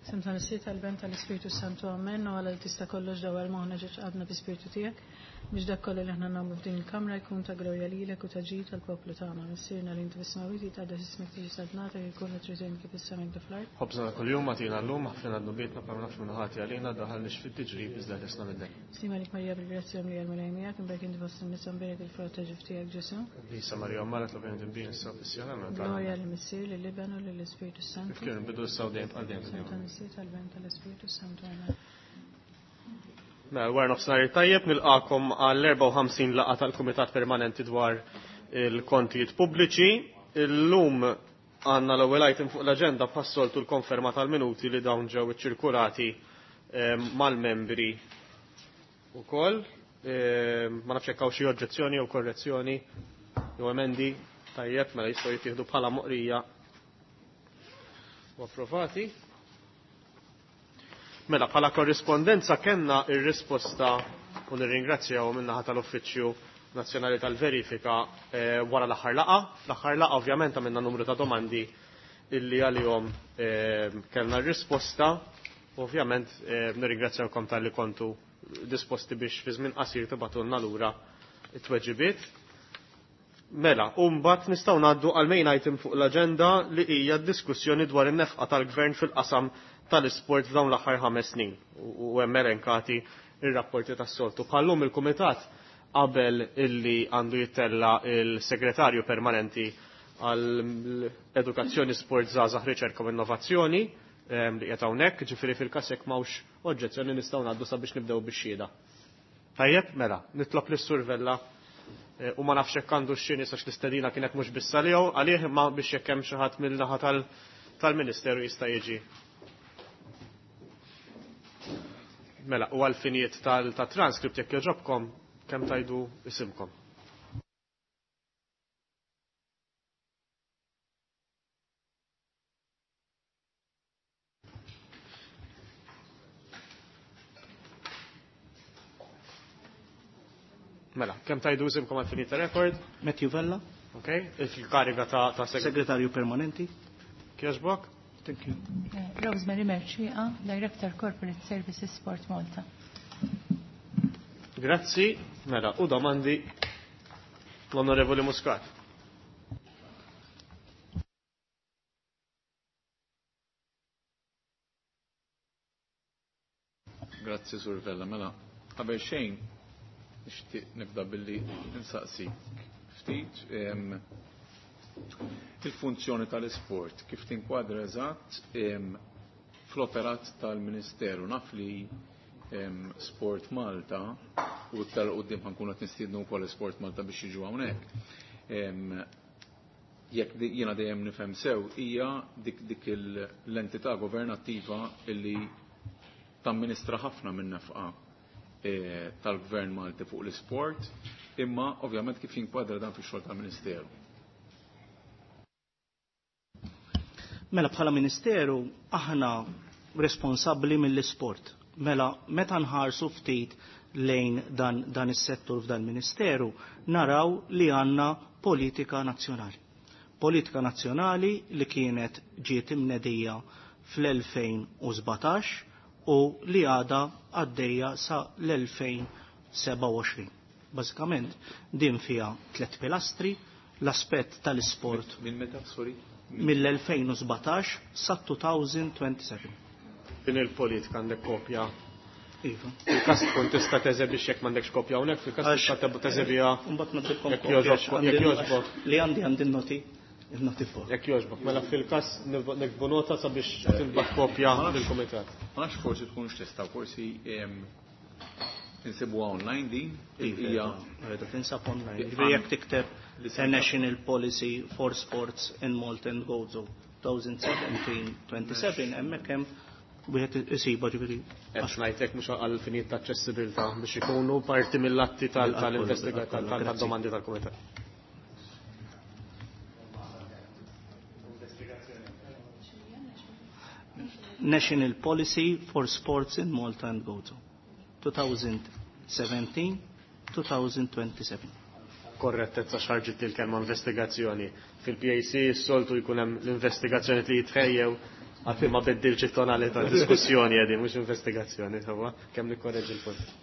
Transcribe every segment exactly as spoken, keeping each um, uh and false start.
F'isem tal-Missier tal-Ben tal-Ispirtu Santu Amen u għala li tista' kollox dawar moħħna ġeġ għadna bi-Spirtu tiegħek biex dak kollu li aħna nagħmlu f'din il-kamra jkun ta' glorja lilek u ta' ġid tal-poplu tagħna. Missierna li inti fis-smawwiet jitqaddes ismek tiġi saltnatek jkun trid kif is-sema kif fl-art. Ħobżna kuljum agħtina llum aħfrilna dnubietna bħalma naħfru lil ħati għalina daħalniex fit-tiġrib iżda ħlisna mid-dnub. Sliem għalik Marija bil-grazzja mlija l-Mulej miegħek, imbierek inti fost in-nisa mbierek il-frott ta' ġuf tiegħek Ġesù. Qaddisa Marija Omm Alla itlob għalina midinbin issa u fis-siegħa tal-mewt tagħna. Glorja lill-Missier, lill-Iben u lill-Ispirtu Santu. Kif kien bidu issa u dejjem għal dejjem. F'isem tal-Missier tal-Ben tal-Ispirtu Santu. Amen. Mela, wara nofsinhar tajjeb nilqakom għall-erbgħa u ħamsin laqgħa tal-Kumitat Permanenti dwar il-Kontijiet Pubbliċi. Illum għandna l-ewwel item fuq l-aġenda bħas-soltu l-konferma tal-minuti li dawn ġew iċċirkulati mal-membri ukoll. Ma nafx hekk hawn xi oġġezzjoni jew korrezzjoni jew emendi tajjeb mela jistgħu jittieħdu bħala moqrija u approvati. Mela, bħala korrispondenza kellna ir-risposta u nirringrazzjaw min-naħa tal-Uffiċċju Nazzjonali tal-Verifika eh, wara l-aħħar laqgħa. Fl-aħħar laqgħa ovvjament għamilna numru ta' domandi illi għalihom eh, kellna r-risposta. Ovvjament eh, nirringrazzjawkom talli kontu disposti biex fi żmien qasir tibatulna lura it-tweġibiet. Mela, u mbagħad nistgħu ngħaddu għal main item fuq l-aġenda li hija d-diskussjoni dwar in-nefqa tal-Gvern fil-qasam tal-isport f'dawn l-aħħar ħames snin u hemm elenkati ir-rapporti tas-soltu. Bħallum il-Kumitat qabel illi għandu jittella il-Segretarju Permanenti għall-Edukazzjoni, Sport, Żgħażagħ, Riċerka u Innovazzjoni li qiegħed hawnhekk, ġifieri fil-każ jekk m'hawnx oġġezzjoni nistgħu ngħaddu sabiex nibdew bix-xhieda. Tajjeb, mela, nitlob lis-Sur Vella u ma nafx hekk għandu x'xi nies għax l-istedina kienet mhux biss għalih għalih imma biex jekk hemm xi ħadd mill-naħa tal-Ministeru jista' jiġi. Mela, u għal-finijiet tal-transkript jekk jogħġobkom kemm tajdu isimkom. Mela, kemm tajdu isimkom għal-finijiet ta' rekord? Matthew Vella. Ok, il-kariga ta', ta seg Segretarju Permanenti. Kjoġbok? Thank you. Rosemary Mercieca, Director Corporate Services Sport Malta. Grazzi, mela, u domandi l-Onorevoli Muscat. Grazzi, Sur Vella. Mela, qabel xejn, nixtieq nibda billi nsaqsik ftit il-funzjoni tal-isport, kif tinkwadra eżatt fl-operat tal-Ministeru. Naf li Sport Malta u iktar quddiem ħankunu qed nistiednu wkoll Sport Malta biex jiġu hawnhekk. Jekk jiena dejjem nifhem sew hija dik dik l-entità governattiva illi tamministra ħafna minn nefqa tal-Gvern Malti fuq l-isport, imma ovvjament kif jinkwadra dan fix-xogħol tal-Ministeru. Mela bħala Ministeru aħna responsabbli mill-isport. Mela meta nħarsu ftit lejn dan, dan is-settur f'dan ministeru naraw li għandna politika nazzjonali. Politika nazzjonali li kienet ġiet imnedija fl-elfejn u sbatax u li għadha għaddejja sa l-elfejn sebgħa u għoxrin. Bażikament din fiha tliet pilastri, l-aspett tal-isport. Minn meta, sorry? Mill-elfejn u sbatax sa two thousand twenty-seven. Din il-politika għandek kopja? Iva. Fil-każ tkun tista' teżebix jekk m'għandekx kopja hawnhekk, fil-każ tista' teżebiha. Mbagħad nagħtikom Jekk kopja jogħġobok, għax jekk għandi jogħġbok. Li għandi għandi noti, il-noti fuq. Jekk jogħġbok, mela fil-każ nikbu nota sabiex tinbagħat kopja lill-kumitat. Ma nafx forsi tkunx tista', forsi insibuha online din, Iva, hija Rridu tinsab online. Iva. Ġifieri jekk tikteb Li A senta- National Policy for Sports in Malta and Gozo twenty seventeen twenty-seven, hemmhekk hemm wieħed isiba ġifieri. Qed ngħidlek mhux għal finijiet ta' aċċessibilità biex ikunu parti mill-atti tal- Mill-att tal-investiga- kollu, tal- grazzi. tad-domandi tal-kumitat. National Policy for Sports in Malta and Gozo twenty seventeen twenty twenty-seven. Korrettezza xarġit il-kelma investigazzjoni. Fil-P A C s-soltu jkun hemm l-investigazzjoni li jitħejjew Għalfejn ma beddilx it-tonalità diskussjoni qegħdin mhux investigazzjoni, sewwa, kemm nikkorreġi l-punt.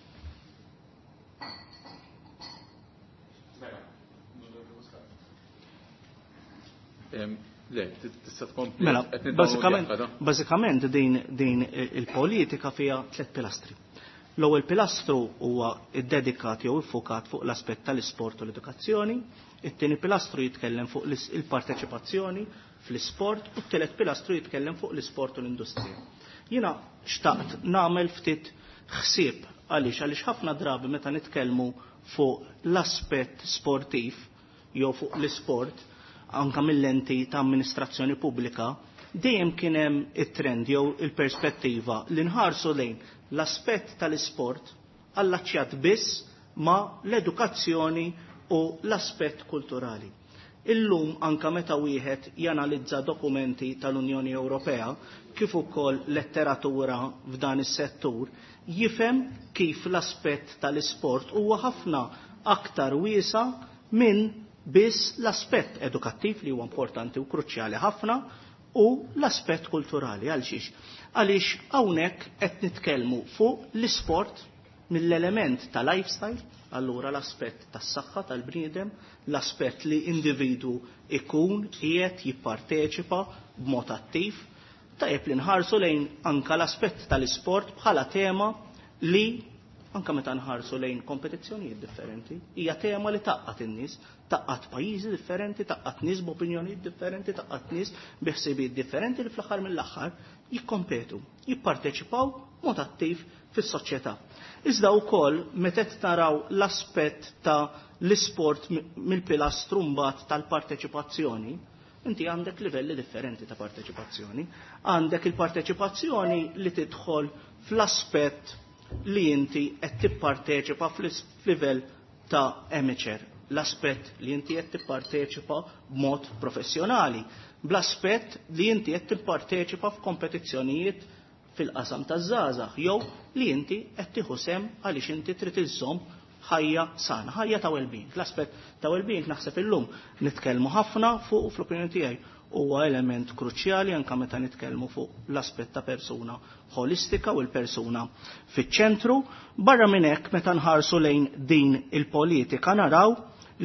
Le, tista' tkompli. Mela, bażikament, bażikament din, din il-politika fiha tliet pilastri. L-ewwel pilastru huwa ddedikat jew iffukat fuq l-aspett tal-isport u l-edukazzjoni, it-tieni pilastru jitkellem fuq il-parteċipazzjoni fl-isport u t-tielet pilastru jitkellem fuq l-isport u l-industrija. Jiena xtaqt nagħmel ftit ħsieb għaliex għaliex ħafna drabi meta nitkellmu fuq l-aspett sportiv jew fuq l-isport anka mill-lenti ta' amministrazzjoni pubblika, dejjem kien hemm it-trend jew il-perspettiva li nħarsu lejn l-aspett tal-isport allaċċjat biss ma' l-edukazzjoni u l-aspett kulturali. Illum anka meta wieħed janalizza dokumenti tal-Unjoni Ewropea kif ukoll letteratura f'dan is-settur, jifhem kif l-aspett tal-isport huwa ħafna aktar wiesa minn biss l-aspett edukattiv li huwa importanti u kruċjali ħafna u l-aspett kulturali. Għalxiex? Għaliex hawnhekk qed nitkellmu fuq l-isport mill-element ta' lifestyle, allura l-aspett tas-saħħa tal-bniedem, l-aspett li individu ikun qiegħed jipparteċipa b'mod attiv, tajjeb li nħarsu lejn anka l-aspett tal-isport bħala tema li anka meta nħarsu lejn kompetizzjonijiet differenti, hija tema li taqqat in-nies, taqqat pajjiżi differenti, taqqat nies b'opinjonijiet differenti, taqqat nies bi ħsibijiet differenti li fl-aħħar mill-aħħar jikkompetu, jipparteċipaw mod attiv fis-soċjetà. Iżda wkoll meta qed naraw l-aspett ta' l-isport mill-pilastru mbagħad tal-parteċipazzjoni, inti għandek livelli differenti ta' parteċipazzjoni. Għandek il-parteċipazzjoni li tidħol fl-aspett li inti qed tipparteċipa fl-livell ta' amateur, l-aspett li inti qed tipparteċipa b'mod professjonali, bl-aspett li inti qed tipparteċipa f'kompetizzjonijiet fil-qasam taż-żgħażagħ jew li inti qed tieħu sehem għaliex inti trid iżżomm ħajja sana, ħajja ta' well-being. L-aspett ta' well-being naħseb illum nitkellmu ħafna fuq fl-opinjoni tiegħi huwa element kruċjali anke meta nitkellmu fuq l-aspett ta' persuna ħolistika u l-persuna fiċ-ċentru. Barra minn hekk meta nħarsu lejn din il-politika naraw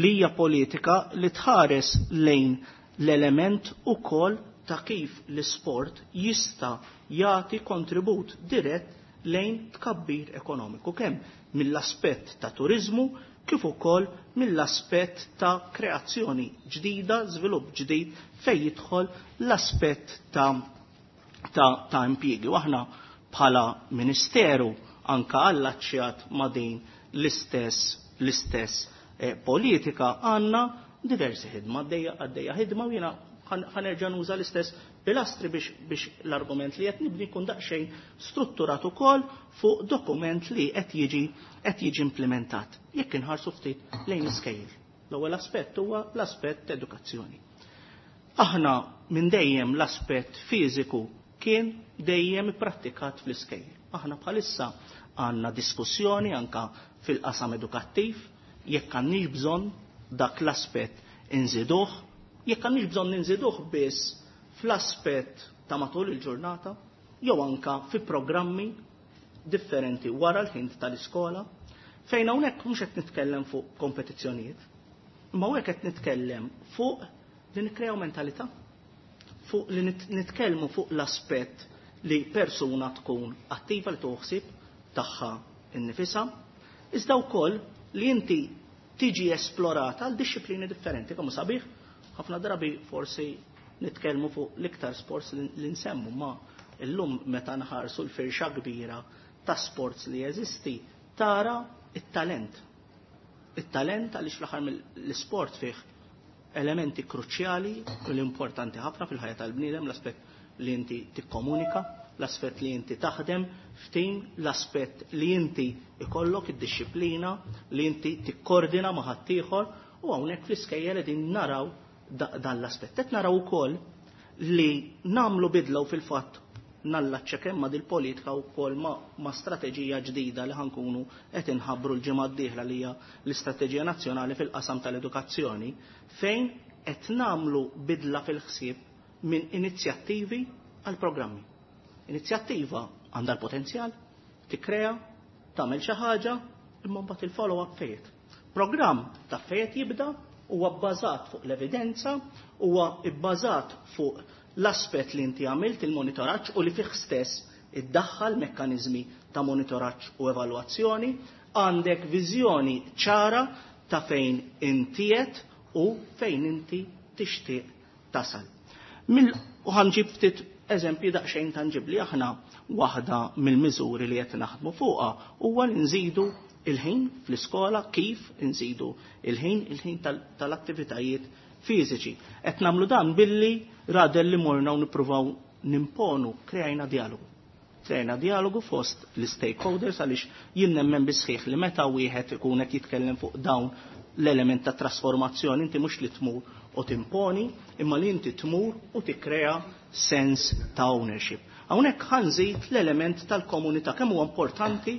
li hija politika li tħares lejn l-element ukoll ta' kif l-isport jista' jagħti kontribut dirett lejn tkabbir ekonomiku, kemm mill-aspett ta' turiżmu kif ukoll mill-aspett ta' kreazzjoni ġdida, żvilupp ġdid fejn jidħol l-aspett ta' ta', ta' impjiegi. U aħna bħala ministeru anka allaċċjat ma' din l-istess l-istess eh, politika għandna diversi ħidma, għaddejja għaddejja ħidma u jiena ħanerġa' nuża l-istess pilastri biex, biex l-argument li qed nibni jkun daqsxejn strutturat ukoll fuq dokument li qed jiġi qed jiġi implementat. Jekk inħarsu ftit lejn iskejjel. L-ewwel aspett huwa l-aspett edukazzjoni. Aħna minn dejjem l-aspett fiżiku kien dejjem ipprattikat fl-iskejjel. Aħna bħalissa għandna diskussjoni anka fil-qasam edukattiv jekk għandniex bżonn dak l-aspett inżiduh, jekk għandniex bżonn inżiduh biss fl-aspett ta' matul il-ġurnata, jew anka fi programmi differenti wara l-ħin tal-iskola, fejn hawnhekk mhux qed nitkellem fuq kompetizzjonijiet, imma hawnhekk qed nitkellem fuq li nikkrew mentalità, fuq li nitkellmu fuq l-aspett li persuna tkun attiva li toħsib tagħha innifisha, iżda wkoll li inti tiġi esplorata għal disċiplini differenti, kemm sabiħ, ħafna drabi forsi nitkellmu fuq l-iktar sports li nsemmu, ma illum meta nħarsu l-firxa kbira ta' sports li jeżisti, tara it-talent. It-talent għaliex fl-aħħar mill-sport fih elementi kruċjali u l-importanti ħafna fil-ħajja tal-bniedem, l-aspett li inti tikkomunika, l-aspett li inti taħdem f'tim, l-aspett li inti ikollok id-disciplina, li inti tikkordina ma' ħaddieħor, u hawnhekk fl-iskejjel qegħdin naraw dan l-aspett. Qed naraw ukoll li nagħmlu bidla u fil-fatt nallaċċa kemm ma' dil-politika wkoll ma', ma' strateġija ġdida li ħankunu qed inħabbru l-ġimgħa d-dieħla li hija l-Istrateġija Nazzjonali fil-qasam tal-edukazzjoni, fejn qed nagħmlu bidla fil-ħsieb minn inizjattivi għal programmi. Inizjattiva għandha l-potenzjal, tikkrea, tagħmel xi ħaġa, imma mbagħad il-follow-up fejn. Programm ta' fejn jibda huwa bbażat fuq l-evidenza, huwa bbażat fuq l-aspett li inti għamilt il-monitoraġġ u li fih stess iddaħħal mekkaniżmi ta' monitoraġġ u evalwazzjoni, għandek viżjoni ċara ta' fejn intiet u fejn inti tixtieq tasal. Mil u ħa nġib ftit eżempji daqsxejn tanġibli. Aħna waħda mill-miżuri li qed naħdmu fuqha huwa li nżidu il-ħin fl-iskola, kif nżidu il-ħin il-ħin tal-attivitajiet fiżiċi. Qed nagħmlu dan billi rather li morna u nippruvaw nimponu, kreajna dialogu. Kreajna dialogu fost l-stakeholders, għaliex jien nemmen bis-sħiħ li meta wieħed ikun qed jitkellem fuq dawn l-element ta' trasformazzjoni, inti mhux li tmur u timponi, imma li inti tmur u tikkrea sens ta' ownership. Hawnhekk ħa nżid l-element tal-komunità, kemm huwa importanti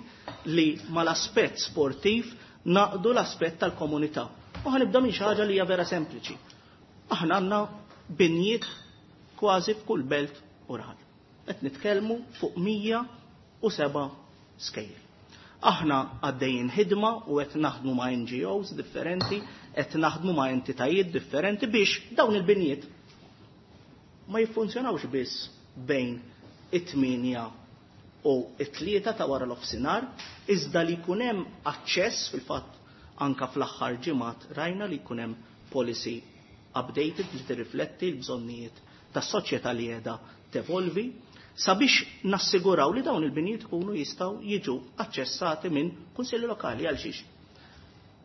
li mal-aspett sportiv naqdu l-aspett tal-komunità. U ħa nibda minn xi ħaġa li hija vera sempliċi. Aħna għandna binjiet kważi f'kull belt u raħal. Qed nitkellmu fuq mija u seba' skejjel. Aħna għaddejjin ħidma u qed naħdmu ma' N G Os differenti, qed naħdmu ma' entitajiet differenti biex dawn il-binjiet ma jiffunzjonawx biss bejn it-tmienja u it-tlieta ta' wara l-offsinar, iżda li jkun hemm aċċess. Fil-fatt anka fl-aħħar ġimgħat rajna li jkun hemm policy updated li tirrifletti l-bżonnijiet tas-soċjetà li qiegħda tevolvi, sabiex nassiguraw li dawn il-binjiet ikunu jistgħu jiġu aċċessati minn kunsilli lokali. Għal xiex?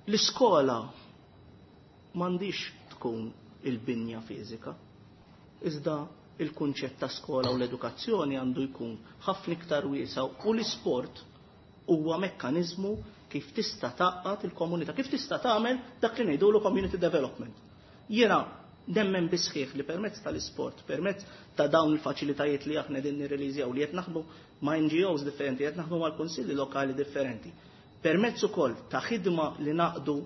L-iskola m'għandix tkun il-binja fiżika, iżda il-kunċett ta' skola u l-edukazzjoni għandu jkun ħafna iktar wiesa' u l-isport huwa mekkaniżmu kif tista' tgħaqqad il-komunità, kif tista' tagħmel dak li ngħidulu community development. Jiena nemmen bis-sħiħ li permezz tal-isport, permezz ta' dawn il-faċilitajiet li aħna din nirreleasjaw, li qed naħdmu ma' N G Os differenti, qed naħdmu mal-kunsilli lokali differenti. Permezz ukoll ta' ħidma li naqdu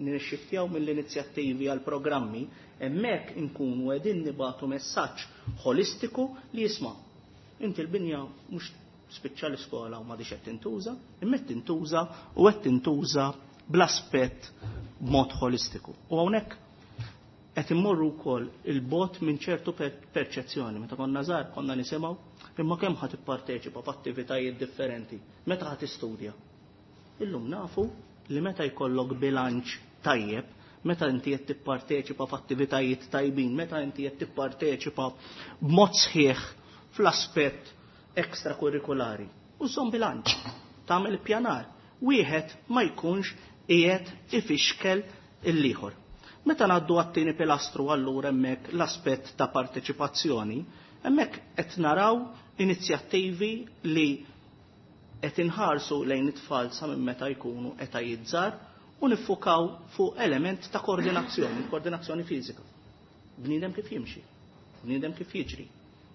nixxiftjaw mill-inizjattivi għal programmi, hemmhekk inkunu qegħdin nibatu messaġġ holistiku li jisma'. Inti l-binja mhux spiċċa l-iskola u m'għadix qed tintuża, imma qed tintuża u qed tintuża bl-aspett b'mod holistiku. U hawnhekk qed immorru wkoll il-bogħod minn ċertu perċezzjoni. Meta konna żgħar konna nisimgħu, imma kemm ħa tipparteċipa f'attivitajiet differenti, meta ħa tistudja? Illum nafu li meta jkollok bilanċ tajjeb, meta inti qed tipparteċipa f'attivitajiet tajbin, meta inti qed tipparteċipa b'mod sħiħ fl-aspett ekstrakurrikulari. U żomm bilanċ, tagħmel ippjanar. Wieħed ma jkunx qiegħed ifixkel il-ieħor. Meta ngħaddu għat-tieni pilastru, allura hemmhekk l-aspett ta' parteċipazzjoni, hemmhekk qed naraw inizjattivi li qed inħarsu lejn it-tfal sa minn meta jkunu etajiet żgħar u niffukaw fuq element ta' koordinazzjoni, koordinazzjoni fiżika. Bniedem kif jimxi, bniedem kif jiġri.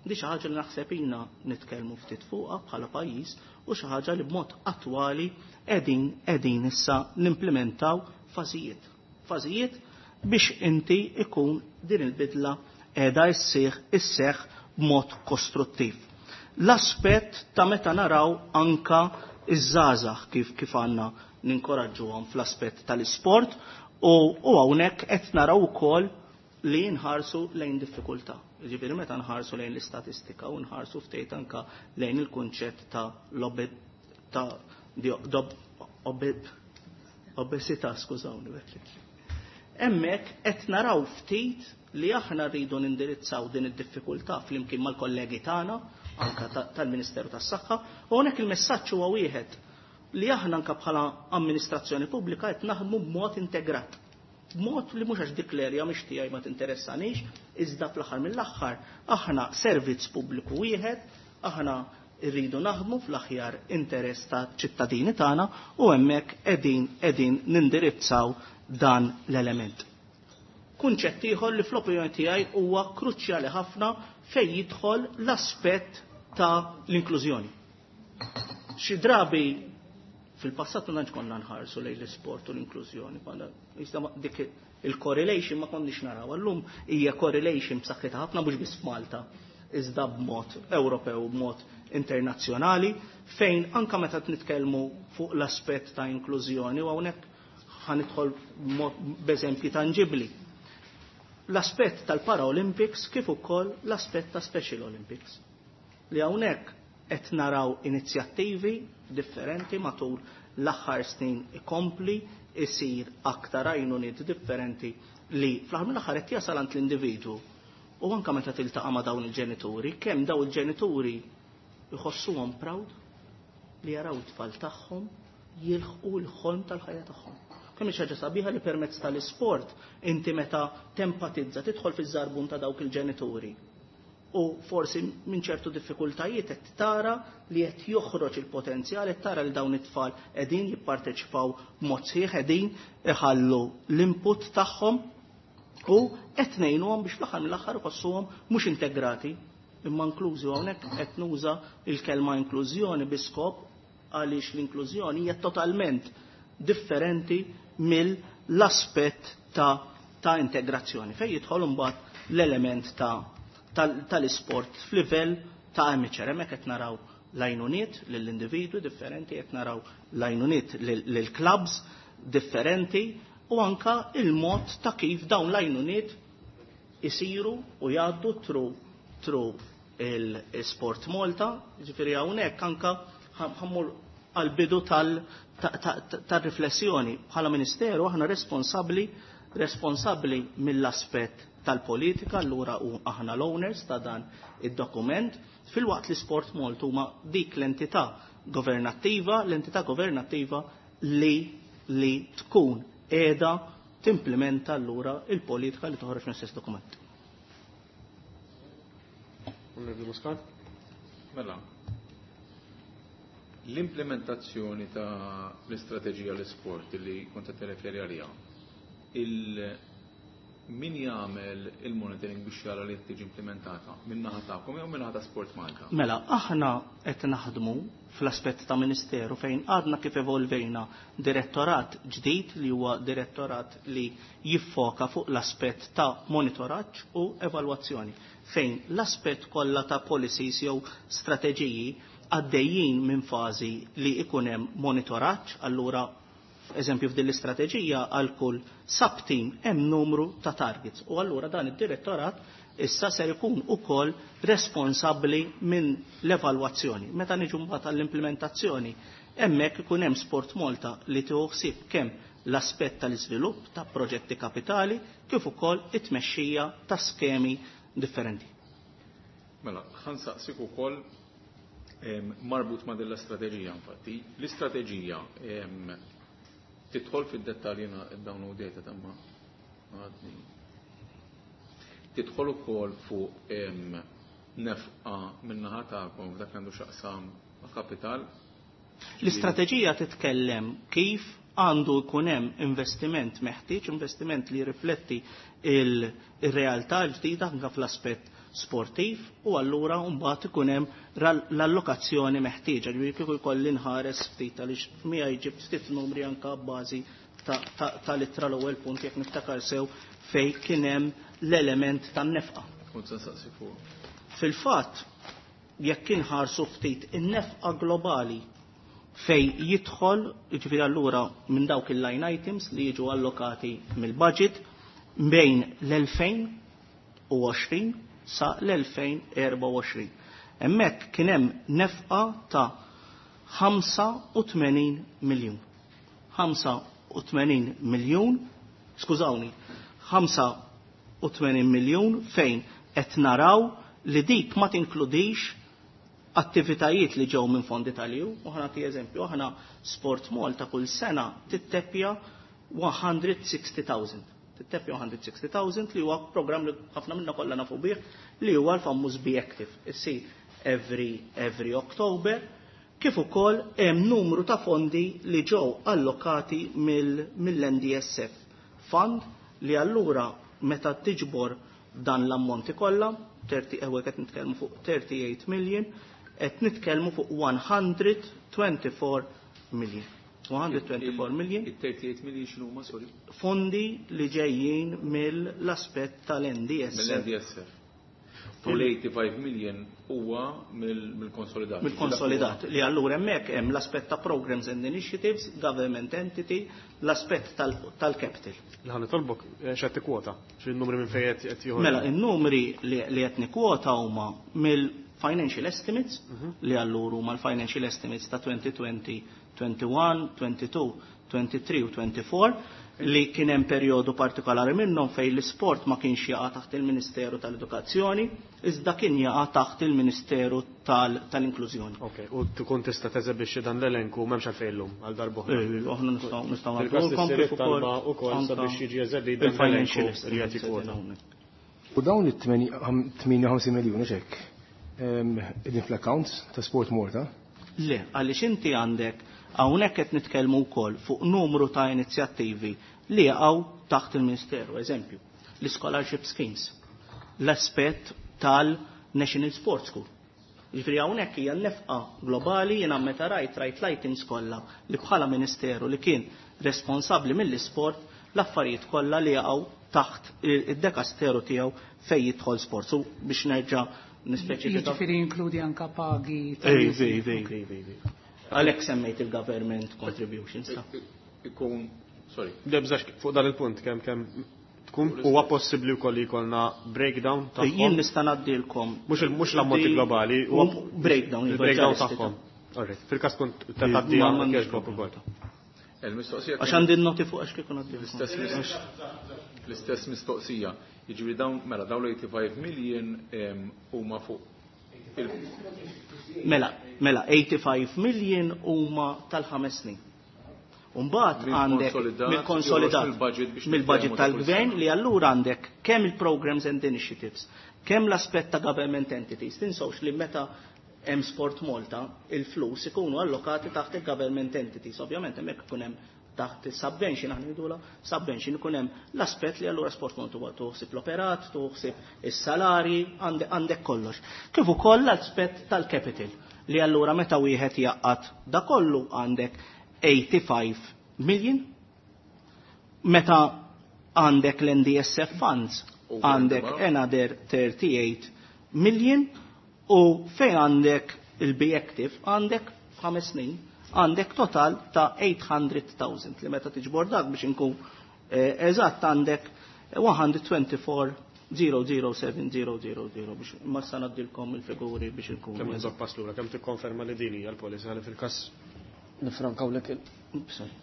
Di xi ħaġa li naħseb ilna nitkellmu ftit fuqha bħala pajjiż u xi ħaġa li b'mod attwali qegħdin qegħdin issa nimplementaw fażijiet. Fażijiet biex inti ikun din il-bidla qiegħda issieħ isseħ b'mod kostruttiv. L-aspett ta' meta naraw anka iż-żgħażagħ, kif kif għandna ninkoraġġuhom fl-aspett tal-isport, u, u hawnhekk qed naraw ukoll li nħarsu lejn diffikultà. Ġifieri meta nħarsu lejn l-istatistika u nħarsu ftit anka lejn il-kunċett ta' l ta' obesità, skużawni. Hemmhekk qed naraw ftit li aħna rridu nindirizzaw din id-diffikultà flimkien mal-kollegi tagħna anka tal-Ministeru tas-Saħħa, u hawnhekk il-messaġġ huwa wieħed li aħna anka bħala amministrazzjoni pubblika qed naħdmu b'mod integrat. B'mod li mhux għax dik l-erja mhix tiegħi ma tinteressanix, iżda fl-aħħar mill-aħħar aħna servizz pubbliku wieħed, aħna rridu naħdmu fl-aħjar interess ta' ċittadini tagħna u hemmhekk qegħdin qegħdin nindirizzaw dan l-element. Kunċett ieħor li fl-opinjoni tiegħi huwa kruċjali ħafna fejn jidħol l-aspett ta' l-inklużjoni. Xi drabi fil-passat ma konna nħarsu lejn l-isport u l-inklużjoni, dik il-correlation ma konniex naraw. Allum hija correlation b'saħħitha ħafna, mhux biss f'Malta, iżda b'mod Ewropew, b'mod internazzjonali, fejn anka meta nitkellmu fuq l-aspett ta' inklużjoni u hawnhekk ħanidħol b'eżempji tanġibbli. L-aspett tal-Paralympics kif ukoll l-aspett ta' Special Olympics. Li hawnhekk qed naraw inizjattivi differenti matul l-aħħar snin ikompli isir aktar għajnuniet differenti li fl-aħħar mill-aħħar qed jasal għand l-individwu. U anke meta tiltaqa' ma' dawn il-ġenituri, kemm dawn il-ġenituri jħossuhom proud li jaraw it-tfal tagħhom jilħqu l-ħolm tal-ħajja tagħhom. Kemm hi ħaġa sabiħa li permezz tal-isport inti meta tempatizza tidħol fiż-żarbun ta' dawk il-ġenituri. U forsi minn ċertu diffikultajiet qed tara li qed joħroġ il-potenzjal, qed tara li dawn it-tfal qegħdin jipparteċipaw b'mod sħiħ, qegħdin iħallu l-input tagħhom u qed ngħinuhom biex fl-aħħar mill-aħħar iħossuhom mhux integrati imma inklużi. Hawnhekk qed nuża il-kelma inklużjoni bi skop għaliex l-inklużjoni hija totalment differenti mill-aspett ta' ta' integrazzjoni fejn jidħol imbagħad l-element ta' tal-isport f'livell ta' amateur. Hemmhekk qed naraw l-għajnuniet lill-individwi differenti, qed naraw l-għajnuniet lill-clubs differenti u anka il-mod ta' kif dawn l-għajnuniet isiru u jgħaddu tru tru il-Sport Malta, ġifieri hawnhekk anka ħammur għal-bidu tal-riflessjoni. Bħala Ministeru aħna responsabbli responsabbli mill-aspett tal-politika, allura u aħna l-owners ta' dan id-dokument, filwaqt li Sport Malta huma dik l-entità governattiva, l-entità governattiva li li tkun qiegħda timplementa allura il-politika li toħroġ mill-istess dokument. Onorevoli Muscat? Mela, l-implementazzjoni ta' l-istrateġija l-sport li kont qed tirreferi għaliha, il min jagħmel il-monitoring biex jara li tiġi implementata min-naħa tagħkom jew min-naħa ta' Sport Malta? Mela, aħna qed naħdmu fl-aspett ta' Ministeru fejn għadna kif evolvejna direttorat ġdid li huwa direttorat li jiffoka fuq l-aspett ta' monitoraġġ u evalwazzjoni, fejn l-aspett kollha ta' policies jew strateġiji għaddejjin minn fażi li ikun hemm monitoraġġ, allura eżempju f'din l-istrateġija għal kull sub-team hemm numru ta' targets u allura dan id-direttorat issa ser ikun ukoll responsabbli minn l-evalwazzjoni. Meta niġu mbagħad għall-implementazzjoni, hemmhekk ikun hemm Sport Malta li tieħu ħsieb kemm l-aspett tal-iżvilupp ta' proġetti kapitali kif ukoll it-tmexxija ta' skemi differenti. Mela, ħa nsaqsik ukoll marbut ma' din l-istrateġija infatti. L-istrateġija tidħol fid-dettalji, jiena downloadejta tamma għadni. Tidħol ukoll fuq nefqa min-naħa tagħkom f'dak li għandu x'aqsam ma' kapital. L-istrateġija titkellem kif għandu jkun hemm investiment meħtieġ, investiment li jirrifletti il-realtà l-ġdida anke fl-aspett sportiv u allura mbagħad ikun hemm l-allokazzjoni meħtieġa. Ġifieri kieku jkolli nħares ftit għaliex miegħi ġibt ftit numri anke bbażi tal-ittra l-ewwel punt jekk niftakar sew fejn kien hemm l-element tan-nefqa. Kont se nsaqsi fuq. Fil-fatt, jekk inħarsu ftit in-nefqa globali fej jidħol, ġifieri allura minn dawk il-line items li jiġu allokati mill-budget bejn l-elfejn u għoxrin sa l-elfejn erba' u għoxrin. Hemmhekk kien hemm nefqa ta' ħamsa u tmenin miljun. ħamsa u tmenin miljun, skużawni, ħamsa u tmenin miljun fejn qed naraw li dik ma tinkludix attivitajiet li ġew minn fondi tal-E U. U ħa nagħti eżempju, aħna Sport Malta kull sena tittepja one hundred sixty thousand. Tittepja one hundred sixty thousand li huwa programm li ħafna minna kollha nafu bih li huwa l-famuż Be Active. Issir every, every October, kif ukoll hemm numru ta' fondi li ġew allokati mill-, mill-N D S F Fund li allura meta tiġbor dan l-ammonti kollha, thirty, ewwel qed nitkellmu fuq thirty-eight million, qed nitkellmu fuq one hundred twenty-four million. one hundred twenty-four million. Il-thirty-eight million x'inhu huma, sorry? Fondi li ġejjin mill-aspett tal-N D S F. Mill-N D S F. U l-eighty-five million huwa mill-konsolidat. Mill-konsolidat, li allura hemmhekk hemm l-aspett ta' programs and initiatives, government entity, l-aspett tal-capital. Li ħa nitolbok x'qed tikkwota, xi n-numri minn fejn qed joħorġu. Mela, in-numri li qed nikkwota huma mill-financial estimates, li allura huma l-financial estimates ta' twenty twenty, twenty-one, twenty-two, twenty-three u twenty-four, li kien hemm perjodu partikolari minnhom fejn l-isport ma kienx jaqa' taħt il-Ministeru tal-Edukazzjoni, iżda kien jaqa' taħt il-Ministeru tal-Inklużjoni. Ok, u tkun tista' teżebixxi dan l-elenku m'hemmx għalfejn illum għal darb'oħra. Eh, aħna nistgħu nistgħu Fil-każ nagħmlu issir kif ukoll it-talba ukoll anka sabiex jiġi eżebit dan il-financial l-elenku li qed estimates jikkwota. hawnhekk. U dawn it-tmienja u ħamsin miljun hux hekk? Ehm, qegħdin fl-accounts ta' Sport Malta? Le, għaliex inti għandek hawnhekk qed nitkellmu wkoll fuq numru ta' inizjattivi li jaqgħu taħt il-Ministeru, eżempju, l-scholarship schemes, l-aspett tal-National Sports School. Jiġifieri hawnhekk hija nefqa globali, jiena meta rajt rajt l-items kollha li bħala Ministeru li kien responsabbli mill-isport, l-affarijiet kollha li jaqgħu taħt id-dekasteru tiegħu fejn jidħol sport. So biex nerġa' nispeċifika. Jiġifieri jinkludi anka pagi Ej, tal-nies. ej, ej, ej, ej, ej. Għalhekk semmejt il-government contributions. Ikun, sorry. Debżax fuq dan il-punt kemm kemm tkun huwa possibbli wkoll li jkollna breakdown tagħhom. Jien nista' ngħaddilkom. Mhux il-, mhux l-ammonti globali, huwa breakdown, il-breakdown il-budget tagħhom. Alright, fil-każ tkun tgħaddi Ma għal m'għandix cash book problema. ukoll. Il-mistoqsija Għax għandi n-noti fuq għax kieku ngħaddilkom. L-istess mis-, l-istess mistoqsija. Jiġifieri dawn, mela, dawn l-eighty-five million, em, huma fuq il- Mela, mela, eighty-five million huma tal-ħames snin. Umbagħad Mill għandek konsolidat, mill-konsolidat, joħroġ mill-budget biex mill-budget nitkellmu ta' kull tal-gvern sena. li allura għandek kemm il-programs and initiatives, kemm l-aspett ta' government entities. Tinsewx li meta hemm Sport Malta, il-flus ikunu allokati taħt il-government entities. Ovvjament hemmhekk ikun hemm taħt il-subvention, aħna ngħidulha subvention, ikun hemm l-aspett li allura Sport Malta huwa tuħsib l-operat, tuħsib is-salari, għande-, għandek kollox. Kif ukoll l-aspett tal-capital li allura meta wieħed jaqgħad da kollu għandek eighty-five million. Meta għandek l-N D S F funds U għandek għandek another thirty-eight million, u fejn għandek il-Be Active għandek f'ħames snin għandek total ta' eight hundred thousand li meta tiġbor dak biex inkun, eh, eżatt għandek one hundred twenty-four zero zero seven zero zero zero biex ma sa ngħaddilkom il-figuri biex inkun Kemm eżatt. nżomm pass lura, kemm tikkonferma li din hija l-policy għal fil-każ nifrankawlek il- Oops, sorry.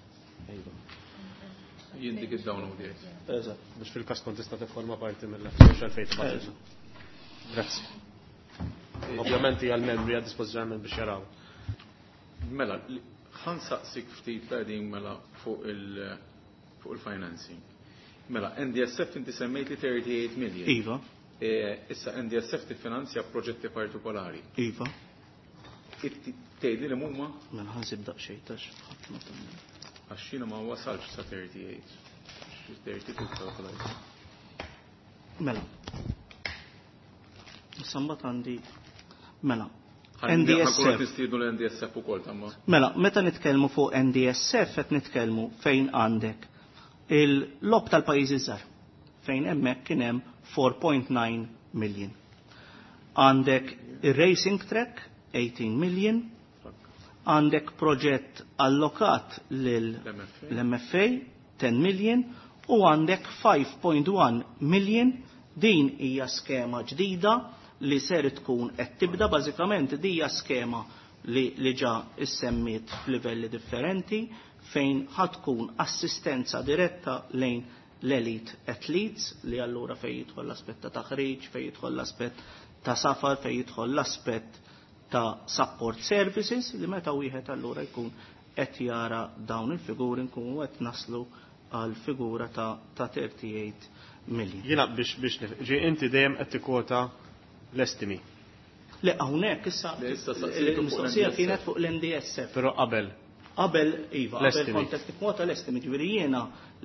Jien dik id-download jgħid. Eżatt. Biex fil-każ kont tista' tifforma parti mill-uffiċċju għalfejn tibgħat. Eżatt. Grazzi. Ovvjament hija l-membri għad dispożizzjoni biex jaraw. Mela, ħansaqsik ftit qegħdin mela fuq il-, fuq il-financing. Mela, N D S F inti semmejt li thirty-eight million. Iva. E, issa N D S F tiffinanzja proġetti partikolari. Iva. Tgħidli li huma? Mela ħansib daqsxejn tax ħadd ma tagħmel. Għax jiena ma wasalx sa thirty-eight. Xi thirty-two kalkulajt. Mela. Issa mbagħad għandi mela. Ħan- N D S F. ħankunu qed nistiednu l-N D S F ukoll tamma. Mela, meta nitkellmu fuq N D S F qed nitkellmu fejn għandek il-lob tal-pajjiżi żgħar fejn hemmhekk kien hemm four point nine million. Għandek ir-racing track eighteen million, għandek proġett allokat lil L-M F A. l-M F A ten million u għandek five point one million. Din hija skema ġdida li ser tkun qed tibda, bażikament din hija skema li, li ġa issemmiet f'livelli differenti fejn ħad tkun assistenza diretta lejn l-elite athletes li allura fejn jidħol l-aspett ta' taħriġ, fejn jidħol l-aspett ta' safar, fejn jidħol l-aspett ta' support services li meta wieħed allura jkun qed jara dawn il-figuri nkunu qed naslu għal figura ta', ta' thirty-eight million. Jiena biex, biex nif-, ġi inti dejjem qed tikkwota l-estimi. Le, hawnhekk issa Le, issa saqsejtu fuq l-mistoqsija l-N D S F. kienet fuq l-N D S F. Però qabel. Qabel, iva, qabel L-estimi. kont qed tikkwota l-estimi, ġifieri jiena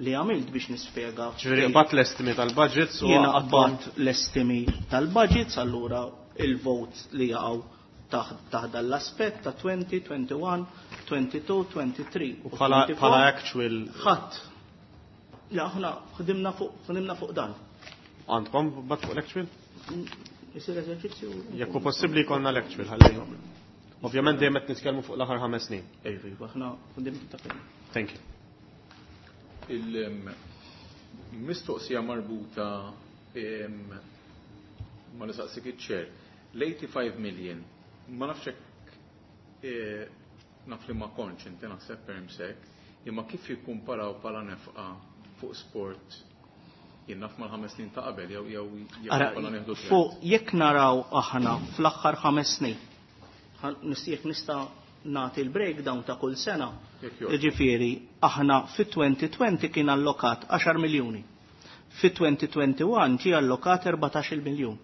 li għamilt biex nispjega. Ġifieri qbatt l-estimi tal-budgets u Jiena għaddhom qbatt l-estimi tal-budgets, allura il-votes li jaqgħu taħt, taħt dan l-aspett ta' twenty, twenty-one, twenty-two, twenty-three U bħala, twenty-four. bħala actual Ħadd. Le, aħna ħdimna fuq, ħdimna fuq dan. Għandkom bat fuq l-actual? Isir eżerċizzju. Jekk hu possibbli jkollna l-actual ħalli. Ovvjament dejjem qed nitkellmu fuq l-aħħar ħames snin. Iva, aħna ta' fejn. Thank you. Il-mistoqsija marbuta ma nistaqsik iċ-chair. L-eighty-five million, ma nafx hekk naf li ma kontx inti naħseb permsek, imma kif jikkumparaw bħala nefqa fuq sport jien naf mal-ħames snin ta' qabel jew jew jew nieħdu fuq jekk naraw aħna fl-aħħar ħames snin. Jekk nista' nagħti l-breakdown ta' kull sena. Jiġifieri aħna fit-twenty twenty kien allokat għaxar miljuni. Fit-twenty twenty-one ġie allokat erbatax-il miljun.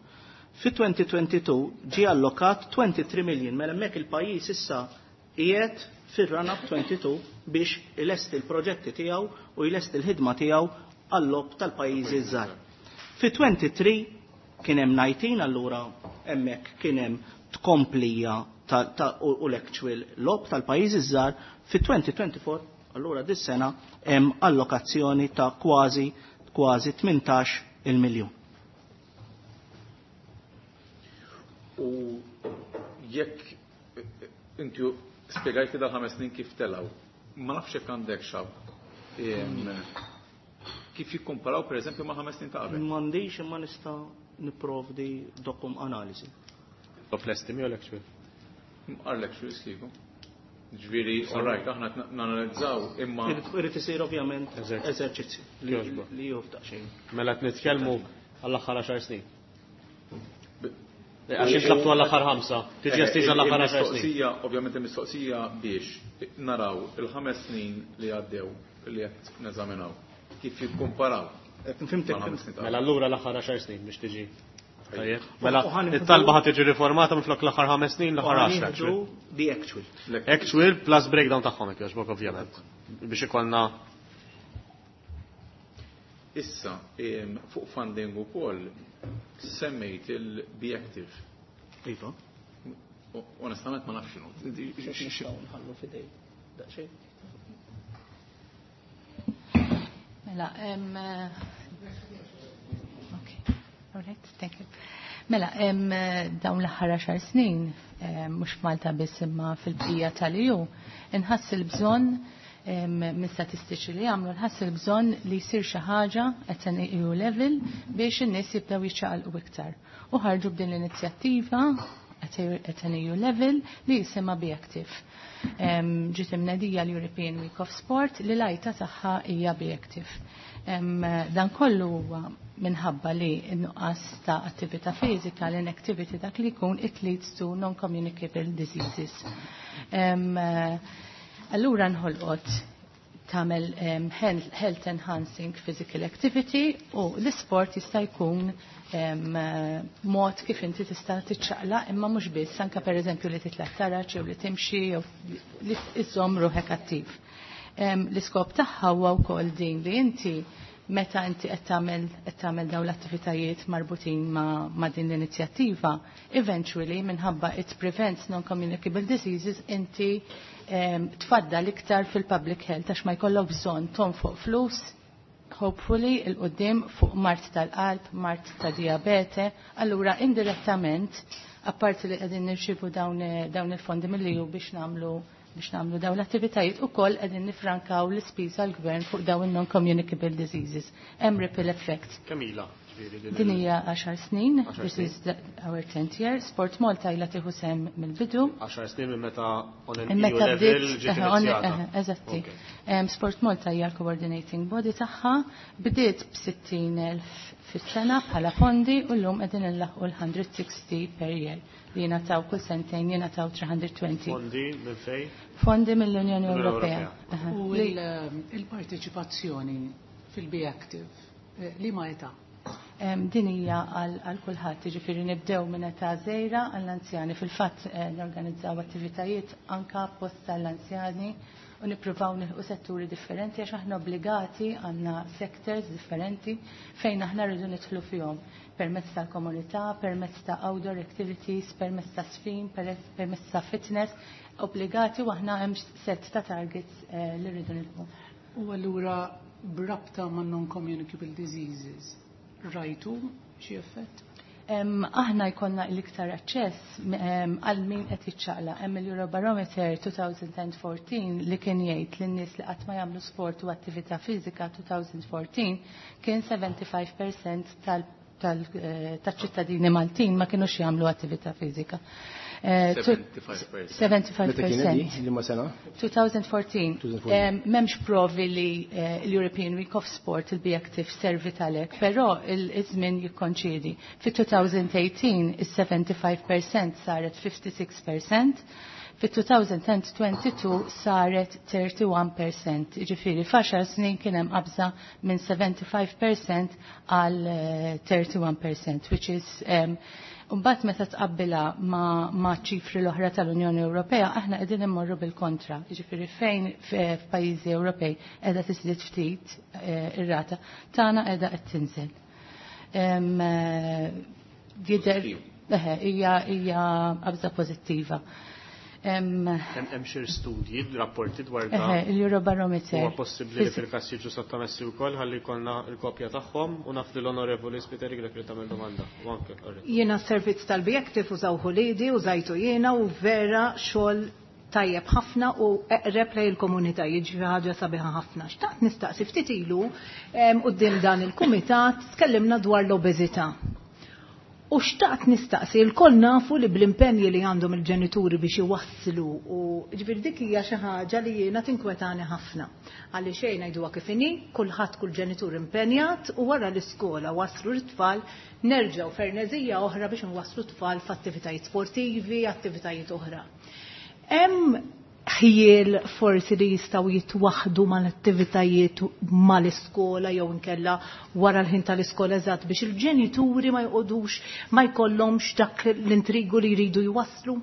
Fit-twenty twenty-two ġie allokat twenty-three million. Mela hemmhekk il-pajjiż issa qiegħed fir-run-up twenty-two biex ilesti l-proġetti tiegħu u jlesti l-ħidma tiegħu għall-logħob tal-pajjiżi żgħar. Fit-twenty-three kien hemm nineteen, allura hemmhekk kien hemm tkomplija ta', ta' u l-actual logħob tal-pajjiżi żgħar. Fit-twenty twenty-four, allura dis-sena hemm allokazzjoni ta' kważi, kważi tmintax il-miljun. U jekk inti spjegajt li dal-ħames snin kif telgħu, ma nafx jekk għandek xab kif jikkumparaw per eżempju ma' ħames snin ta' qabel? M'għandix imma nista' nipprovdi dokum analiżi. Top l-estimi u l-actual? Mqar l-actual iskiku. Ġifieri, all right, aħna nanalizzaw imma Irid isir ovvjament Eżerċizzju. eżerċizzju li Jogħġbu. li jofdaq xejn. Mela qed nitkellmu għall-aħħar għaxar snin. Għax intlabtu għall-aħħar ħamsa, tiġi estiża l-aħħar għaxar snin. Il-mistoqsija, ovvjament il-mistoqsija biex naraw il-ħames snin li għaddew li qed neżaminaw kif jikkumparaw. Fimtek, Mal-ħames fimtek. snin ta' Mela allura l-aħħar għaxar snin biex tiġi. Tajjeb. Mela U ħan it-talba ħad tiġi riformata minflok l-aħħar ħames snin, l-aħħar U ħan għaxar. nieħdu the actual. Actual plus breakdown tagħhom hekk jogħġbok ovvjament. Biex ikollna Issa, em, fuq funding ukoll semmejt il-Be Active. Iva. U-, Onestament ma nafx x'inhu. Nħallu fidej. Daqsxejn. Mela, em, okay. All right, thank you. Mela, em, dawn l-aħħar għaxar snin, em, mhux f'Malta biss imma fil-bqija tal-E U, inħass il-bżonn, em, minn statistiċi li għamlu, nħass il-bżonn li jsir xi ħaġa at an E U level biex in-nies jibdew jiċċaqalqu iktar. U ħarġu b'din l-inizjattiva at an E U level li jisimha Be Active. Em, ġiet imnedija l-European Week of Sport li l-għajta tagħha hija Be Active. Em, dan kollu huwa minħabba li n-nuqqas ta' attività fiżika, l-inactivity dak li jkun, it leads to non-communicable diseases. Em, allura nħolqot tagħmel, em, health, health enhancing physical activity u l-isport jista' jkun, em, mod kif inti tista' tiċċaqlaq, imma mhux biss, anke pereżempju li titla' taraġ jew li timxi jew li iżżomm ruħek attiv. Em, l-iskop tagħha huwa wkoll din li inti meta inti qed tagħmel, qed tagħmel dawn l-attivitajiet marbutin ma', ma' din l-inizjattiva, eventually minħabba it prevents non-communicable diseases inti, em, tfaddal iktar fil-public health għax ma jkollok bżonn tonfoq flus, hopefully il-qudiem fuq mart tal-qalb, mart ta' diabete, allura indirettament, apparti li qegħdin nirċievu dawn, dawn il-fondi mill-E U biex nagħmlu biex nagħmlu dawn l-attivitajiet ukoll qegħdin nifrankaw l-ispiża l-gvern fuq dawn il-non-communicable diseases. Hemm ripple effect. Kemm ilha, ġifieri, din Din il- hija għaxar snin, Għaxar this snin. is the, our tenth year. Sport Malta ilha tieħu sehem mill-bidu. Għaxar snin minn meta on an Minn meta E U level bdiet, ġiet eħe, on- inizjata. eħe, eżatti. Ok. Em, Sport Malta hija l-coordinating body tagħha, bdiet b'sittin elf fis-sena bħala fondi u llum qegħdin inlaħqu l-hundred sixty per year li jingħataw kull sentejn jingħataw three hundred twenty. Fondi minn fejn? Fondi mill-Unjoni Mill-Unjoni Ewropea. Ewropea. Aha. U Li il-, il-parteċipazzjoni fil-Be Active, eh, li ma età? Em, din hija għal, għal kulħadd, jiġifieri nibdew minn età żgħira għall-anzjani. Fil-fatt, eh, norganizzaw attivitajiet anka apposta għall-anzjani u nippruvaw nilħqu setturi differenti għax aħna obbligati għandna sectors differenti fejn aħna rridu nidħlu fihom permezz tal-komunità, permezz ta' outdoor activities, permezz ta' sfin, permezz, permezz ta' fitness, obbligati u aħna hemm set ta' targets, eh, li rridu nilħqu. U allura b'rabta ma' non-communicable diseases, rajtu xi effett? Aħna jkollna l-iktar aċċess għal min qed jiċċaqla. Hemm il-Eurobarometer twenty fourteen li kien jgħid lin nies li qatt ma jagħmlu sport u attività fiżika twenty fourteen kien sebgħa u ħamsin fil-mija tal tal-ċittadini Maltin ma kienux jagħmlu attività fiżika. sebgħa u ħamsin fil-mija. sebgħa u ħamsin fil-mija. Liema sena? twenty fourteen. M'hemmx provi li eh, l-European Week of Sport, il-Be Active, servi għalhekk, però il-żmien jikkonċidi. Fi twenty eighteen is-sebgħa u ħamsin fil-mija saret ħamsa u sittin fil-mija, fi twenty twenty-two saret wieħed u tletin fil-mija. Ġifieri f'għaxar snin kien hemm qabża minn sebgħa u ħamsin fil-mija għal wieħed u tletin fil-mija, which is um, Mbagħad meta tqabbilha ma, ma ċifri l-oħra tal-Unjoni Ewropea, aħna qegħdin immorru bil-kontra. Jiġifieri fejn f'pajjiżi Ewropej qiegħda tiżdied ftit eh, ir-rata, tagħna qiegħda qed tinżel. Jidher hija hija qabża pożittiva. Hemm xi studji, rapporti dwar dan? Il-Eurobarometer. Huwa possibbli li fil-każ jiġu sottomessi wkoll ħalli jkollna l-kopja tagħhom, u naf li l-Onorevoli Spiteri Grech li tagħmel domanda. U anke Jiena s-servizz tal-Be Active użawh uliedi, użajtu jiena u vera xogħol tajjeb ħafna u eqreb lejn il-komunità, jiġri ħaġa sabiħa ħafna. Xtaqt nistaqsi, ftit ilu quddiem dan il-kumitat tkellimna dwar l-obeżità. U xtaqt nistaqsi, il-koll nafu li bl-impenji li għandhom il-ġenituri biex iwasslu u ġifieri dik hija xi ħaġa li jiena tinkwetani ħafna. Għalli xejn ngħiduha kif inhi, kulħadd, kull ġenitur impenjat u wara l-iskola waslu l-tfal, nerġgħu fernezija oħra biex nwasslu t-tfal f'attivitajiet sportivi, attivitajiet oħra. Hemm ħjiel forsi li jistgħu jitwaħdu mal-attivitajiet mal-iskola jew inkella wara l-ħin tal-iskola eżatt biex il-ġenituri ma jqogħdux, ma jkollhomx dak l-intrigu li jridu jwasslu?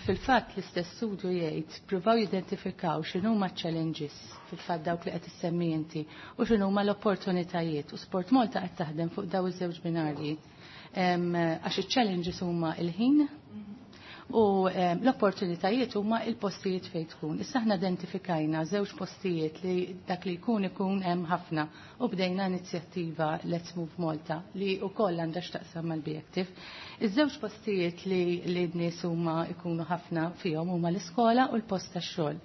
Fil-fatt l-istess studju jgħid pruvaw jidentifikaw x'inhuma challenges, fil-fatt dawk li qed issemmi inti, u x'inhuma l-opportunitajiet, u Sport Malta qed taħdem fuq daw iż-żewġ binarji. Għax iċ-challenges huma il-ħin u l-opportunitajiet huma il-postijiet fejn tkun. Issa aħna identifikajna żewġ postijiet li dak li jkun ikun hemm ħafna u bdejna inizjattiva Let's Move Malta li wkoll għandha x'taqsam mal-Be Active. Iż-żewġ postijiet li li n-nies huma ikunu ħafna fihom huma l-iskola u l-post tax-xogħol.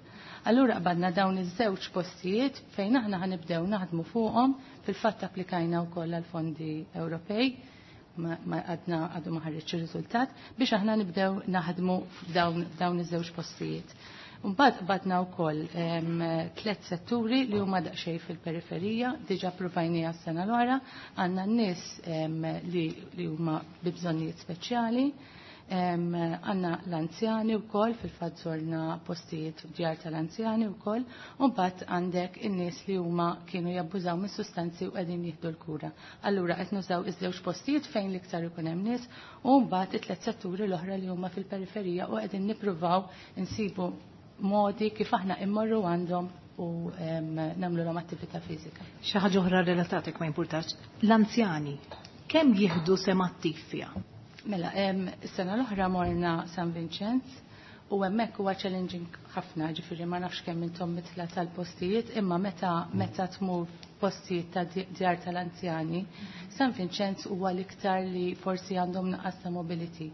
Allura qbadna dawn iż-żewġ postijiet fejn aħna ħanibdew naħdmu fuqhom. Fil-fatt applikajna wkoll għal fondi Ewropej, ma għadna għadu ma ħareġ ir-riżultat, biex aħna nibdew naħdmu f'dawn iż-żewġ postijiet. Mbagħad qbadna wkoll tliet setturi li huma daqsxejn fil-periferija, diġà provajniha s-sena l-oħra, għandna n-nies li huma bi bżonnijiet speċjali, għandna l-anzjani wkoll, fil-fatt żorna postijiet djar tal-anzjani wkoll, u mbagħad għandek in-nies li huma kienu jabbużaw mis-sustanzi u qegħdin jieħdu l-kura. Allura qed nużaw iż-żewġ postijiet fejn l-iktar ikun hemm nies u mbagħad it-tliet setturi l-oħra li huma fil-periferija u qegħdin nippruvaw insibu modi kif aħna immorru għandhom u nagħmlu l attività fiżika. Xi ħaġa oħra relatatek ma jimpurtax. L-anzjani kemm jieħdu sehem attiv fiha? Mela, is-sena l-oħra morna San Vincenz u hemmhekk huwa challenging ħafna, ġifieri ma nafx kemm intom midħla tal-postijiet, imma meta meta tmur postijiet ta' djar tal-anzjani, San Vincenz huwa l-iktar li forsi għandhom naqas ta' mobility.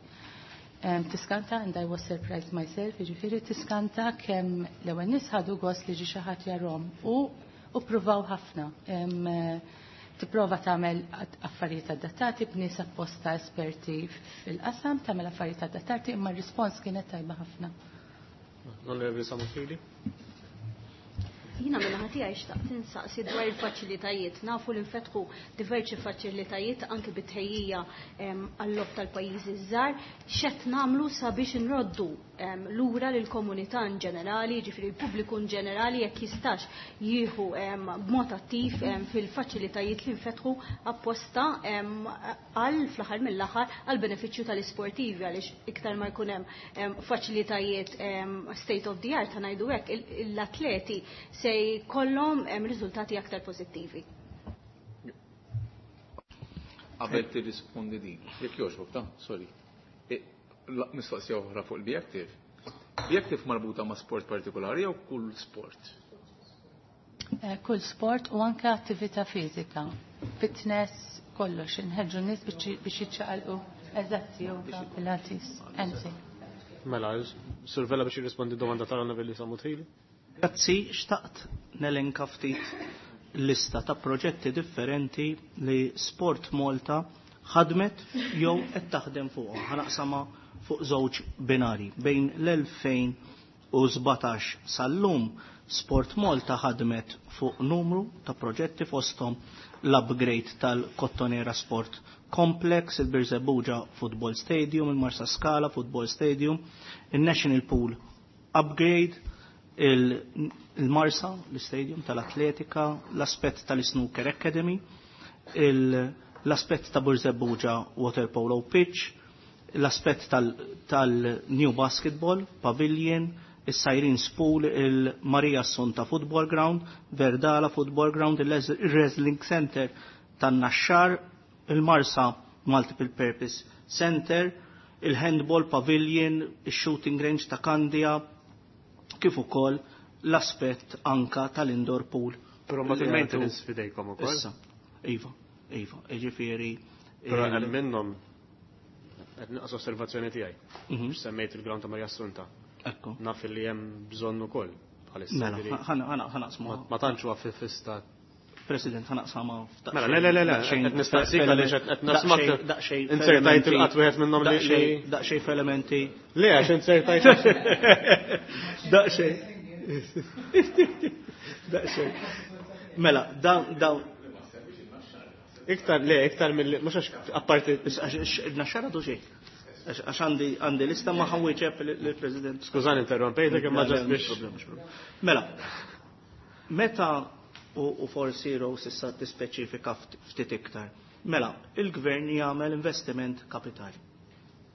Um, tiskanta, and I was surprised myself, ġifieri tiskanta kemm l-ewwel nies ħadu gost li ġi xi ħadd jarahom u u pruvaw ħafna. Um, tipprova tagħmel affarijiet adattati b'nies apposta esperti fil-qasam, tagħmel affarijiet adattati, imma r-rispons kienet tajba ħafna. Onorevoli Samofili. Jiena min-naħa tiegħi xtaqt insaqsi dwar il-faċilitajiet. Nafu li nfetħu diversi faċilitajiet anke bit-tħejjija għall-logħob tal-pajjiżi żgħar. X'qed nagħmlu sabiex nroddu lura lill-komunità in ġenerali, ġifieri l-pubbliku in ġenerali, jekk jistax jieħu b'mod attiv fil-faċilitajiet li nfetħu apposta għal fl-aħħar mill-aħħar għal benefiċċju tal-isportivi, għaliex iktar ma jkun hemm faċilitajiet state of the art, ngħidu hekk, l-atleti se jkollhom riżultati aktar pożittivi. Qabel tirrispondi din, jekk jogħġbok ta', sorry. E, mistoqsija oħra fuq il-Be Active. Be Active marbuta ma' sport partikolari jew kull sport? Eh, kull sport u anke attività fiżika. Fitness, Kollox, inħeġġu n-nies biex jiċċaqalqu. Eżatt, yoga, pilates, anything. Mela, Sur Vella biex jirrispondi domanda tal-Onorevoli Sammut Hili. Grazzi, xtaqt nelenka ftit lista ta' proġetti differenti li Sport Malta ħadmet jew qed taħdem fuqhom. Ħa naqsamha fuq żewġ binari. Bejn l-elfejn u sbatax sal-lum Sport Malta ħadmet fuq numru ta' proġetti fosthom l-upgrade tal-Kottonera Sport Complex, il-Birżebbuġa Football Stadium, il-Marsa Scala Football Stadium, il-National Pool Upgrade, il-Marsa, l-Stadium tal-Atletika, l-aspett tal-Snooker Academy, l-aspett ta' Birżebbuġa Water Polo Pitch, l-aspett tal-New Basketball Pavilion, il-Sirens Pool, il-Maria Assunta Football Ground, Verdala Football Ground, il-Wrestling Center tan-Naxxar, il-Marsa Multiple Purpose Center, il-Handball Pavilion, il-Shooting Range ta' Kandia, kif ukoll l-aspett anka tal-indoor pool. Però mbagħad il-maintenance fidejkom ukoll. Issa, iva, iva, jiġifieri. Però hemm minnhom qed naqas osservazzjoni tiegħi. Semmejt il-ground ta' Maria Assunta. Ekku. Naf li hemm bżonn ukoll bħalissa. Mela, ħana ħanaqsmu. Ma tantx huwa fil-fista. President, ħanaqsama. Mela, le, le, le, le, qed nistaqsik għaliex qed nasmak. Insertajt il-qatt wieħed minnhom li. Daqsxejn f'elementi. Le, għax insertajt. Daqsxejn. Daqsxejn. Mela, dawn dawn. Iktar, le, iktar mill mhux għax apparti. Naxxara du xejn. Għax għandi għandi lista ma ħawieġeb lill-President. Skużani interrompejtek imma ġast biex. Mela, meta u forsi Rose issa tispeċifika ftit iktar. Mela, il-gvern jagħmel investiment kapitali.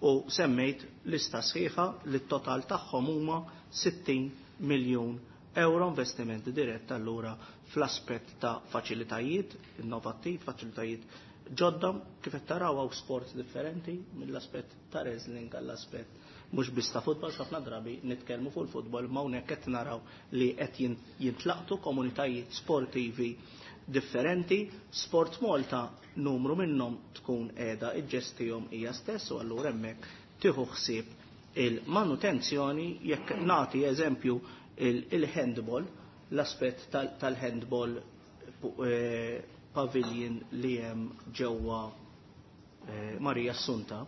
U semmejt lista sħiħa li t-total tagħhom huma sittin miljun euro investiment dirett allura fl-aspett ta' faċilitajiet innovattiv, faċilitajiet ġodda, kif qed taraw hawn sports differenti mill-aspett ta' wrestling għall-aspett mhux biss ta' futbol, ħafna drabi nitkellmu fuq il-futbol, ma hawnhekk qed naraw li qed jintlaqtu komunitajiet sportivi differenti. Sport Malta numru minnhom tkun qiegħda iġġestihom hija stess u allura hemmhekk tieħu ħsieb il-manutenzjoni. Jekk nagħti eżempju il-handball, l-aspett tal-handball pavilion li hemm ġewwa Maria Assunta,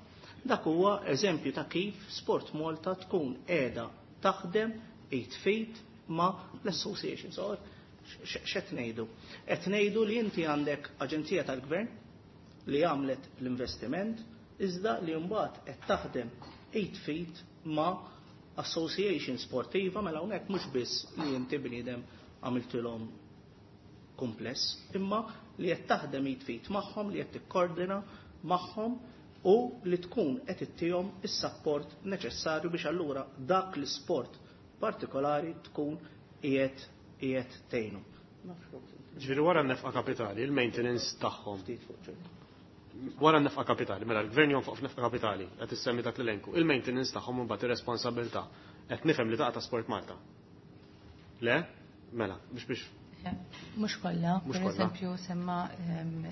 dak huwa eżempju ta' kif Sport Malta tkun qiegħda taħdem eight feet ma' l-association. So, x'qed ngħidu? Qed ngħidu li inti għandek aġenzija tal-gvern li għamlet l-investiment, iżda li mbagħad qed taħdem eight feet ma' association sportiva, mela hawnhekk mhux biss li inti bniedem għamiltilhom kumpless, imma li qed taħdem eight feet magħhom, li qed tikkoordina magħhom u li tkun qed ittihom is-sapport neċessarju biex allura dak l-isport partikolari tkun qiegħed qiegħed tgħinu. Ġifieri wara n-nefqa kapitali, il-maintenance tagħhom. Wara n-nefqa kapitali, mela l-gvern jonfoq f'nefqa kapitali, qed issemmi dak l-elenku, il-maintenance tagħhom imbagħad ir-responsabilità. Qed nifhem li taqa' ta' Sport Malta. Le? Mela, biex biex Mhux kollha, Mhux per kollha. eżempju semma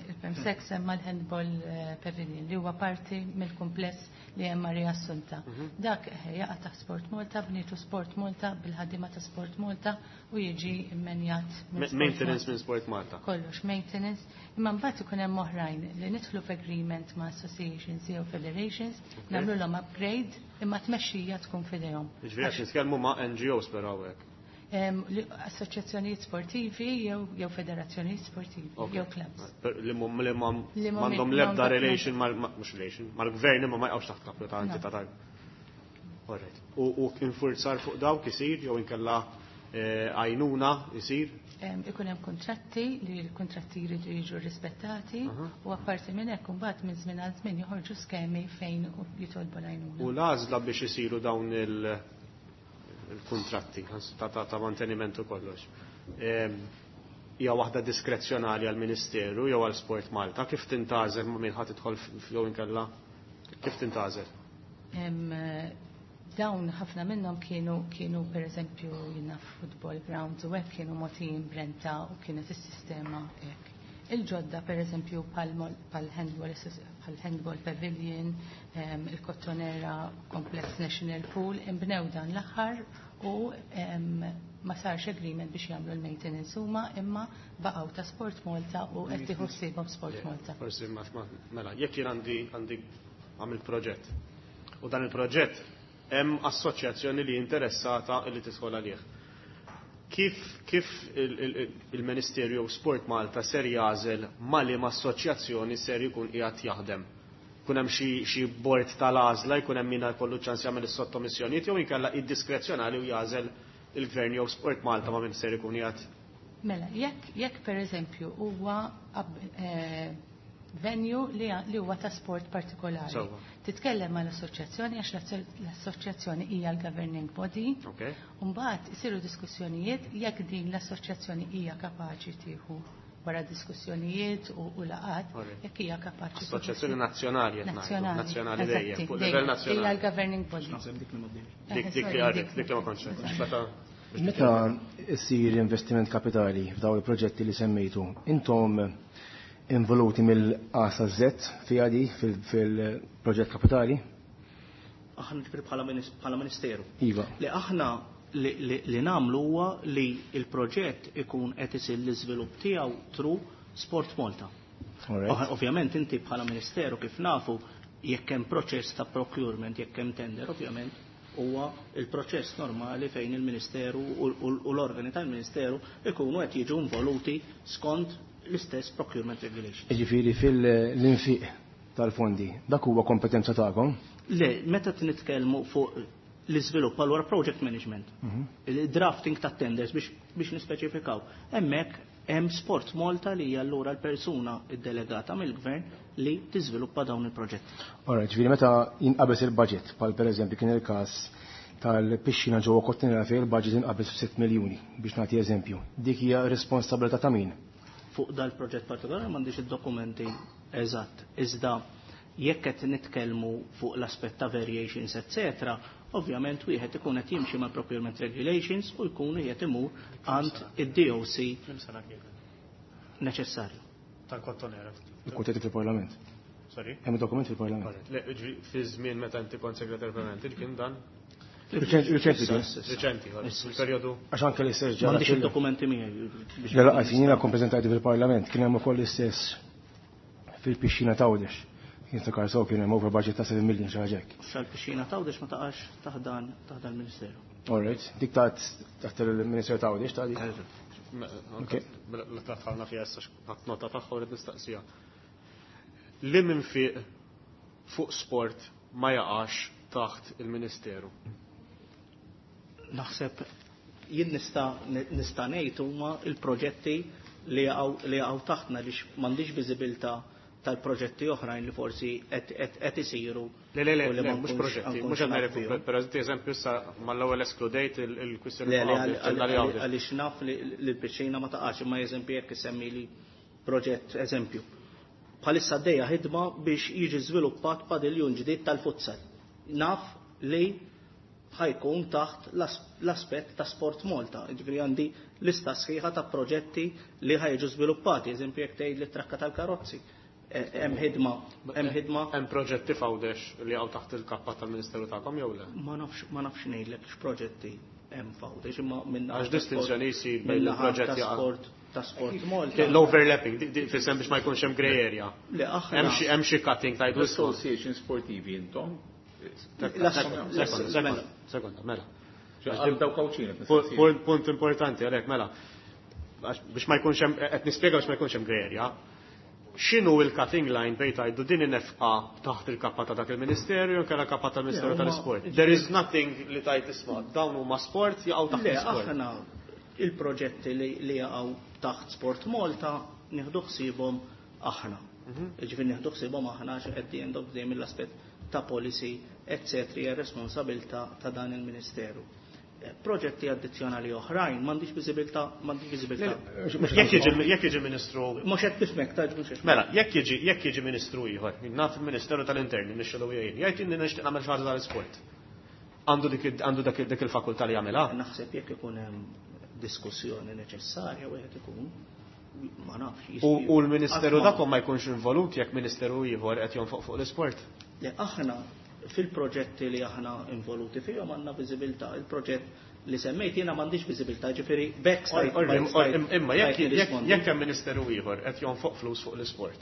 il-Permsec semma l-handball pavilion li huwa parti mill-kumpless li hemm Maria Assunta. Dak jaqa' taħt Sport Malta, bnietu Sport Malta bil-ħaddiema ta' Sport Malta u jiġi immenjat minn Sport Maintenance Malta. minn Sport Malta. Kollox maintenance, imma mbagħad ikun hemm oħrajn li nidħlu f'agreement ma' associations jew federations, nagħmluhom upgrade imma tmexxija tkun f'idejhom. Jiġifieri qed nitkellmu ma' N G Os però hawnhekk. Em, li assoċjazzjonijiet sportivi jew jew federazzjonijiet sportivi Ok. jew clubs. Per, li mhum, li mhum, Li mhum m'għandhom m'għandhom l-ebda l-ebda relation mal, ma, mhux relation, mal-gvern imma ma jqgħux taħt kapju ta' No. entità tal. All right. U, u infurzar fuq dawk isir jew inkella, eh, għajnuna isir? Em, ikun hemm kuntratti li l-kuntratti jridu jiġu rispettati Aha. u apparti minn hekk imbagħad minn żmien għal żmien joħorġu skemi fejn jitolbu l-għajnuna. U l-għażla biex isiru dawn il-, il-kontratti ta', ta', ta' manteniment u kollox. Em, hija waħda diskrezzjonali għall-Ministeru jew għal Sport Malta, kif tintgħażel ma' min ħadd tidħol f-, jew inkella kif tintgħażel? Em, dawn ħafna minnhom kienu, kienu per eżempju jiena football grounds u hekk kienu mogħtijin brenta u kienet is-sistema hekk. Il-ġodda, per eżempju, pal-handball pal pavilion, il-Kottonera Complex National Pool, imbnew dan l-aħħar u ma sarx agreement biex jagħmlu l-maintenance huma, imma baqgħu ta' Sport Malta u qed tieħu ħsiebhom Sport Malta. Forsi mela, jekk jien għandi għandi għamil proġett u dan il-proġett hemm assoċjazzjoni li interessata li tidħol għalih. Kif, kif il-Ministerju Sport Malta ser jagħżel ma liema assoċjazzjoni ser jkun qiegħed jaħdem? Kun hemm xi bord tal-għażla, jkun hemm min jkollu ċans jagħmel is-sottomissjonijiet, jew inkella id-diskrezzjonali u jagħżel il-Gvern jew Sport Malta ma' min ser ikun qiegħed? Mela, jekk jekk pereżempju huwa eh, venue li, li huwa ta' sport partikolari. Sewwa. Titkellem mal assoċjazzjoni għax l-assoċjazzjoni hija l-governing body. Okay. Mbagħad isiru diskussjonijiet jekk din l-assoċjazzjoni hija kapaċi tieħu wara diskussjonijiet u, u laqat, jekk hija kapaċi. Assoċjazzjoni nazzjonali qed ngħidu, Nazzjonali. nazzjonali dejjem, Eżatti, fuq dejjem. livell Hija nazzjonali. l-governing body. Naħseb dik li ma bdejx. Dik dik li għarret, dik li ma kontx. Meta Meta issir investiment kapitali f'daw il-proġetti li semmejtu, intom involuti mill-A sa Z fiha di fil-proġett kapitali? Aħna ġifieri bħala minis- bħala ministeru. Iva. Li aħna li, li, li namlu huwa li il-proġett ikun qed isir l-iżvilupp tiegħu through Sport Malta. All right. Oħ- Ovvjament inti bħala ministeru kif nafu jekk hemm proċess ta' procurement, jekk hemm tender, ovvjament huwa il-proċess normali fejn il-Ministeru u, u, u l-organi tal-Ministeru ikunu qed jiġu involuti skont l-istess procurement regulation. Ġifieri fil-infiq tal-fondi, dak huwa kompetenza tagħkom? Le, meta nitkellmu fuq l-iżvilupp allura project management, il-drafting ta' tenders biex, biex nispeċifikaw. Hemmhekk hemm Sport Malta li hija allura l-persuna id-delegata mill-gvern li tiżviluppa dawn il-proġetti. Alright, ġifieri meta jinqabeż il-budget, bħal pereżempju kien il-każ tal-pixxina ġewwa Kottonera fejn il-budget inqabeż f'sitt miljuni biex nagħti eżempju. Dik hija responsabilità ta' min? Fuq dal-proġett partikolari m'għandix id-dokumenti eżatt. Iżda jekk qed nitkellmu fuq l-aspett ta' variations, etc., ovvjament wieħed ikun qed jimxi mal procurement regulations u jkun qiegħed imur għand id-D O C sena kienet? Neċessarju. Tal-Kottonera. Ikkuntetti fil-Parlament. Sorry? Hemm dokument fil-Parlament. Le, ġifieri fi żmien meta inti kont segretar permanenti kien dan? Riċenti kien. Riċenti, fil-perjodu. Għax anke l-istess ġara. M'għandix fil- id-dokumenti miegħi biex La laqas jiena kon preżentajti fil-Parlament, kien hemm ukoll l-istess fil-pixxina t'Għawdex. Jien niftakar sew kien hemm over budget ta' seba' million, xi ħaġa hekk. Sal-pixxina t'Għawdex ma taqax taħt dan taħt dan il-Ministeru. All right, dik taħt taħt il-Ministeru t'Għawdex ta' dik. Ok. La tħalna fija issa, ħadd nota tagħha u rrid nistaqsija. Li minn fiq fuq sport ma jaqax taħt il-Ministeru? Naħseb jien nista' nista' ngħid huma il-proġetti li jaqgħu li jaqgħu taħtna li m'għandix viżibilità tal-proġetti oħrajn li forsi qed qed qed isiru. Le, le, le, u li le, ma mhux nkunx- proġetti, nkunx mhux qed naf ngħidlek, fihom. per eżempju issa mal-ewwel eskludejt il-kwistjoni Le, le, fuq Għawdex, għal- li għal- Għawdex. għaliex naf li li l-pixxina ma taqax, imma eżempju jekk isemmi li proġett eżempju. Bħalissa għaddejja ħidma biex jiġi żviluppat padiljun ġdid tal-futsal. Naf li ħa jkun taħt l-as- l-aspett ta' Sport Malta. Ġifieri għandi lista sħiħa ta' proġetti li ħa jiġu żviluppati, eżempju jekk tgħid li trakka tal-karozzi. Eh, Hemm ħidma, hemm ħidma. Hemm proġetti f'Għawdex li jaqgħu taħt il-kappa tal-Ministeru tagħkom jew le? Ma nafx ma nafx ngħidlek x'proġetti hemm f'Għawdex, imma minn Għax distinzjoni jsir bejn il-proġetti il-proġetti ta' sport ta' Sport Malta. L-overlapping, di- di- fis-sens biex ma jkunx hemm grey area. Le, aħna Hemm xi hemm xi cutting tajdu isma'. L-association sportivi intom? Sekonda, sekonda, sekonda, mela. Għal dawk Għawdxin. Punt- Punt punt importanti għalhekk, mela. Għax biex ma jkunx hemm, qed nispjega biex ma jkunx hemm grey area. X'inhu il-cutting line bejn tgħidu din in-nefqa taħt il-kappa ta' dak il-Ministeru jew kellha kappa tal-Ministeru Le, huma- tal-Isport? There is nothing li tajt isma' dawn huma sport, jaqgħu taħt Le, l-isport. aħna il-proġetti li, li jaqgħu taħt Sport Malta nieħdu ħsiebhom aħna. Ġifieri nieħdu ħsiebhom aħna għax at the end of the day mill-aspett ta' policy, et cetera hija responsabilità ta' dan il-Ministeru. Eh, Proġetti addizzjonali oħrajn m'għandix viżibilità, m'għandix viżibilità. Jekk jiġi jekk jiġi Ministru Mhux qed nifhmek, ta' mhux qed. Mela, jekk jiġi jekk jiġi Ministru ieħor, naf il-Ministeru tal-Interni nixxelu jgħin, jgħid inni nixtieq nagħmel xi ħaġa tal-isport. Għandu dik għandu dak dik il-fakultà li jagħmilha? Naħseb jekk ikun hemm diskussjoni neċessarja wieħed ikun Ma nafx. U l-Ministeru dakom ma jkunx involut jekk Ministeru ieħor qed jonfoq fuq l-isport? Le, aħna fil-proġetti li aħna involuti fihom għandna viżibilità. Il-proġett li semmejt jiena m'għandix viżibilità, ġifieri back stajt. Imma jekk hemm Ministeru ieħor qed jonfoq flus fuq l-isport.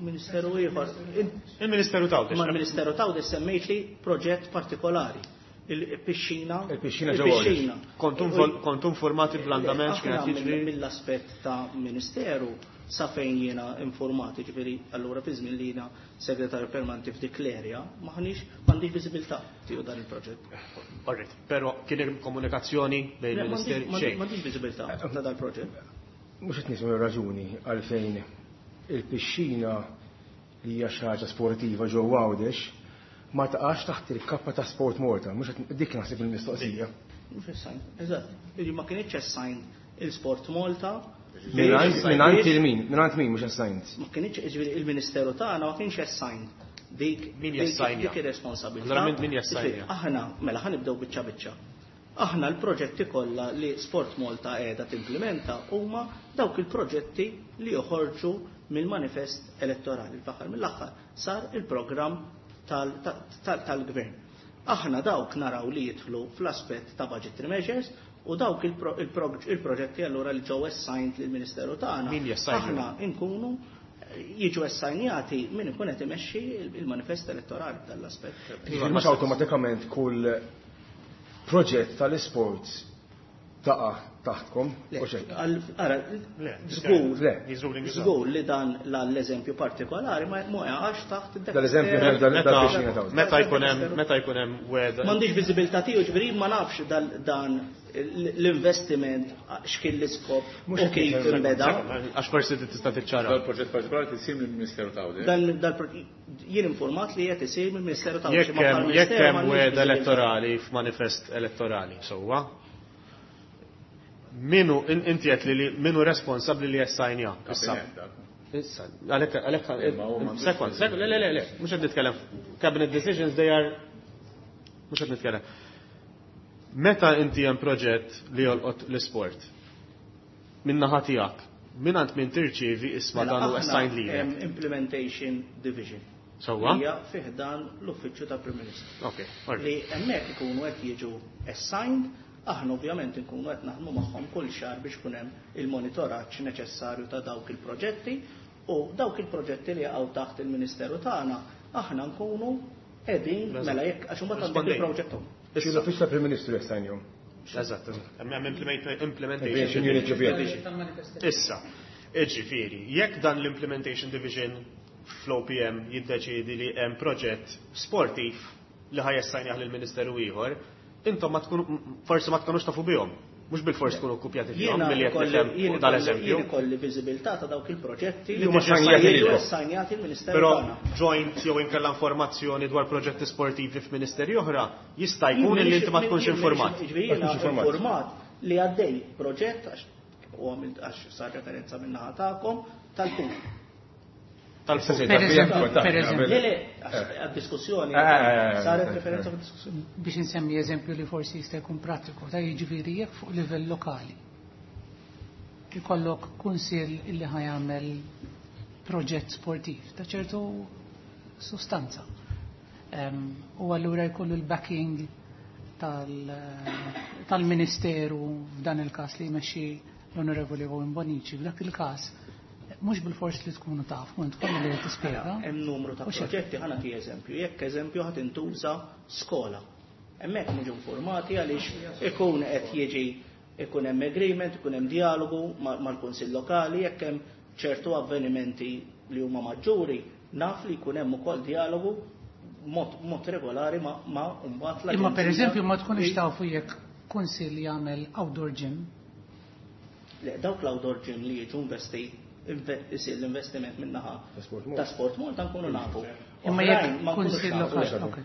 Ministeru ieħor. Il-Ministeru t'Għawdex. Ma l-Ministeru t'Għawdex semmejt li proġett partikolari. Il-pixxina. Il-pixxina ġewwa. Kontu informati bl-andament x'kien qed jiġri? Mill-aspett ta' Ministeru sa fejn jiena informati, ġifieri allura fi żmien li jiena segretarju permanenti f'dik l-erja, m'aħniex m'għandix viżibilità tiegħu dan il-proġett. Alright, però kien hemm komunikazzjoni bejn il-Ministeri xejn. M'għandix viżibilità ta' dal-proġett. Mhux qed nismu raġuni għalfejn il-pixxina li hija xi ħaġa sportiva ġewwa Għawdex ma taqax taħt il-kappa ta' Sport Malta, mhux dik naħseb il-mistoqsija. Mhux assigned, eżatt. Ma kienx assigned il-Sport Malta. Mingħand il-min, mingħand min mhux assigned. Ma kienx, ġifieri il-Ministeru tagħna ma kienx assigned dik min jassajnja. Dik ir-responsabilità. Allura min jassajnja? Aħna mela ħa nibdew biċċa biċċa. Aħna l-proġetti kollha li Sport Malta qiegħda timplementa huma dawk il-proġetti li joħorġu mill-manifest elettorali. L-aħħar mill-aħħar sar il-programm tal-gvern. Aħna dawk naraw li jidħlu fl-aspett ta' budgetary measures u dawk il-proġetti allura li ġew assigned lill-Ministeru tagħna. Aħna nkunu jiġu assagnati min ikun qed imexxi il-manifest elettorali tal-aspett. Mhux awtomatikament kull proġett tal-isports taqa' taħtkom u xejn. Ara, żgur, żgur li dan l-eżempju partikolari ma jaqax taħt dal-eżempju dal-pixxina ta' meta jkun hemm meta jkun hemm weda. M'għandix viżibilità tiegħu, ġifieri ma nafx dan l-investiment x'kien l-iskop u kif inbeda. Għax forsi tista' tiċċara. Dal-proġett partikolari tisir mill-Ministeru ta' Għawdex. Dan jien informat li qed isir mill-Ministeru ta' Għawdex. Jekk hemm weda elettorali f'manifest elettorali, sewwa. Minu, inti qed li minu responsabbli li jassajnja. Issa. Issa, għalhekk għalhekk sekond, sekond, le le le, mhux qed nitkellem. Cabinet decisions they are mhux qed nitkellem. Meta inti hemm proġett li jolqot l-isport, min naħa tiegħek, min għand min tirċievi isma' dan hu assigned lilek. Implementation Division. Sewwa? Hija fih dan l-Uffiċċju tal-Prim Ministru. Okay, li hemmhekk ikunu qed jiġu assigned. Aħna ovvjament nkunu qed naħdmu magħhom kull xahar biex kun hemm il-monitoraġġ neċessarju ta' dawk il-proġetti u dawk il-proġetti li jaqgħu taħt il-Ministeru tagħna aħna nkunu qegħdin mela jekk għax imbagħad għandek il-proġett. L-Uffiċċju tal-Prim Ministru jassajnjhom. Eżatt, hemm implementation division. Issa, jiġifieri, jekk dan l-implementation division fl-O P M jiddeċiedi li hemm proġett sportiv li ħaj jassajnjah lill-Ministeru ieħor, intom ma tkunu, forsi ma tkunux tafu bihom. Mhux bil-fors tkunu kkupjati fihom milli qed nifhem dal-eżempju. Jien ikolli viżibilità ta' dawk il-proġetti li huma assanjati lill-Ministeru Però tagħna. Joint jew inkella informazzjoni dwar proġetti sportivi f'ministeri oħra jista' jkun li inti ma tkunx informat. Jiena informat li għaddej proġett għax u għamilt għax sar referenza min-naħa tagħkom tal-pool. Per eżempju, Le, le, għad-diskussjoni, saret referenza għad-diskussjoni. Biex insemmi eżempju li forsi jista' jkun prattiku, ta' jiġifieri jekk fuq livell lokali. Ikollok kunsill illi ħajamel proġett sportiv ta' ċertu sustanza. U allura jkollu l-backing tal-Ministeru f'dan il-każ li jmexxi l-Onorevoli Owen Bonnici. F'dak il-każ mhux bil-fors li tkunu taf, u tkun li tispjega. Hemm numru ta' proġetti, ħa nagħti eżempju. Jekk eżempju ħadd intuża skola. Hemmhekk niġu informati għaliex ikun qed jiġi ikun hemm agreement, ikun hemm dialogu mal-Kunsill Lokali, jekk hemm ċertu avvenimenti li huma maġġuri, naf li jkun hemm ukoll dialogu mod, mod regolari ma, ma mbagħad l Imma pereżempju ma tkunux tafu jekk kunsill jagħmel outdoor gym. Le, dawk l-outdoor gym li jiġu investi isir l-investiment min-naħa ta' Sport Malta nkunu nafu. Imma jekk kunsill lokali, ok.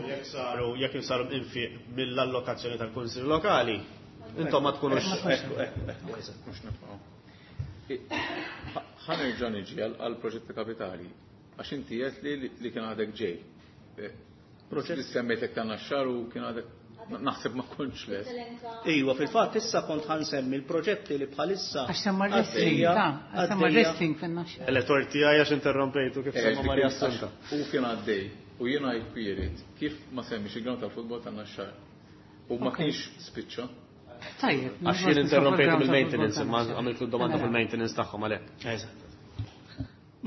Jekk saru jekk saru infiq mill-allokazzjoni tal-kunsill lokali, intom ma tkunux. Ekku, ekku, ekku, eżatt. Mhux nibqgħu. Ħa nerġa' niġi għal proġetti kapitali, għax inti qed li li kien għadek ġej. Proġett li semmejtek ta' Naxxar u kien għadek Naħseb ma kontx lest. Iva, fil-fatt issa kont ħa nsemmi l-proġetti li bħalissa. Għax semma wrestling, ta' għax semma wrestling fin-Naxxar. Elettor tiegħi għax interrompejtu kif semma Maria Assunta. U kien għaddej, u jiena jkwirit kif ma semmix il-ground tal-futbol tan-Naxxar. U ma kienx spiċċa. Tajjeb. Għax jien interrompejtu mill-maintenance, imma għamiltu domanda fil-maintenance tagħhom għalhekk. Eżatt.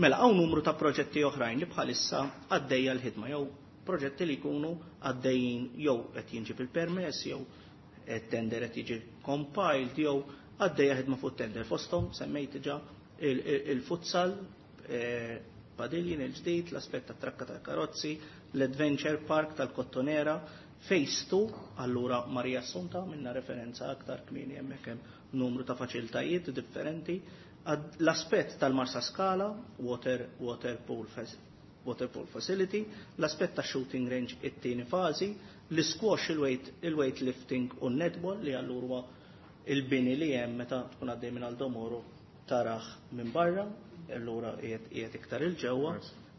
Mela, hawn numru ta' proġetti oħrajn li bħalissa għaddejja l-ħidma jew proġetti li jkunu għaddejjin jew qed jinġib il-permess jew tender qed jiġi compiled jew għaddejja ħidma fuq tender. Fosthom semmejt diġà il-futsal, pavilion il-ġdid, l-aspett tat-trakka tal-karozzi, l-Adventure Park tal-Kottonera, Phase two, allura Maria Assunta minna referenza aktar kmieni hemmhekk hemm numru ta' faċilitajiet differenti. L-aspett tal-Marsa Scala, water, water pool water pool facility, l-aspett ta' shooting range it-tieni fażi, l-squash, il-weight, il-weight lifting u netball li allura il-bini li hemm meta tkun għaddej minn Aldo Moro taraħ minn barra, allura qiegħed iktar il-ġewwa.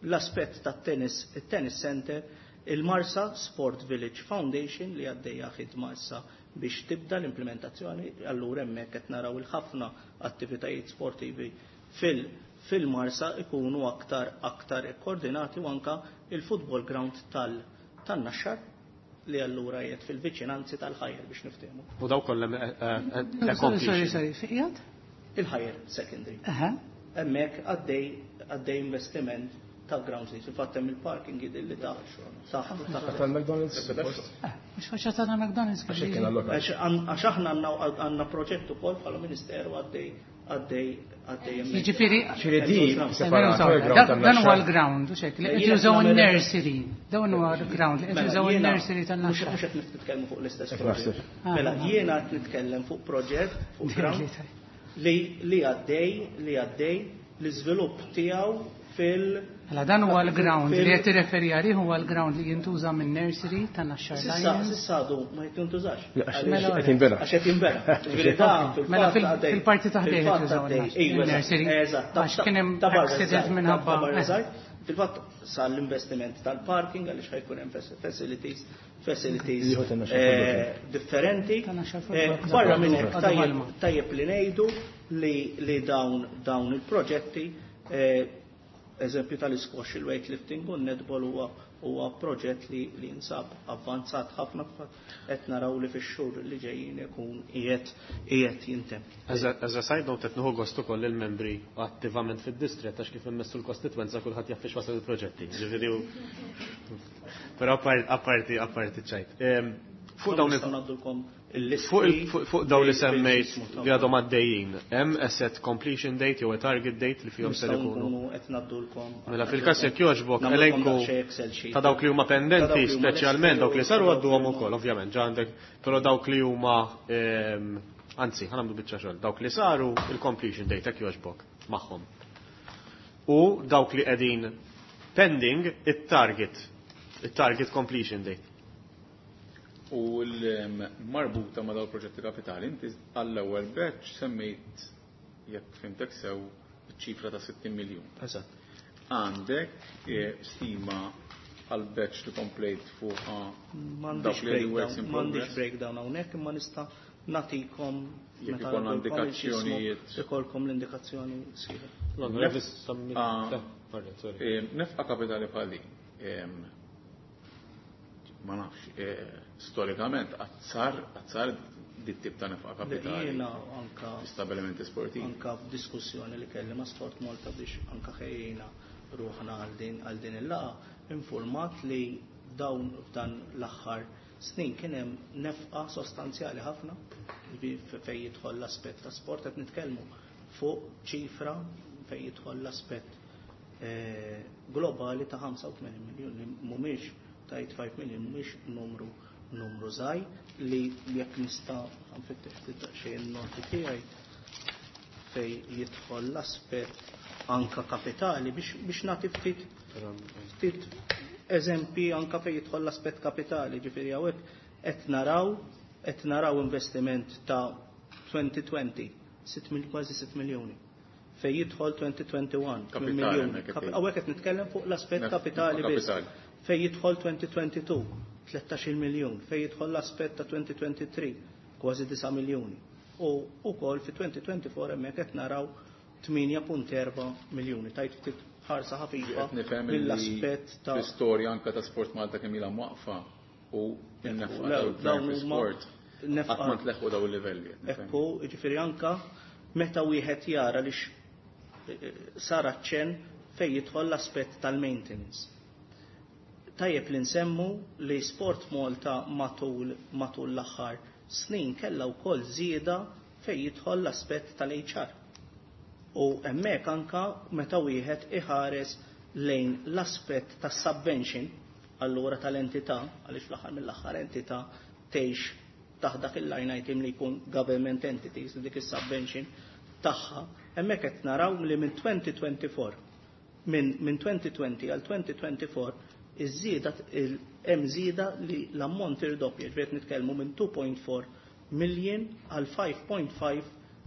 L-aspett tat-tennis, it-tennis center, il-Marsa Sport Village Foundation li għaddejja ħidma issa biex tibda l-implementazzjoni, allura hemmhekk qed naraw il-ħafna attivitajiet sportivi fil fil-Marsa ikunu aktar aktar koordinati u anka il-football ground tal tan-Naxxar li allura qiegħed fil-viċinanzi tal-Higher biex niftehmu. U daw kollha Sorry, sorry, fejn Il-Higher Secondary. Hemmhekk għaddej għaddej investiment ta' grounds li fil-fatt hemm il-parking li ta' taħt Tal-McDonald's? Mhux faċċata ta' McDonald's. Għax aħna għandna proġett ukoll bħala Ministeru għaddej għaddej għaddej hemmhekk. Jiġifieri Dan huwa l-ground, u xek, li qed jużaw in-nursery. Dan huwa l-ground li qed jużaw in-nursery tan-Naxxar. Mhux qed nitkellmu fuq l-istess proġett. Mela jiena qed nitkellem fuq proġett fuq ground li għaddej li għaddej l-iżvilupp tiegħu fil Mela dan huwa l-ground li qed tirreferi għalih huwa l-ground li jintuża minn nursery tan-Naxxar Lions. S'issa għadu ma jintużax. Għax qed jinbena. Għax qed jinbena. Mela fil-parti ta' ħdejn qed jużaw in-nursery. Għax kien hemm accident minħabba. Fil-fatt sar l-investiment tal-parking għaliex ħa jkun hemm facilities facilities differenti. Barra minn hekk tajjeb li ngħidu li dawn dawn il-proġetti, eżempju tal-squash, il-weightlifting u netball huwa huwa proġett li li jinsab avvanzat ħafna, qed naraw li fix-xhur li ġejjin ikun qiegħed qiegħed jintemm. As a side note, qed nieħu gost ukoll il-membri attivament fid-distrett għax kif immessu l-kostitwenza kulħadd jaf fiex wasal il-proġetti. Ġifieri però apparti apparti ċajt. Fuq dawn ngħaddulkom Fuq dawn li semmejt li għadhom għaddejjin, hemm a set completion date jew a target date li fihom ser ikunu? Qed ngħaddulkom. Mela fil-każ jekk jogħġbok elenku ta' dawk li huma pendenti, speċjalment dawk li saru għadduhom ukoll, ovvjament, ġa għandek, però dawk li huma anzi, ħa nagħmlu biċċa xogħol, dawk li saru il-completion date jekk jogħġbok magħhom. U dawk li qegħdin pending it-target, it-target completion date. U l-marbuta ma' dawn proġetti kapitali, inti għall-ewwel batch semmejt, jekk fhimtek sew, ċifra ta' sittin miljun. Eżatt. Għandek stima għal batch li komplejt fuq dawk li works in progress? M'għandix breakdown hawnhekk, imma nista' nagħtikom jekk ikollna indikazzjonijiet. Ikolkom l-indikazzjoni sħiħa. Nefqa kapitali bħal din. Ma nafx, storikament, azzar, azzar dit tip ta' nefqa kapitali. Jiena anka stabilimenti sportivi. Anka f'diskussjoni li kelli ma' Sport Malta biex anka ħejjina ruħna għal din għal din il-laqgħa, informat li dawn f'dan l-aħħar snin kien hemm nefqa sostanzjali ħafna fejn jidħol l-aspett ta' sport, qed nitkellmu fuq ċifra fejn jidħol l-aspett globali ta' ħamsa u tmenin miljun li mhumiex ta' eighty-five million, mhumiex numru numru żgħir li jekk nista' nfittex ftit daqsxejn noti tiegħi fej jidħol l-aspett anka kapitali biex biex nagħti ftit ftit eżempi anka fej jidħol l-aspett kapitali, ġifieri hawnhekk qed naraw qed naraw investiment ta' twenty twenty, sitt mil-, kważi sitt miljuni. Fej jidħol twenty twenty-one, Kapitali, miljuni. hemmhekk qed Hawnhekk qed nitkellem fuq l-aspett kapitali biss. Fej jidħol twenty twenty-two, tlettax-il miljun, fejn jidħol l-aspett ta' twenty twenty-three kważi disa' miljuni. U wkoll fi twenty twenty-four hemmhekk qed naraw tmienja punt erba' miljuni. Tajt ftit ħarsa ħafifa Qed nifhem li mill-aspett ta' l-istorja anke ta' Sport Malta kemm ilha mwaqfa u n-nefqa Ekku, tal-gvern dawn fi huma sport nefqa qatt ma tleħħu dawn il-livelli, qed nifhem. Ekku, jiġifieri anka meta wieħed jara li x-, sar aċċenn fejn jidħol l-aspett tal-maintenance. Tajjeb li nsemmu li Sport Malta matul, matul l-aħħar snin kellha wkoll żieda fejn jidħol l-aspett tal-H R. U hemmhekk anka meta wieħed iħares lejn l-aspett tas-subvention allura tal-entità, għaliex fl-aħħar mill-aħħar entità tgħix taħt dak il-line item li jkun government entities, dik is-subvention tagħha, hemmhekk qed naraw li minn twenty twenty-four, minn, minn twenty twenty għal twenty twenty-four iż-żieda il-, hemm żieda li l-ammont irdoppja, ġifieri qed nitkellmu minn two point four million għal five point five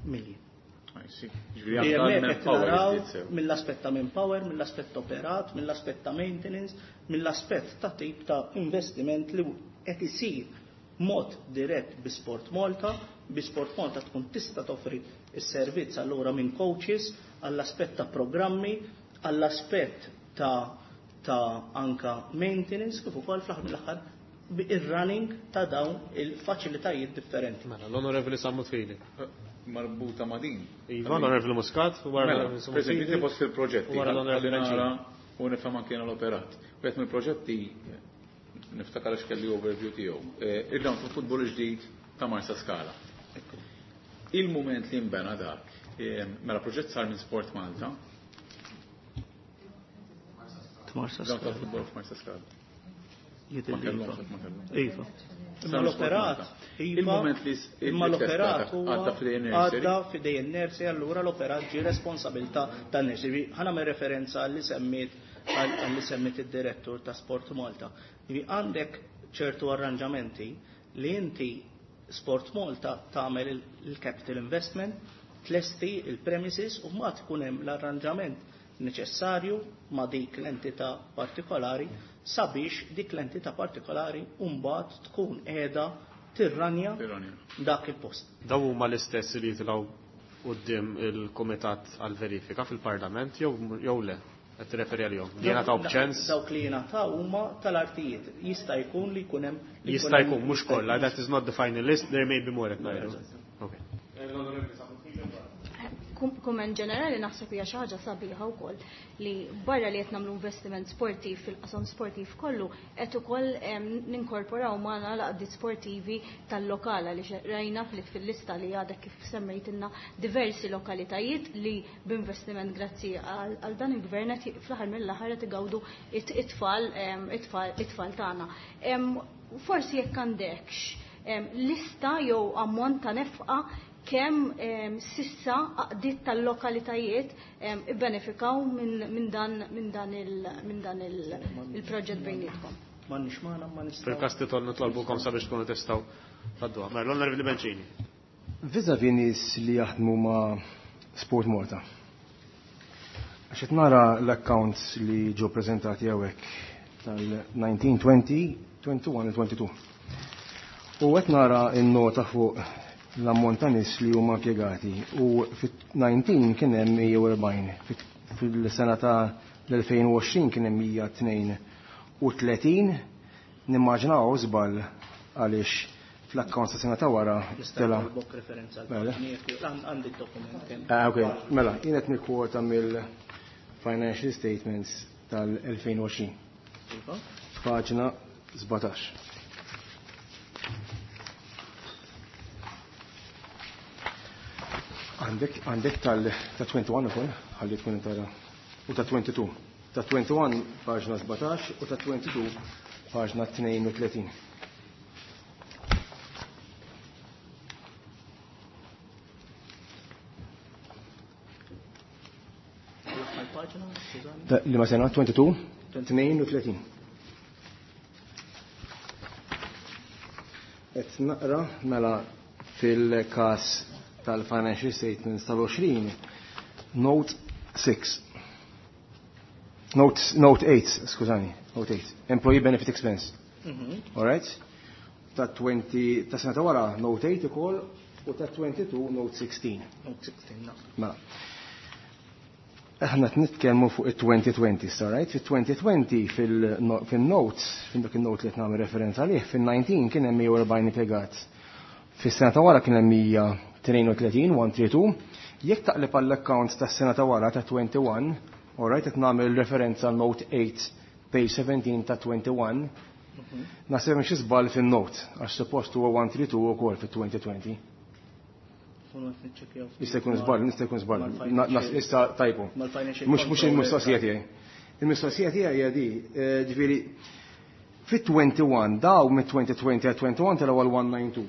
million. I see. Ġifieri Li anke hemmhekk għal qed manpower naraw iżdied sew. mill-aspett ta' manpower, mill-aspett operat, mill-aspett ta' maintenance, mill-aspett ta' tip ta' investiment li qed isir mod dirett bi Sport Malta, bi Sport Malta tkun tista' toffri s-servizz allura minn coaches għall-aspett ta' programmi, għall-aspett ta', ta' anka maintenance, kif ukoll fl-aħħar mill-aħħar ir-running ta' dawn il-faċilitajiet differenti. Mela, l-Onorevoli Sammut Fili. Marbuta ma' din. Iva, l-Onorevoli Muscat, u wara Mela, l-Onorevoli Sammut per esempio, Fili, inti fost il-proġetti, u wara l-Onorevoli ħalli nara Bencini. u nifhem anke jiena l-operat. Wieħed mill-proġetti, niftakar għax kelli overview tiegħu, eh, il-ground ta' futbol ġdid ta' Marsa Skala. Il-moment li nbena dak, eh, mela proġett sar minn Sport Malta. Marsa Ground ta' Skala. futbol f'Marsa Skala. Jidher Ma li kellhomx, iva. ma kellhomx. Iva. Sar Imma minn Sport l-operat, Malta. iva, Il-moment li s-, imma il-test l-operat għadda huwa għadda f'idejn nursery. għadda f'idejn nursery, allura l-operat ġie responsabilità tan-nursery. Ħa nagħmel referenza għalli semmiet, għalli semmiet id-direttur ta' Sport Malta. Jiġifieri għandek ċertu arranġamenti li inti Sport Malta tagħmel il-, il-capital investment, tlesti il-premises u ma tkun hemm l-arranġament neċessarju ma' dik l-entità partikolari sabiex dik l-entità partikolari mbagħad tkun qiegħda tirranja Tirranja. dak il-post. Daw huma l-istess li jitilgħu quddiem il-Kumitat għall-Verifika fil-Parlament jew, jew le? Qed tirreferi għalihom. Li jingħataw b'ċens? Dawk li jingħataw huma tal-artijiet. Jista' jkun li jkun hemm li Jista' jkun hemm jkun, mhux kollha, that is not the final list, there may be more qed ngħidu. Okay. Kumment ġenerali naħseb hija xi ħaġa sabiħa wkoll li barra li qed nagħmlu investiment sportiv fil-qasam sportiv kollu qed ukoll, em, ninkorporaw magħna l-għaqdiet sportivi tal-lokala li xe-, rajna fil-, fil-lista li għadek kif semmejtilna diversi lokalitajiet li b'investiment grazzi għal, għal dan il-gvern qed fl-aħħar mill-aħħar qed igawdu it-, it-tfal, em, it-tfal, it-tfal tagħna. Em, forsi jekk għandekx, em, lista jew ammont ta' nefqa kemm, em, sissa għaqdiet tal-lokalitajiet, em, ibbenefikaw minn, minn dan, minn dan il-, minn dan il-, il-proġett bejnietkom. M'għandniex magħna, ma nistgħu. Fil-każ titol nitolbukom sabiex tkunu tistgħu tgħadduha. Mela, l-Onorevoli Bencini. Vis-à-vis nies li jaħdmu ma' Sport Malta. Għax qed nara l-accounts li ġew preżentati hawnhekk tal-nineteen twenty, twenty-one u twenty-two. U qed nara n-nota fuq l-ammont ta' nies li huma impjegati u fit-nineteen kien hemm mija u erbgħin, fil-sena ta' l-elfejn u għoxrin kien hemm mija tnejn u tletin, nimmaġinaw żball għaliex fl-accounts ta' sena ta' wara Nista' tela. nkollok referenza għal Mela. paġni jekk għand-, għandi d-dokument kemm. Ah, ok, mela, jien qed nikkwota mill-financial statements tal-elfejn u għoxrin. Iva. Paġna sbatax. Għandek, għandek tal, ta' twenty-one ukoll, ħalli tkun tara. U ta' twenty-two. Ta' twenty-one paġna sbatax u ta' twenty-two paġna tnejn u tletin. L-aħħar paġna, skużani. Ta' li ma sena twenty-two, tnejn u tletin. Et naqra mela fil-każ tal-financial statements tal-għoxrin, note six. Note, note eight, skużani, note eight. Employee benefit expense. All right? Ta' twenty ta' sena ta' wara note eight ukoll u ta' twenty-two note sixteen. Note sixteen, no. Mela. Aħna qed nitkellmu fuq it-twenty twenty, all right? Fit-twenty twenty fil-notes, fil dak il-note li qed nagħmel referenza għalih, fil-nineteen kien hemm mija u erbgħin impjegat. Fis-sena ta' wara kien hemm mija tnejn u tletin, one three two. Jekk taqleb għall-accounts tas-sena ta' wara ta' twenty-one, all right, qed nagħmel referenza għal note eight, page seventeen ta' twenty-one, naħseb hemm xi żball fin-note, għax suppost huwa one three two ukoll fit-twenty twenty. Jista' jkun żball, jista' jkun żball. Issa tajbu. Mhux mhux il-mistoqsija tiegħi. Il-mistoqsija tiegħi hija di, ġifieri fit-twenty-one daw mit-twenty twenty għal twenty-one telgħu għal one nine two.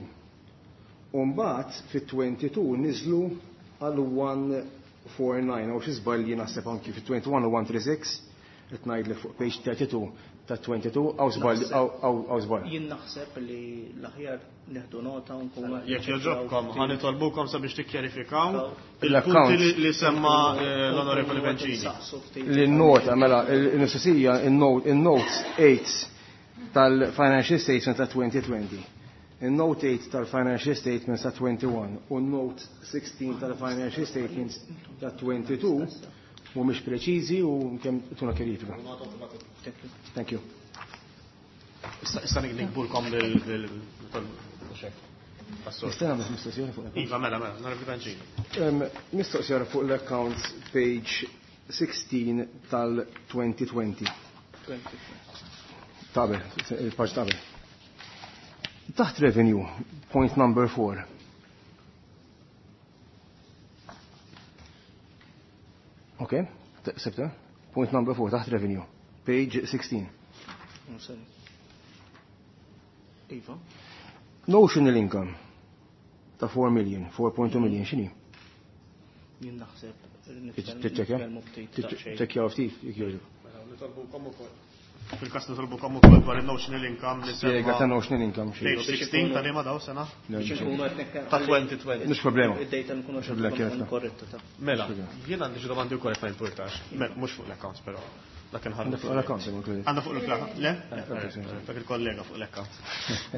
U mbagħad fit-twenty-two niżlu għal one four nine, u xi żball li naħseb anki fit-twenty-one u one three six, qed ngħidlek fuq page thirty-two ta' twenty-two, għaw żball, għaw żball. Jien naħseb li l-aħjar neħdu nota u nkunu Jekk jogħġobkom, ħa nitolbukom sabiex tikkjarifikaw il-punti li semma l-Onorevoli Bencini. L-nota, mela, il-mistoqsija, il-notes eight tal-Financial Statement ta' twenty twenty, il-note eight tal-Financial Statements ta' twenty-one u note sixteen tal-Financial Statements ta' twenty-two mhumiex preċiżi u kemm tuna kjarifika. Thank you. Issa nikbulkom lil Nistenna nagħmel mistoqsija fuq l-account. Iva, mela, mela, Onorevoli Bencini. Mistoqsija fuq l-accounts page sixteen tal-twenty twenty. Tabel, il-paġ tabel. Taħt revenue, point number four. Ok, sebta? Point number four, taħt revenue, page sixteen. Iva. Notional income ta' four million, four point two million, x'inhi? Jien naħseb Tiċċekkja? Tiċċekkja ftit, jekk jogħġbok. Nitolbukom ukoll. Fil-każ nitolbukom ukoll dwar il-notional income li semma. Spjega ta' notional income xi. Page sixteen ta' liema daw sena? Ta' twenty twenty. Mhux problema. Id-data nkunu Mhux problema, kienet. korretta ta'. Mela, jien għandi xi domandi wkoll ma jimpurtax. Mela, mhux fuq l-accounts però. Dak inħallu. Għandha fuq l-accounts, imma kledi. Għandha fuq l-accounts, le? Dak il-kollega fuq l-accounts.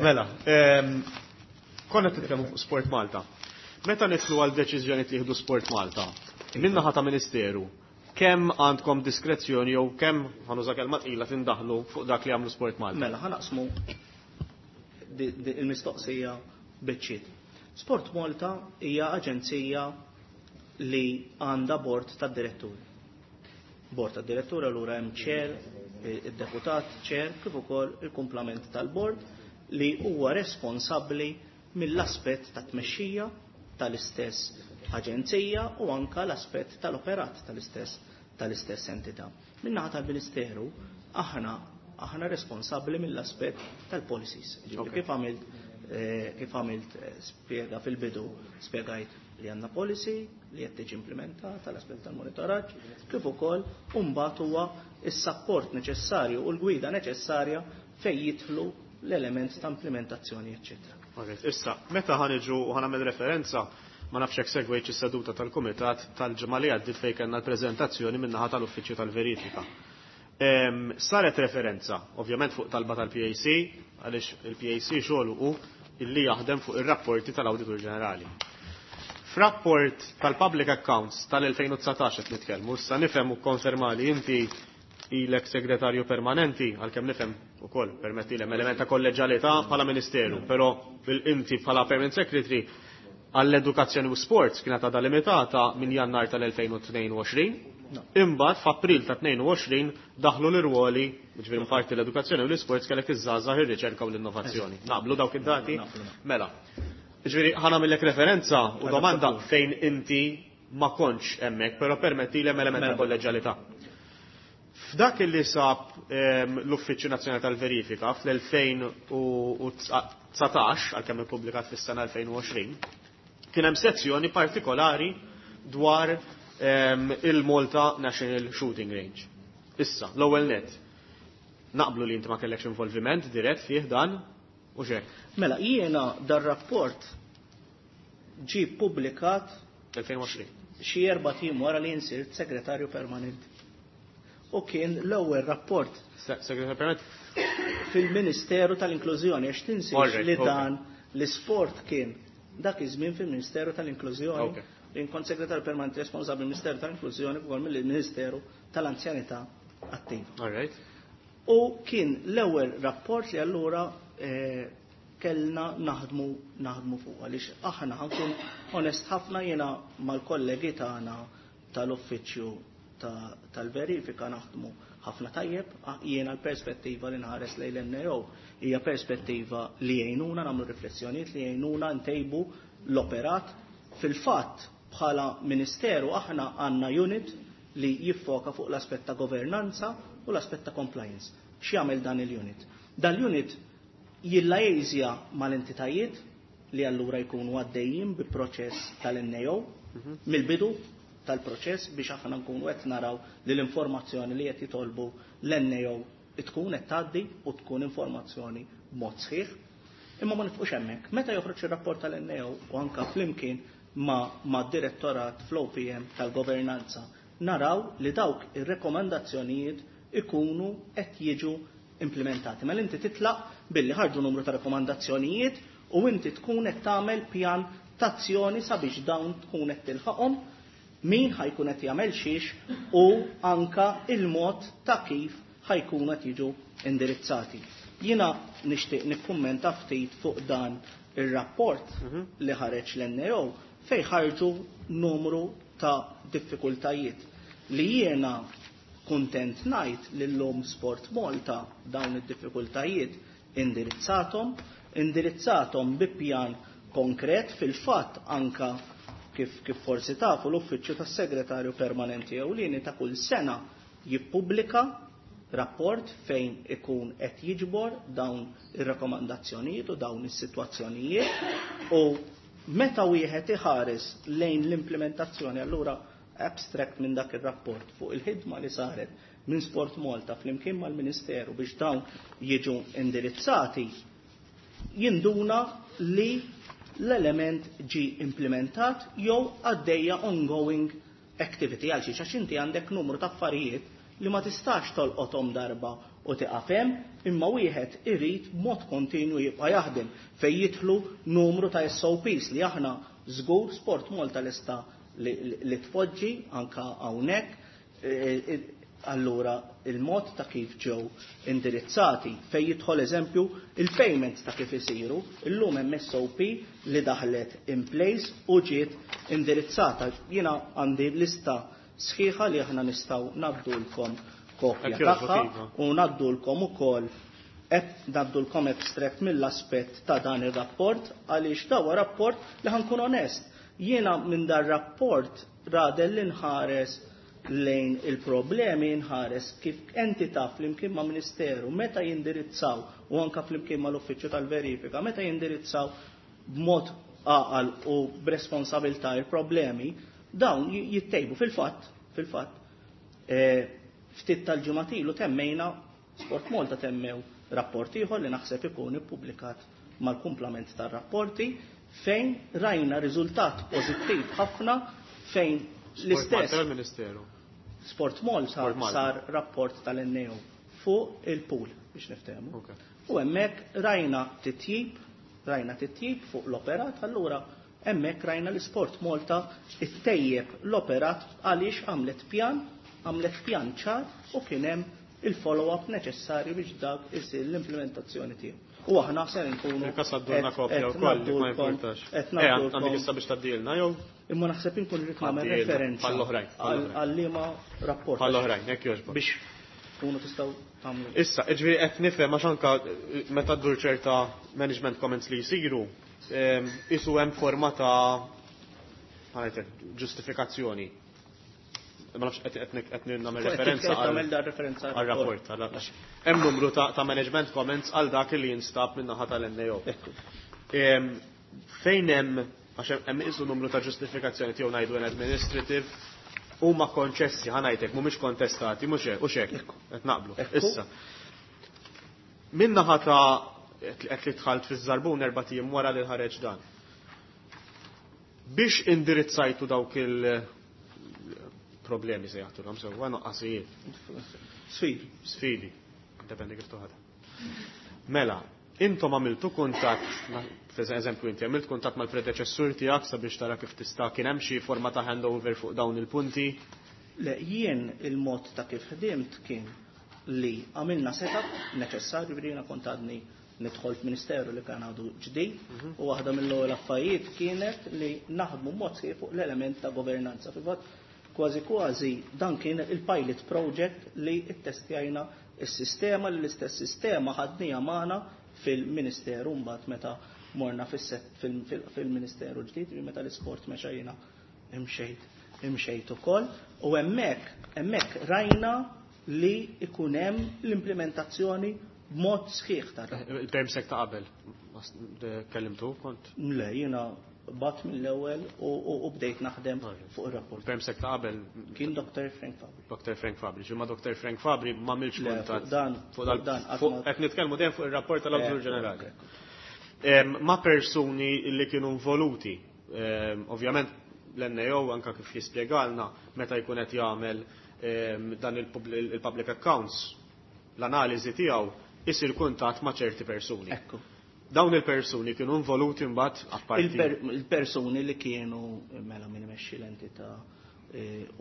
Mela, konna titkellmu fuq Sport Malta. Meta nidħlu għal deċiżjoni li jieħdu Sport Malta, min-naħa ta' Ministeru, kemm għandkom diskrezzjoni jew kemm ħanuża kelma tqila tindaħlu fuq dak li għamlu Sport Malta? Mela, ħanaqsmu il-mistoqsija biċċiet. Sport Malta hija aġenzija li għandha bord tad-diretturi. Bord tad-diretturi allura hemm chair, id-deputat chair, kif ukoll il-kumplament tal-bord li huwa responsabbli mill-aspett ta' tmexxija tal-istess aġenzija u anka l-aspett tal-operat tal-istess tal-istess entità. Min-naħa tal-Ministeru aħna aħna responsabbli mill-aspett tal-policies. Ġifieri kif għamilt kif għamilt spjega fil-bidu, spjegajt li għandna policy li qed tiġi implementata l-aspett tal-monitoraġġ, kif ukoll mbagħad huwa s-sapport neċessarju u l-gwida neċessarja fejn jidħlu l-element ta' implementazzjoni, eċċetera. Issa, meta ħaniġu u ħanagħmel referenza, ma nafx hekk segwejt is-seduta tal-Kumitat tal-ġimgħa li għaddiet fejn kellna l-preżentazzjoni min-naħa tal-Uffiċċju tal-Verifika. Saret referenza, ovvjament fuq talba tal-P A C, għaliex il-P A C xogħlu hu illi jaħdem fuq ir-rapporti tal-Awditur Ġenerali. F'rapport tal-Public Accounts tal-elfejn u dsatax qed nitkellmu, issa nifhem u konfermali inti ilek segretarju permanenti, għalkemm nifhem ukoll permetti l element ta' kolleġjalità bħala Ministeru, però inti bħala Permanent Secretary għall-edukazzjoni u sports kienet għadha limitata minn Jannar tal-elfejn u tnejn u għoxrin. Imbagħad f'April ta' tnejn u għoxrin daħlu l-irwoli, ġifieri parti l-edukazzjoni u l-isports kellek iż-żgħażagħ ir-riċerka u l-innovazzjoni. Naqblu dawk id-dati? Mela. Ġifieri ħa nagħmellek referenza u domanda fejn inti ma kontx hemmhekk, però permetti l element ta' kolleġjalità. F'dak li sab l-Uffiċċju Nazzjonali tal-Verifika fl-elfejn u dsatax, għalkemm ippubblikat fis-sena elfejn u għoxrin, kien hemm sezzjoni partikolari dwar il-Malta National Shooting Range. Issa, l-ewwel net, naqblu li inti ma kellekx involviment dirett fih dan u xek. Mela, jiena dar-rapport ġie ppubblikat elfejn u għoxrin. xi erba' tim wara li nsirt segretarju permanenti. U kien l-ewwel rapport Segretarju fil-Ministeru tal-Inklużjoni, għax tinsiex li dan l-isport kien dak iż-żmien fil-Ministeru tal-Inklużjoni. Jien kont segretarju permanenti responsabbli mill-Ministeru tal-Inklużjoni ukoll mill-Ministeru tal-Anzjanità Attiva. U kien l-ewwel rapport li allura kellna naħdmu naħdmu fuq, għaliex aħna ħankun onest ħafna, jiena mal-kollegi tagħna tal-uffiċċju tal-verifika naħdmu ħafna tajjeb. Jiena l-perspettiva li nħares lejn l-N A O hija perspettiva li jgħinuna nagħmlu riflessjonijiet, li jgħinuna ntejbu l-operat. Fil-fatt bħala ministeru aħna għandna unit li jiffoka fuq l-aspett ta' governanza u l-aspett ta' compliance. X'jagħmel dan il-unit? Dan l-unit jillajżja mal-entitajiet li allura jkunu għaddejjin bi proċess tal-N A O mill-bidu tal-proċess, biex aħna nkunu qed naraw li l-informazzjoni li qed jitolbu l-N A O tkun qed tgħaddi u tkun informazzjoni b'mod sħiħ. Imma ma nifqux hemmhekk. Meta joħroġ ir-rapport tal-N A O u anka flimkien ma', ma' direttorat fl-O P M tal-governanza, naraw li dawk ir-rekomandazzjonijiet ikunu qed jiġu implementati. Mela inti titlaq billi ħarġu numru ta' rekomandazzjonijiet u inti tkun qed tagħmel pjan t'azzjoni sabiex dawn tkun qed tilħaqhom, min ħajkun qed jagħmel xiex u anka il-mod ta' kif ħajkunu qed jiġu indirizzati. Jiena nixtieq nikkummenta ftit fuq dan ir-rapport li ħareġ l-N A O fejn ħarġu numru ta' diffikultajiet li jiena kuntent ngħid li llum Sport Malta dawn id-diffikultajiet indirizzatom, indirizzatom bi pjan konkret. Fil-fatt anka kif, kif forsi tafu l-Uffiċċju tas-Segretarju Permanenti Ewlieni ta' kull sena jippubblika rapport fejn ikun qed jiġbor dawn ir-rakkomandazzjonijiet u dawn is-sitwazzjonijiet, u meta wieħed iħares lejn l-implementazzjoni, allura abstract minn dak ir-rapport fuq il-ħidma li saret minn Sport Malta flimkien mal-Ministeru biex dawn jiġu indirizzati, jinduna li l-element ġi implementat jew għaddejja ongoing activity, għal xiex għax inti għandek numru ta' affarijiet li ma tistax tolqothom darba u tiqaf hemm, imma wieħed irid b'mod kontinwu jibqa' jaħdem fejn jidħlu numru ta' S O Ps li aħna żgur Sport Malta lesta li, li tpoġġi anka hawnhekk. E, e, allura il-mod ta' kif ġew indirizzati fejn jidħol eżempju il-payments ta' kif isiru, illum hemm S O P li daħlet in place u ġiet indirizzata. Jiena għandi lista sħiħa li aħna nistgħu ngħaddulkom kopja Ekk jogħġbok, tagħha Iva. u ngħaddulkom ukoll ngħaddulkom abstract mill-aspett ta' dan ir-rapport, għaliex dawa rapport li ħankun onest. Jiena minn dar rapport radel li nħares lejn il-problemi, nħares kif entità flimkien ma' ministeru meta jindirizzaw u anka flimkien ma' l-uffiċċju tal-verifika meta jindirizzaw b'mod għaqal u b'responsabilità il-problemi, dawn j-, jittejbu. Fil-fatt, fil-fatt, eh, ftit tal-ġimgħat ilu temmejna Sport Malta temmew rapport ieħor li naħseb ikun ippubblikat mal-kumplament tar-rapporti fejn rajna riżultat pożittiv ħafna fejn Sport l-istess Malta l-Ministeru. Sport Malta Sport Malta. sar rapport tal-N A O fuq il-pool biex niftehmu. Okay. U hemmhekk rajna titjib, rajna titjib fuq l-operat, allura hemmhekk rajna li Sport Malta ittejjeb l-operat għaliex għamlet pjan, għamlet pjan ċar u kien hemm il-follow-up neċessarju biex dak isir l-implementazzjoni tiegħu. U aħna ser nkunu Il-kas għaddulna qed- kopja qed wkoll, ma ngħaddulkom- importax. qed Eh, ngħaddulkom għandek issa biex tgħaddilna jew? Imma naħseb inkun irrid nagħmel Għaddilna, referenza bħall-oħrajn, bħall-oħrajn. għal liema rapport. Bħall-oħrajn, jekk jogħġbok. Biex tkunu tistgħu tagħmlu. Issa, jiġifieri qed nifhem għax anka meta ddur ċerta management comments li jsiru, ehm, isu hemm forma ta' ħanajtek, ġustifikazzjoni. Ma nafx qed qed qed nagħmel Qed referenza qed għal tagħmel dar referenza għal rapport, għal għax hemm numru ta', ta' management comments għal dak li jinstab minn naħa tal-N A O. Ekku. Ehm, fejn hemm, għax hemm, hemm isu numru ta' ġustifikazzjoni tiegħu ngħidu an administrative, huma konċessi, ħa ngħidlek, mhumiex kontestati, mhux hekk, hux hekk, Ekku. qed naqblu. Ekku. Issa. Minn naħa ta' qed li dħalt fiż-żarbun erba' ijiem wara li ħareġ dan. Biex indirizzajtu dawk il Problemi se jaħtulhom sewwa noqqasijiet. Sfidi. Sfidi. Dependi kif toħodha. Mela, intom għamiltu kuntatt, per eżempju inti għamilt kuntatt mal-predeċessur tiegħek sabiex tara kif tista' kien hemm xi forma ta' handover fuq dawn il-punti? Le, jien il-mod ta' kif ħdimt kien li għamilna setup neċessarju li jiena kont għadni nidħol f'ministeru li kien għadu ġdid Mhm. u waħda mill-ewwel affarijiet kienet li naħdmu mod sħiħ fuq l-element ta' governanza. Fil-fatt kważi kważi dan kien il-pilot project li ttestjajna is-sistema li l-istess sistema ħadnija magħna fil-ministeru mbagħad meta morna fil-ministeru ġdid, meta l-isport mexa jiena imxejt imxejt ukoll u hemmhekk hemmhekk rajna li ikun hemm l-implementazzjoni b'mod sħiħ ta' Il-permsec ta' qabel, kellimtu kont? Le, jiena bat mill-ewwel u bdejt naħdem fuq ir-rapport. Permsec ta' qabel kien Doctor Frank Fabri. Doctor Frank Fabri, ġimma Doctor Frank Fabri ma milx kuntatt. Dan, fuq dan, qed nitkellmu dejjem fuq ir-rapport tal-Awditur Ġenerali. Ma persuni li kienu involuti, ovvjament l-N A O anka kif jispjegalna meta jkun qed jagħmel dan il-public accounts, l-analiżi tiegħu isir kuntatt ma' ċerti persuni. Ekku. Dawn il-persuni kienu involuti mbagħad apparti. Il-persuni li kienu mela min imexxi l-entità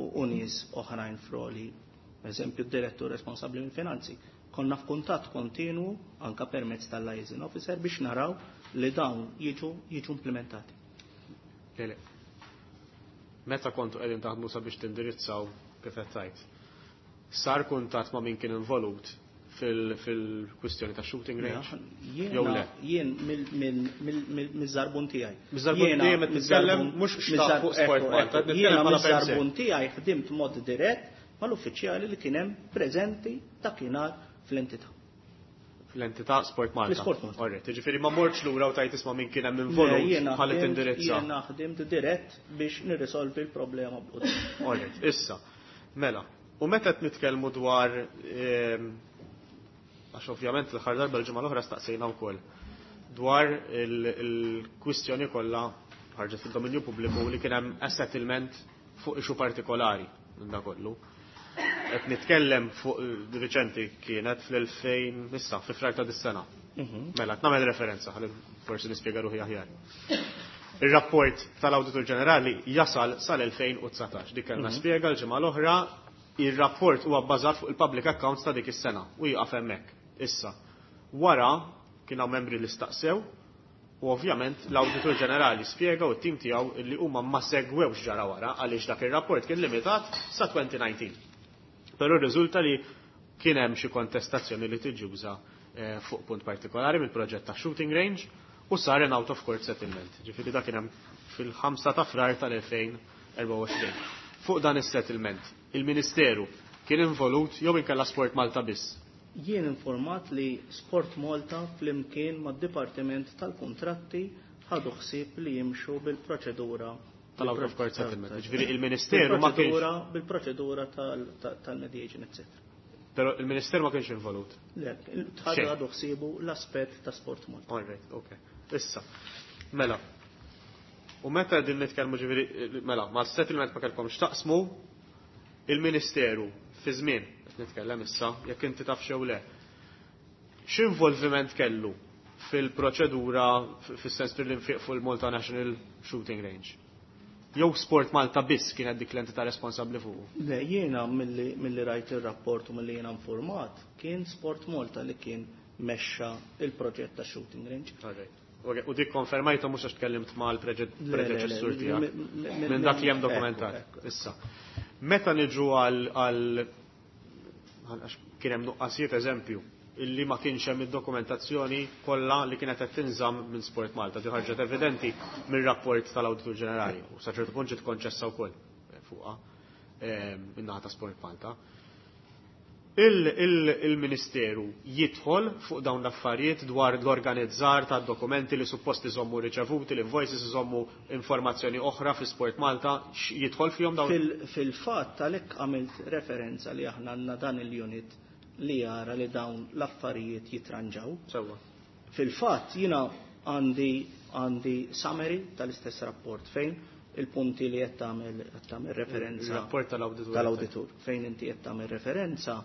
u nies oħrajn froli, eżempju d-direttur responsabbli mill-finanzi, konna f'kuntatt kontinwu anka permezz tal-liaison officer biex naraw li dawn jiġu, jiġu implementati. Le, le. Meta kontu qegħdin taħdmu sabiex tindirizzaw kif qed tgħid, sar kuntatt ma' min kien involut fil-kwistjoni ta' shooting range? Jew le? Jien mill-żarbun tiegħi. Miż-żarbun tiegħi meta titkellem mhux xtaq fuq Sport Malta, qed nitkellem Jiena bħala per se. miż-żarbun tiegħi ħdimt mod dirett mal-uffiċjali li kien hemm preżenti dakinhar fl-entità. Fl-entità Sport Malta. Fl-Sport Malta. Alright, jiġifieri ma mortx lura u tajt isma' min kien hemm involut Le, jiena ħalli ħdimt- tindirizza. Jiena ħdimt dirett biex nirrisolvi l-problema bl-quddiem. Alright, issa. Mela, u meta qed nitkellmu dwar, ehm, għax ovvjament l-aħħar darba l-ġimgħa l-oħra staqsejna wkoll dwar il-kwistjoni kollha ħarġet fid-dominju pubbliku li kien hemm a settlement fuq issue partikolari minn da kollu. Qed nitkellem fuq riċenti kienet fl-elfejn issa fi frar ta' dis-sena. Mhm. Mela, qed nagħmel referenza ħalli forsi nispjega ruħi aħjar. Ir-rapport tal-Awditur Ġenerali jasal sal-elfejn u dsatax. Dik kellna Mhm. spjega l-ġimgħa l-oħra, ir-rapport huwa bbażat fuq il-public accounts ta' dik is-sena u jieqaf hemmhekk. Issa, wara kien hawn membri li staqsew u ovvjament l-Awditur Ġenerali spjega u t-tim tiegħu li huma ma segwewx ġara wara għaliex dak ir-rapport kien limitat sa twenty nineteen. Però rriżulta li kien hemm xi kontestazzjoni li tiġuża, eh, fuq punt partikolari mill-proġett ta' shooting range u sar an out of court settlement. Ġifieri dak kien hemm fil-ħamsa ta' frar tal-elfejn erbgħa u għoxrin. Fuq dan is-settlement, il-Ministeru kien involut jew inkella Sport Malta biss? Jien informat li Sport Malta flimkien mad-Dipartiment tal-Kuntratti ħadu ħsieb li jimxu bil-proċedura tal-out of court settlement. Ġifieri il-Ministeru ma kienx Bil-proċedura, bil-proċedura tal-, tal-, tal-mediation, eccetera. Però il-Ministeru ma kienx involut. Le, Xejn. ħadu ħsiebu l-aspett ta' Sport Malta. All right, okay. Issa, mela. U meta din nitkellmu ġifieri, mela, ma' settlement ma kellkomx taqsmu, il-Ministeru fi żmien, qed nitkellem issa, jekk inti taf xew le. X'involviment kellu fil-proċedura fis-sens fil-infiq fuq il-Malta National Shooting Range? Jew Sport Malta biss kienet dik l-entità responsabbli fuqu? Le, jiena milli, milli rajt ir-rapport u milli jiena informat, kien Sport Malta li kien mexxa il-proġett ta' shooting range. All right. Okay, u dik konfermajta mhux għax tkellimt mal-preġe-, Le, le, le, predeċessur mi- tiegħek. mi- mi- Minn dak li hemm ekku, dokumentat. ekku. Issa. Meta niġu għal, għal għax kien hemm nuqqasijiet eżempju illi ma kienx hemm id-dokumentazzjoni kollha li kienet qed tinżamm minn Sport Malta. Di ħarġet evidenti mir-rapport tal-Awditur Ġenerali u sa ċertu punt ġiet konċessa wkoll fuqha, ehm, min-naħa ta' Sport Malta. Il-, il-, il-Ministeru jidħol fuq dawn l-affarijiet dwar l-organizzar ta' dokumenti li suppost iżommu riċevuti, l-invoices iżommu informazzjoni oħra fi Sport Malta, x-, jidħol fihom dawn? Fil-, fil-fatt għalhekk għamilt referenza li aħna għandna dan il-unit li jara li dawn l-affarijiet jitranġaw. Sewwa. Fil-fatt jiena għandi, għandi summary tal-istess rapport fejn il-punti li qed tagħmel qed tagħmel referenza Il-rapport tal-awditur. tal-awditur fejn inti qed tagħmel referenza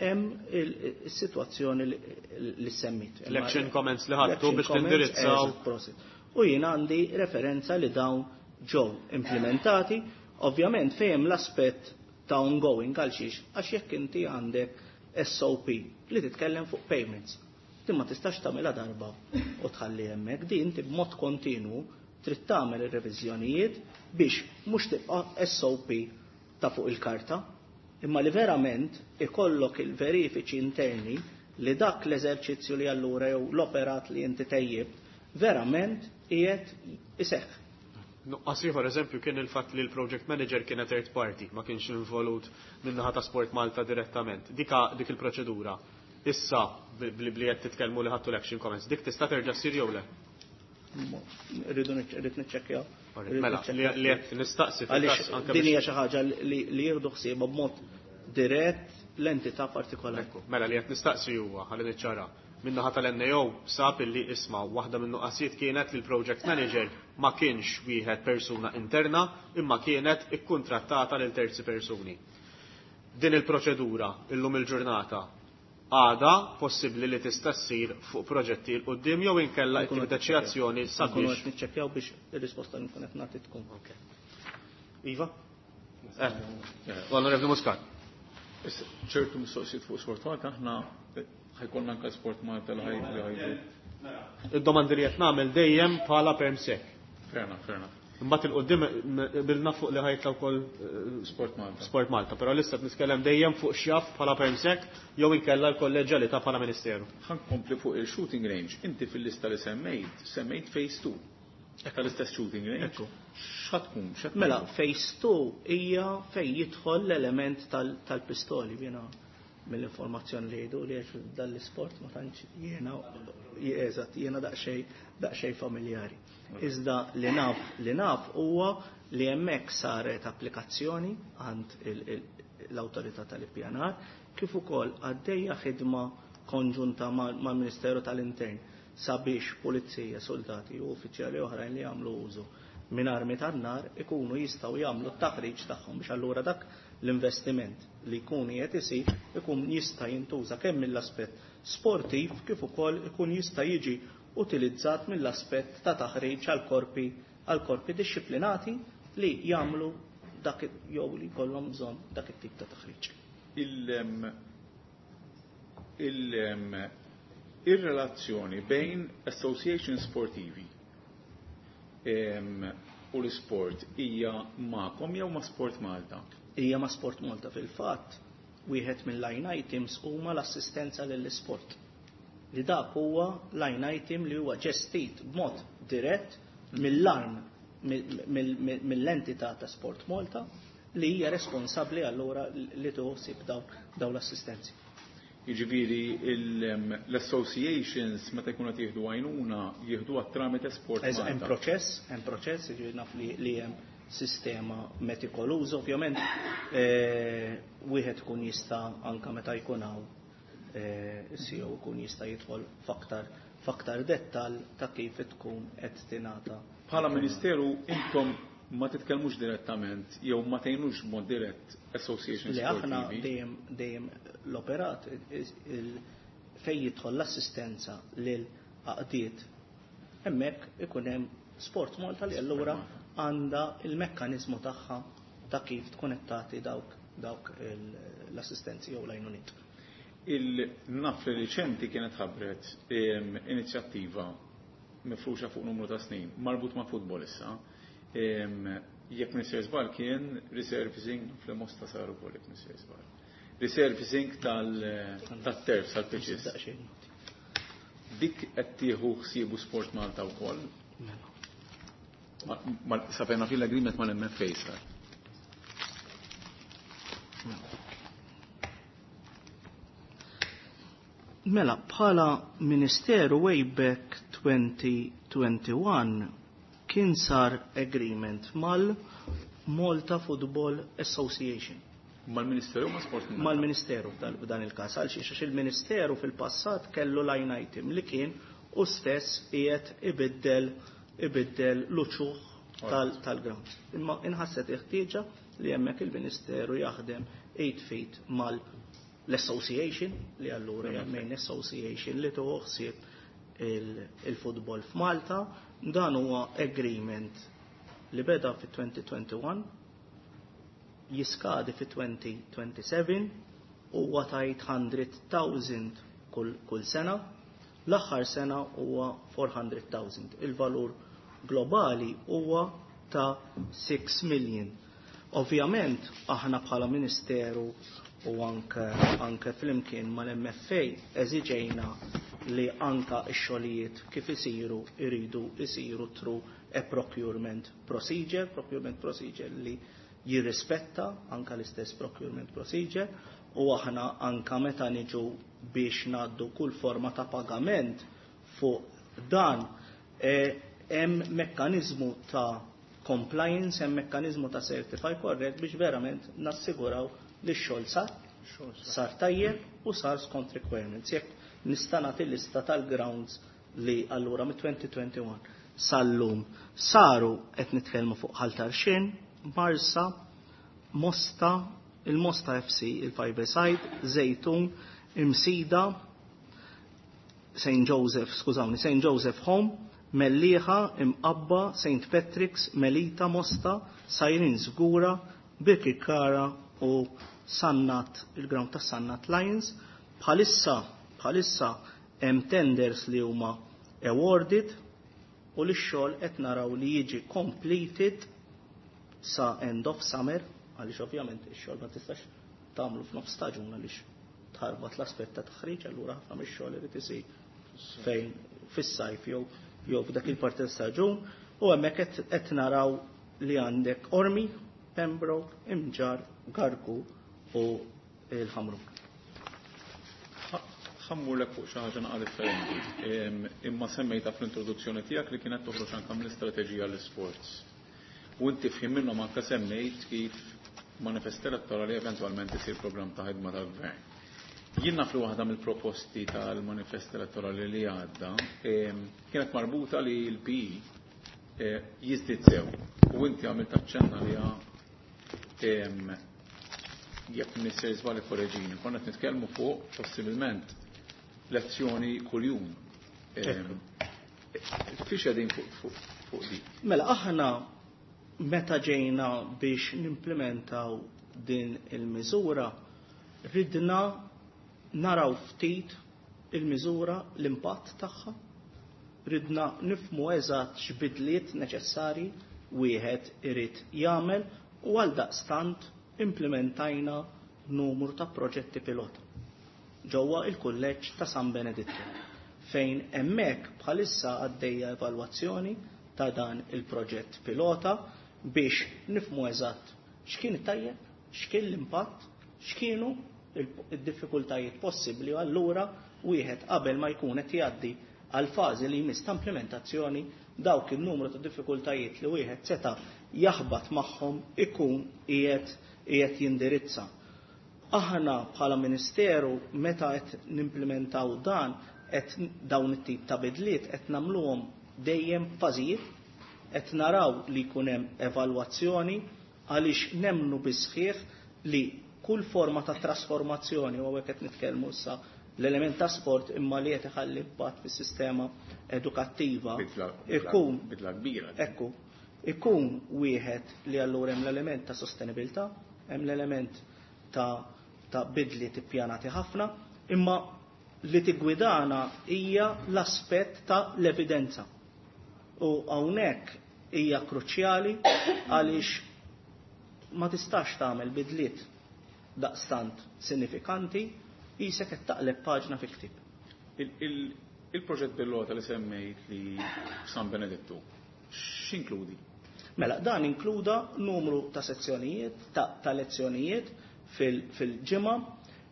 hemm il-sitwazzjoni li semmit. L-action comments li ħadtu L-action biex comments, tindirizzaw. eżatt, prosit. U jien għandi referenza li dawn ġew implementati, ovvjament fejn l-aspett ta' ongoing għal xiex, għax jekk inti għandek S O P li titkellem fuq payments, din ma tistax tagħmilha darba u tħalli hemmhekk, din inti b'mod kontinwu trid tagħmel ir-reviżjonijiet biex mhux tibqa' S O P ta' fuq il-karta, imma li verament ikollok il-verifiċi interni li dak l-eżerċizzju li allura jew l-operat li inti tejjibt verament qiegħed iseħħ. Nuqqas ieħor eżempju kien il-fatt li l-project manager kienet third party, ma kienx involut min-naħa ta' Sport Malta direttament. Dika dik il-proċedura. Issa bli bli qed titkellmu li ħadtu l-action comments, dik tista' terġa' ssir jew le? Rridu rrid niċċekkjaw. Alright, mela, li li qed nistaqsi fil-każ Għaliex anke din biex hija xi ħaġa li, li jieħdu ħsiebha b'mod dirett l-entità partikolari. Ekku, mela li qed nistaqsi huwa ħalli niċċara. Min-naħa tal-N A O sab illi isma' waħda minn nuqqasijiet kienet li l-project manager ma kienx wieħed persuna interna imma kienet ikkuntrattata lil terzi persuni. Din il-proċedura illum il-ġurnata għada possibbli li tista' ssir fuq proġetti l quddiem jew inkella Nkunu qed tieħu azzjoni Nkunu sabiex qed niċċekkjaw biex ir-risposta li nkun qed nagħti tkun. Ok. Iva? Eh, Onorevoli Muscat. Issa, ċertu mistoqsijiet fuq Sport Malta, aħna ħajkollna anke Sport Malta li ħaj- li ħajdu. Id-domandi li qed nagħmel dejjem bħala perm sec. Fair enough, fair enough. Imbagħad il-qudiem bilna fuq li ħajtla wkoll, eh, Sport Malta. Sport Malta, però lista qed nitkellem dejjem fuq x'jaf bħala perm sec jew inkella l-kolleġġjalità bħala Ministeru. Ħa nkompli fuq il-shooting range. Inti fil-lista li semmejt, semmejt phase two. Tal-istess shooting range. Ekku. X'ħa tkun? X'ħa tkun? Mela, phase two hija fejn jidħol l-element tal-, tal-pistoli. Jiena mill-informazzjoni li jgħidu li għax dal-isport ma tantx jiena, eżatt, jiena daqsxejn, daqsxejn familjari. Iżda li naf, li naf huwa li hemmhekk saret applikazzjoni għand il-, il-, l-awtorità tal-ippjanar kif ukoll għaddejja ħidma konġunta mal-, mal-Ministeru tal-Intern sabiex pulizija, soldati u uffiċjali oħrajn li jagħmlu użu minn armi tan-nar ikunu jistgħu jagħmlu t-taħriġ tagħhom biex allura dak l-investiment li jkun qed isir ikun jista' jintuża kemm mill-aspett sportiv kif ukoll ikun jista' jiġi utilizzat mill-aspett ta' taħriġ għal korpi, għal korpi dixxiplinati li jagħmlu dak jew li jkollhom bżonn dak it-tip ta' taħriġ. Il-, il-, ir-relazzjoni bejn association sportivi, em, u l-sport hija magħkom jew ma' Sport Malta? Hija ma' Sport Malta fil-fatt, wieħed mill-line items huma l-assistenza lill-isport. Li dak huwa line item li huwa ġestit b'mod dirett mill-arm mill-, mill-, mill-, mill-entità ta' Sport Malta li hija responsabbli allura li tħossib daw, daw l-assistenzi. Jiġifieri il-, l-associations meta jkunu qed jieħdu għajnuna jieħdu tramite Sport Eż, hemm Malta. proċess, hemm proċess, jiġifieri naf li, li hemm sistema metikoluża, ovvjament, eh, wieħed ikun jista' anke meta jkun hawn, eh, C E O jkun jista' jidħol f'aktar, f'aktar dettall ta' kif tkun qed tingħata. Bħala Ministeru intom ma titkellmux direttament jew ma tgħinux b'mod dirett associations Li aħna sportivi. dejjem, dejjem l-operat il-, il-, fejn jidħol l-assistenza lil għaqdiet hemmhekk ikun hemm Sport Malta li allura għandha il-mekkaniżmu tagħha ta' kif tkun qed tagħti dawk, dawk il-, l-assistenzi jew l-għajnuniet. Il-naf li riċenti kienet ħabbret, em, inizjattiva mifruxa fuq numru ta' snin marbut ma' futbol issa. Em, jekk Mister Żball kien resurfacing fl-Mosta saru wkoll jekk Mister Żball. Resurfacing tal-, tat-turf tal-pitches. Dik qed tieħu ħsiebu Sport Malta wkoll. Mela. Ma, ma, sapena fil-agreement mal-M F A sar. Mela, bħala Ministeru way back twenty twenty-one kien sar agreement mal-Malta Football Association. Mal-Ministeru ma' Sport Malta? Mal-Ministeru f'dan, f'dan il-każ, għal xiex, għax il-Ministeru fil-passat kellu line item li kien u stess qiegħed ibiddel, ibiddel l-uċuħ tal-grounds. Imma inħasset ħtieġa li hemmhekk il-Ministeru jaħdem eight feet mal l-association li allura hija main association li tieħu ħsieb il-futbol f'Malta. Dan huwa agreement li beda fi twenty twenty-one, jiskadi fi twenty twenty-seven, huwa ta' eight hundred thousand kull, kull sena. L-aħħar sena huwa four hundred thousand. Il-valur globali huwa ta' six million. Ovvjament aħna bħala Ministeru u anke, anke flimkien mal-M F A eżiġejna li anka x-xogħlijiet kif isiru iridu isiru through a procurement procedure, procurement procedure li jirrispetta anka l-istess procurement procedure, u aħna anka meta niġu biex ngħaddu kull forma ta' pagament fuq dan, hemm e, mekkaniżmu ta' compliance, hemm mekkaniżmu ta' certify correct biex verament nassiguraw li x-xogħol sar, sar tajjeb u sar skont requirements. Jekk nista' nagħti lista tal-grounds li allura mit twenty twenty-one sal-lum saru, qed nitkellmu fuq Ħal Tarxien, Marsa, Mosta, il-Mosta F C, il-Five Side, Zejtun, Imsida, Saint Joseph, skużawni, Saint Joseph Home, Mellieħa, Imqabba, Saint Patrick's, Melita, Mosta, Sajrin Żgura, Birkirkara u Sannat, il-ground ta' Sannat Lions. Bħalissa, bħalissa hemm tenders li huma awarded u li x-xogħol qed naraw li jiġi completed sa end of summer, għaliex ovvjament ix-xogħol ma tistax tagħmlu f'nofs staġun għaliex tħarbat l-aspett ta' taħriġ, allura ħafna mix-xogħol irid isir fejn fis-sajf jew jew f'dak il-parti staġun, u hemmhekk qed, qed naraw li għandek Ormi, Pembroke, Imġar, Gargu u l-Ħamrun. Ħammurlek fuq xi ħaġa naqra differenti, imma semmejta fl-introduzzjoni tiegħek li kienet toħroġ anke mill-istrateġija l-isports. U inti f'ħin minnhom anke semmejt kif manifest elettorali eventwalment isir programm ta' ħidma tal-gvern. Jien naf li waħda mill-proposti tal-manifest elettorali li għadda kienet marbuta li l-P E jiżdied sew. U inti għamilt aċċenna li jekk nisser żball ikkoreġini, konna qed nitkellmu fuq possibilment lezzjoni kuljum. Fiex qegħdin fuq, fuq dik? Mela aħna meta ġejna biex nimplementaw din il-miżura, ridna naraw ftit il-miżura, l-impatt tagħha, ridna nifmu eżatt x'bidliet neċessarji wieħed irid jagħmel, u għal daqstant implementajna numru ta' proġetti pilota ġewwa il-kulleġġ ta' San Beneditto, fejn hemmhekk bħalissa għaddejja evalwazzjoni ta' dan il-proġett pilota biex nifmu eżatt x'kien it-tajjeb, x'kien l-impatt, x'kienu id-diffikultajiet possibbli, u allura wieħed qabel ma jkun qed jgħaddi għal fażi li jmiss ta' implementazzjoni dawk in-numru ta' diffikultajiet li wieħed seta' jaħbat magħhom ikun qiegħed qiegħed jindirizza. Aħna bħala Ministeru meta qed nimplementaw dan, qed dawn it-tip ta' bidliet qed nagħmluhom dejjem fażijiet, qed naraw li jkun hemm evalwazzjoni għaliex nemmnu bisħieħ li kull forma ta' trasformazzjoni, u hawnhekk qed nitkellmu issa l-element ta' sport imma li qed iħalli impatt fis-sistema edukattiva Bidla, bidla, ikun bidla kbira. Ekku, ikun wieħed li allura hemm l-element ta' sostenibilità, hemm l-element ta', ta' bidli tippjanati ħafna, imma li tiggwidana hija l-aspett ta' l-evidenza. U hawnhekk hija kruċjali għaliex ma tistax tagħmel bidliet daqstant sinifikanti jisek qed taqleb paġna fi ktieb. Il-, il-, il-proġett pilota li semmejt li San Benedetto, x'inkludi? Mela, dan inkluda numru ta' sezzjonijiet, ta', ta' lezzjonijiet fil-, fil-ġimgħa,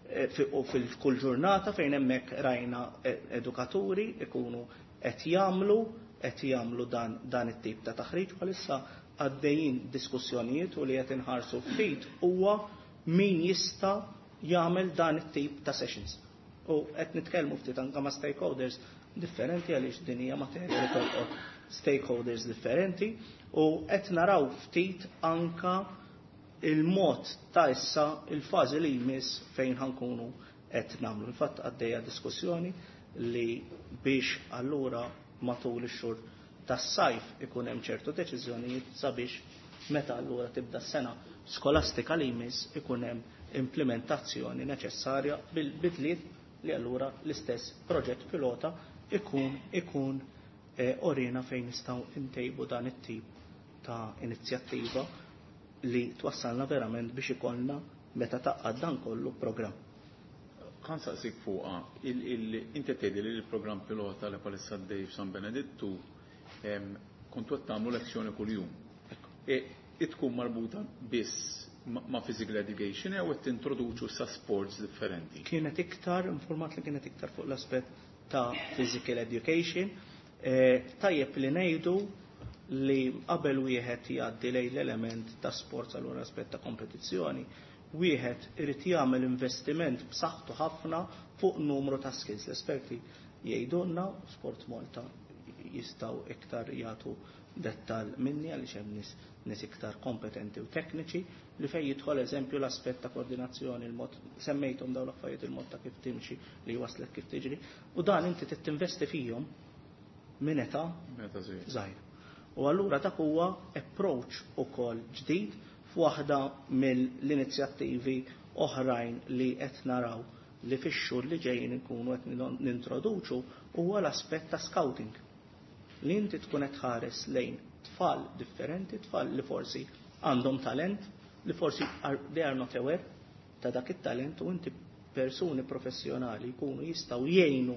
eh, fi-, u fil-kull ġurnata fejn hemmhekk rajna, eh, edukaturi ikunu qed jagħmlu, qed jagħmlu dan, dan it-tip ta' taħriġ. Bħalissa għaddejjin diskussjonijiet u li qed inħarsu ftit huwa min jista' jagħmel dan it-tip ta' sessions. U qed nitkellmu ftit anke ma' stakeholders differenti għaliex din hija materja li tolqot stakeholders differenti u qed naraw ftit anka il-mod ta' issa il-fażi li jmiss fejn ħankunu qed nagħmlu. Infatti għaddejja diskussjoni li biex allura matul ix-xhur tas-sajf ikun hemm ċertu deċiżjonijiet sabiex meta allura tibda s-sena skolastika li jmiss ikun hemm implementazzjoni neċessarja bil-bidliet li allura l-istess proġett pilota ikun ikun eh, orina fejn nistgħu ntejbu dan it-tip ta' inizjattiva li twassalna verament biex ikollna meta taqqad dan kollu programm. Kan saqsik fuqa, inti tgħidi li l-programm pilota li palissa għaddej f'San Benedittu kontu qed tagħmlu lezzjoni kuljum. E tkun marbuta biss ma' physical education jew qed tintroduċu sa sports differenti? Kienet iktar, informat li kienet iktar fuq l-aspett ta' physical education. E, tajjeb li ngħidu li qabel wieħed jgħaddi lejn l-element ta' sports allura aspett ta' kompetizzjoni, wieħed irid jagħmel investiment b'saħħtu ħafna fuq numru ta' skills. L-esperti jgħidulna, Sport Malta jistgħu iktar jagħtu dettal minni għaliex hemm nies nies iktar kompetenti u tekniċi li fejn jidħol eżempju l-aspett ta' koordinazzjoni, il-mod semmejthom dawn l-affarijiet, il-mod ta' kif timxi li waslek kif tiġri, u dan inti trid tinvesti fihom minn età żgħira. U allura dak huwa approach ukoll ġdid f'waħda mill-inizjattivi oħrajn li qed naraw li fix-xhur li ġejjin inkunu qed nintroduċu huwa l-aspett ta' scouting. Li inti tkun qed tħares lejn tfal differenti, tfal li forsi għandhom talent, li forsi are, they are not aware ta' dak it-talent, u inti persuni professjonali jkunu jistgħu jgħinu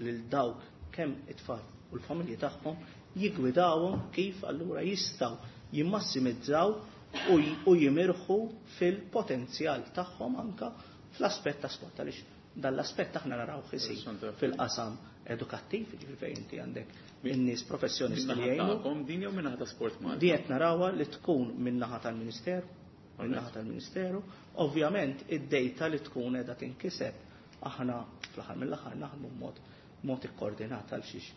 lil dawk kemm it-tfal u l-familji tagħhom jigwidawhom kif allura jistgħu jimmassimizzaw u jimirħu fil-potenzjal tagħhom anka fl-aspett ta' sport, għaliex dan l-aspett aħna naraw isir fil-qasam edukattiv, ġifieri fejn inti għandek in-nies professjonisti li jgħinu. Din jew min-naħa ta' Sport Malta? Din qed narawha li tkun min-naħa tal-Ministeru, min-naħa tal-Ministeru. Ovvjament id-dejta li tkun qiegħda tinkiseb aħna fl-aħħar mill-aħħar naħdmu b'mod mod ikkoordinat għal xiex.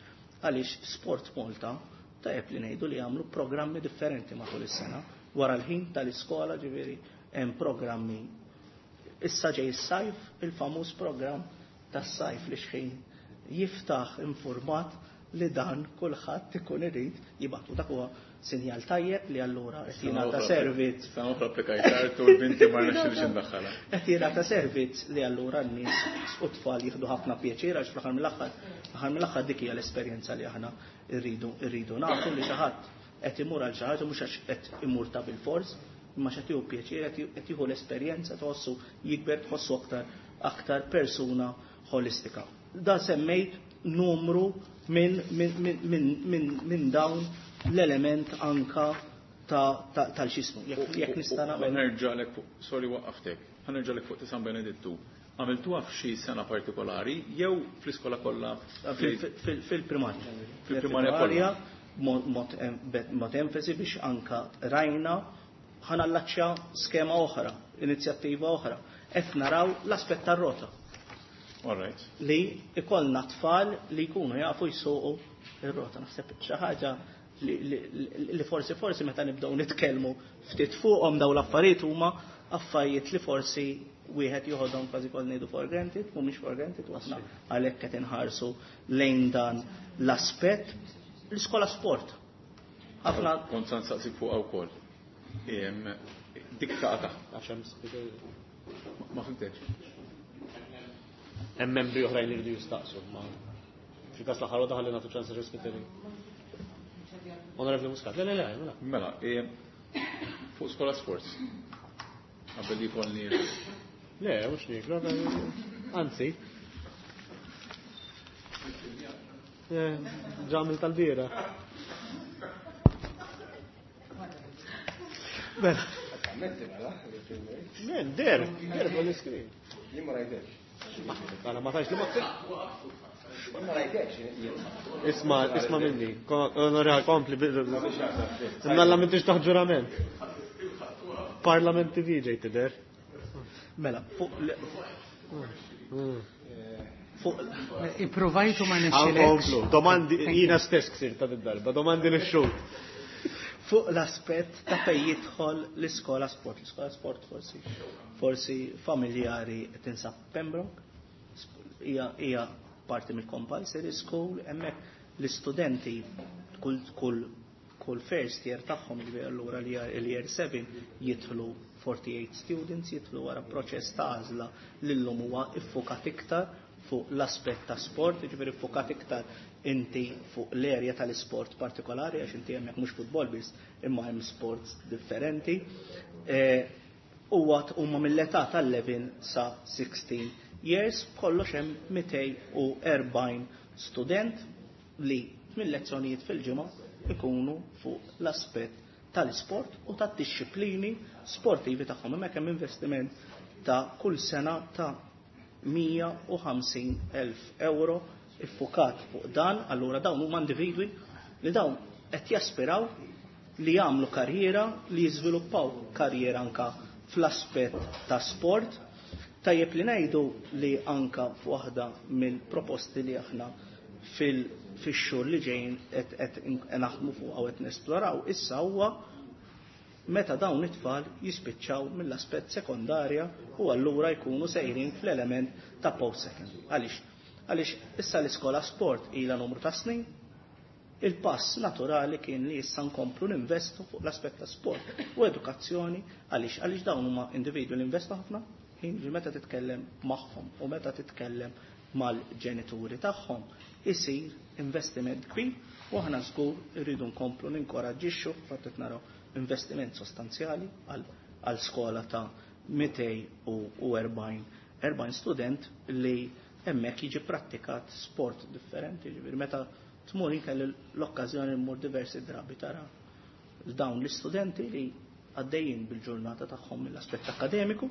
Għaliex Sport Malta tajjeb li ngħidu li jagħmlu programmi differenti matul is-sena. Wara l-ħin tal-iskola ġifieri hemm programmi. Issa ġej is-sajf, il-famuż programm tas-sajf li xħin jiftaħ informat li dan kulħadd ikun irid jibgħatu. Dak huwa sinjal tajjeb li allura qed jingħata servizz. Sena oħra applikajt tard u l-binti ma rnexxilx indaħħalha. Qed jingħata servizz li allura n-nies u t-tfal jieħdu ħafna pjaċir għax fl-aħħar mill-aħħar, aħħar mill-aħħar dik hija l-esperjenza li aħna rridu rridu nagħtu li xi ħadd qed imur għal xi ħaġa mhux għax qed imur ta' bil-fors, imma x'qed jieħu pjaċir, qed jieħu l-esperjenza, tħossu jikber, tħossu aktar aktar persuna holistika. Da semmejt numru minn min, min, min, min, min dawn l-element anka tal-xismu. Jekk nista' nagħmel. Nerġa'lek fuq, sorry waqqaftek, ħanerġa'lek fuq ta' San Benedittu. Għamiltuha f'xi sena partikolari jew fl-iskola kollha? Fil-primarja. Fil-primarja kollha. Mod enfasi biex anka rajna ħanallaċċja skema oħra, inizjattiva oħra. Qed naraw l-aspett tar-rota. All right. Li ikollna tfal li jkunu jafu jsuqu ir-rota. Naħseb xi ħaġa li, li, li forsi forsi meta nibdew nitkellmu ftit fuqhom dawn l-affarijiet huma affarijiet li forsi wieħed joħodhom kważi kol ngħidu for granted, mhumiex for granted, u aħna għalhekk qed inħarsu lejn dan l-aspett. L-iskola sport. Ħafna Kont se nsaqsik fuqha wkoll. Dik taqa' taħt. Ma fimtekx. Hemm membri oħrajn li jridu jistaqsu, ma fil-każ l-aħħar waħda ħalli nagħtu ċans rispettivi. Onorevoli Muscat, le le le, mela. Mela, fuq skola sports. Qabel li jkollni. Le, mhux niklu, anzi. Ġamil tal-bira. Bella. Men, der, der fuq l-iskrin. Jien ma rajtekx. Għala, ma tajx li ma Ma rajtekx. Isma, isma minni. Onorevoli, kompli. Nalla m'intix taħt ġurament. Parlament T V ġej tidher. Mela, fuq Fuq Ippruvajtu ma nexxilekx. Domandi, jiena stess ksirt ta' darba, domandi lix-xhud. Fuq l-aspett ta' fejn jidħol l-iskola sport. L-iskola sport forsi forsi familjari tinsab Pembroke, hija hija parti mill-compulsory school, hemmhekk l-istudenti kull kull kull first year tagħhom, jiġifieri allura l-year seven jidħlu forty-eight students, jidħlu wara proċess ta' għażla li llum huwa iffukat iktar fuq l-aspett ta' sport, jiġifieri iffukat iktar inti fuq l-erja tal-isport partikolari, għax inti hemmhekk mhux futbol biss, imma hemm sports differenti. Huwa huma mill-età tal-eleven sa sixteen years, kollox hemm mitejn u erbgħin student li tmien lezzjonijiet fil-ġimgħa ikunu fuq l-aspett tal-isport u tad-disciplini sportivi tagħhom. Hemmhekk hemm investiment ta' kull sena ta' mija u ħamsin elf euro iffukat fuq dan. Allura dawn huma individwi li dawn qed jaspiraw li jagħmlu karriera, li jiżviluppaw karriera anka fl-aspett ta' sport. Tajjeb li ngħidu li anka f'waħda mill-proposti li aħna fil-, fix-xhur li ġejjin qed, qed naħdmu fuq u qed nesploraw issa huwa meta dawn it-tfal jispiċċaw mill-aspett sekondarja u allura jkunu sejrin fl-element ta' post-secondary. Għaliex? Għaliex issa l-iskola sport ilha numru ta' snin, il-pass naturali kien li issa nkomplu ninvestu fuq l-aspett ta' sport u edukazzjoni. Għaliex? Għaliex dawn huma individwi li investu ħafna, ħin meta titkellem magħhom u meta titkellem mal-ġenituri tagħhom isir investiment kbir, u aħna żgur irridu nkomplu ninkoraġġixxu, fatt qed naraw investiment sostanzjali għal, għal skola ta' mitejn u erbgħin, erbgħin student li hemmhekk jiġi prattikat sport differenti. Ġifieri meta tmur inkelli l-okkażjoni mmur diversi drabi tara dawn l-istudenti li għaddejjin bil-ġurnata tagħhom mill-aspett akademiku,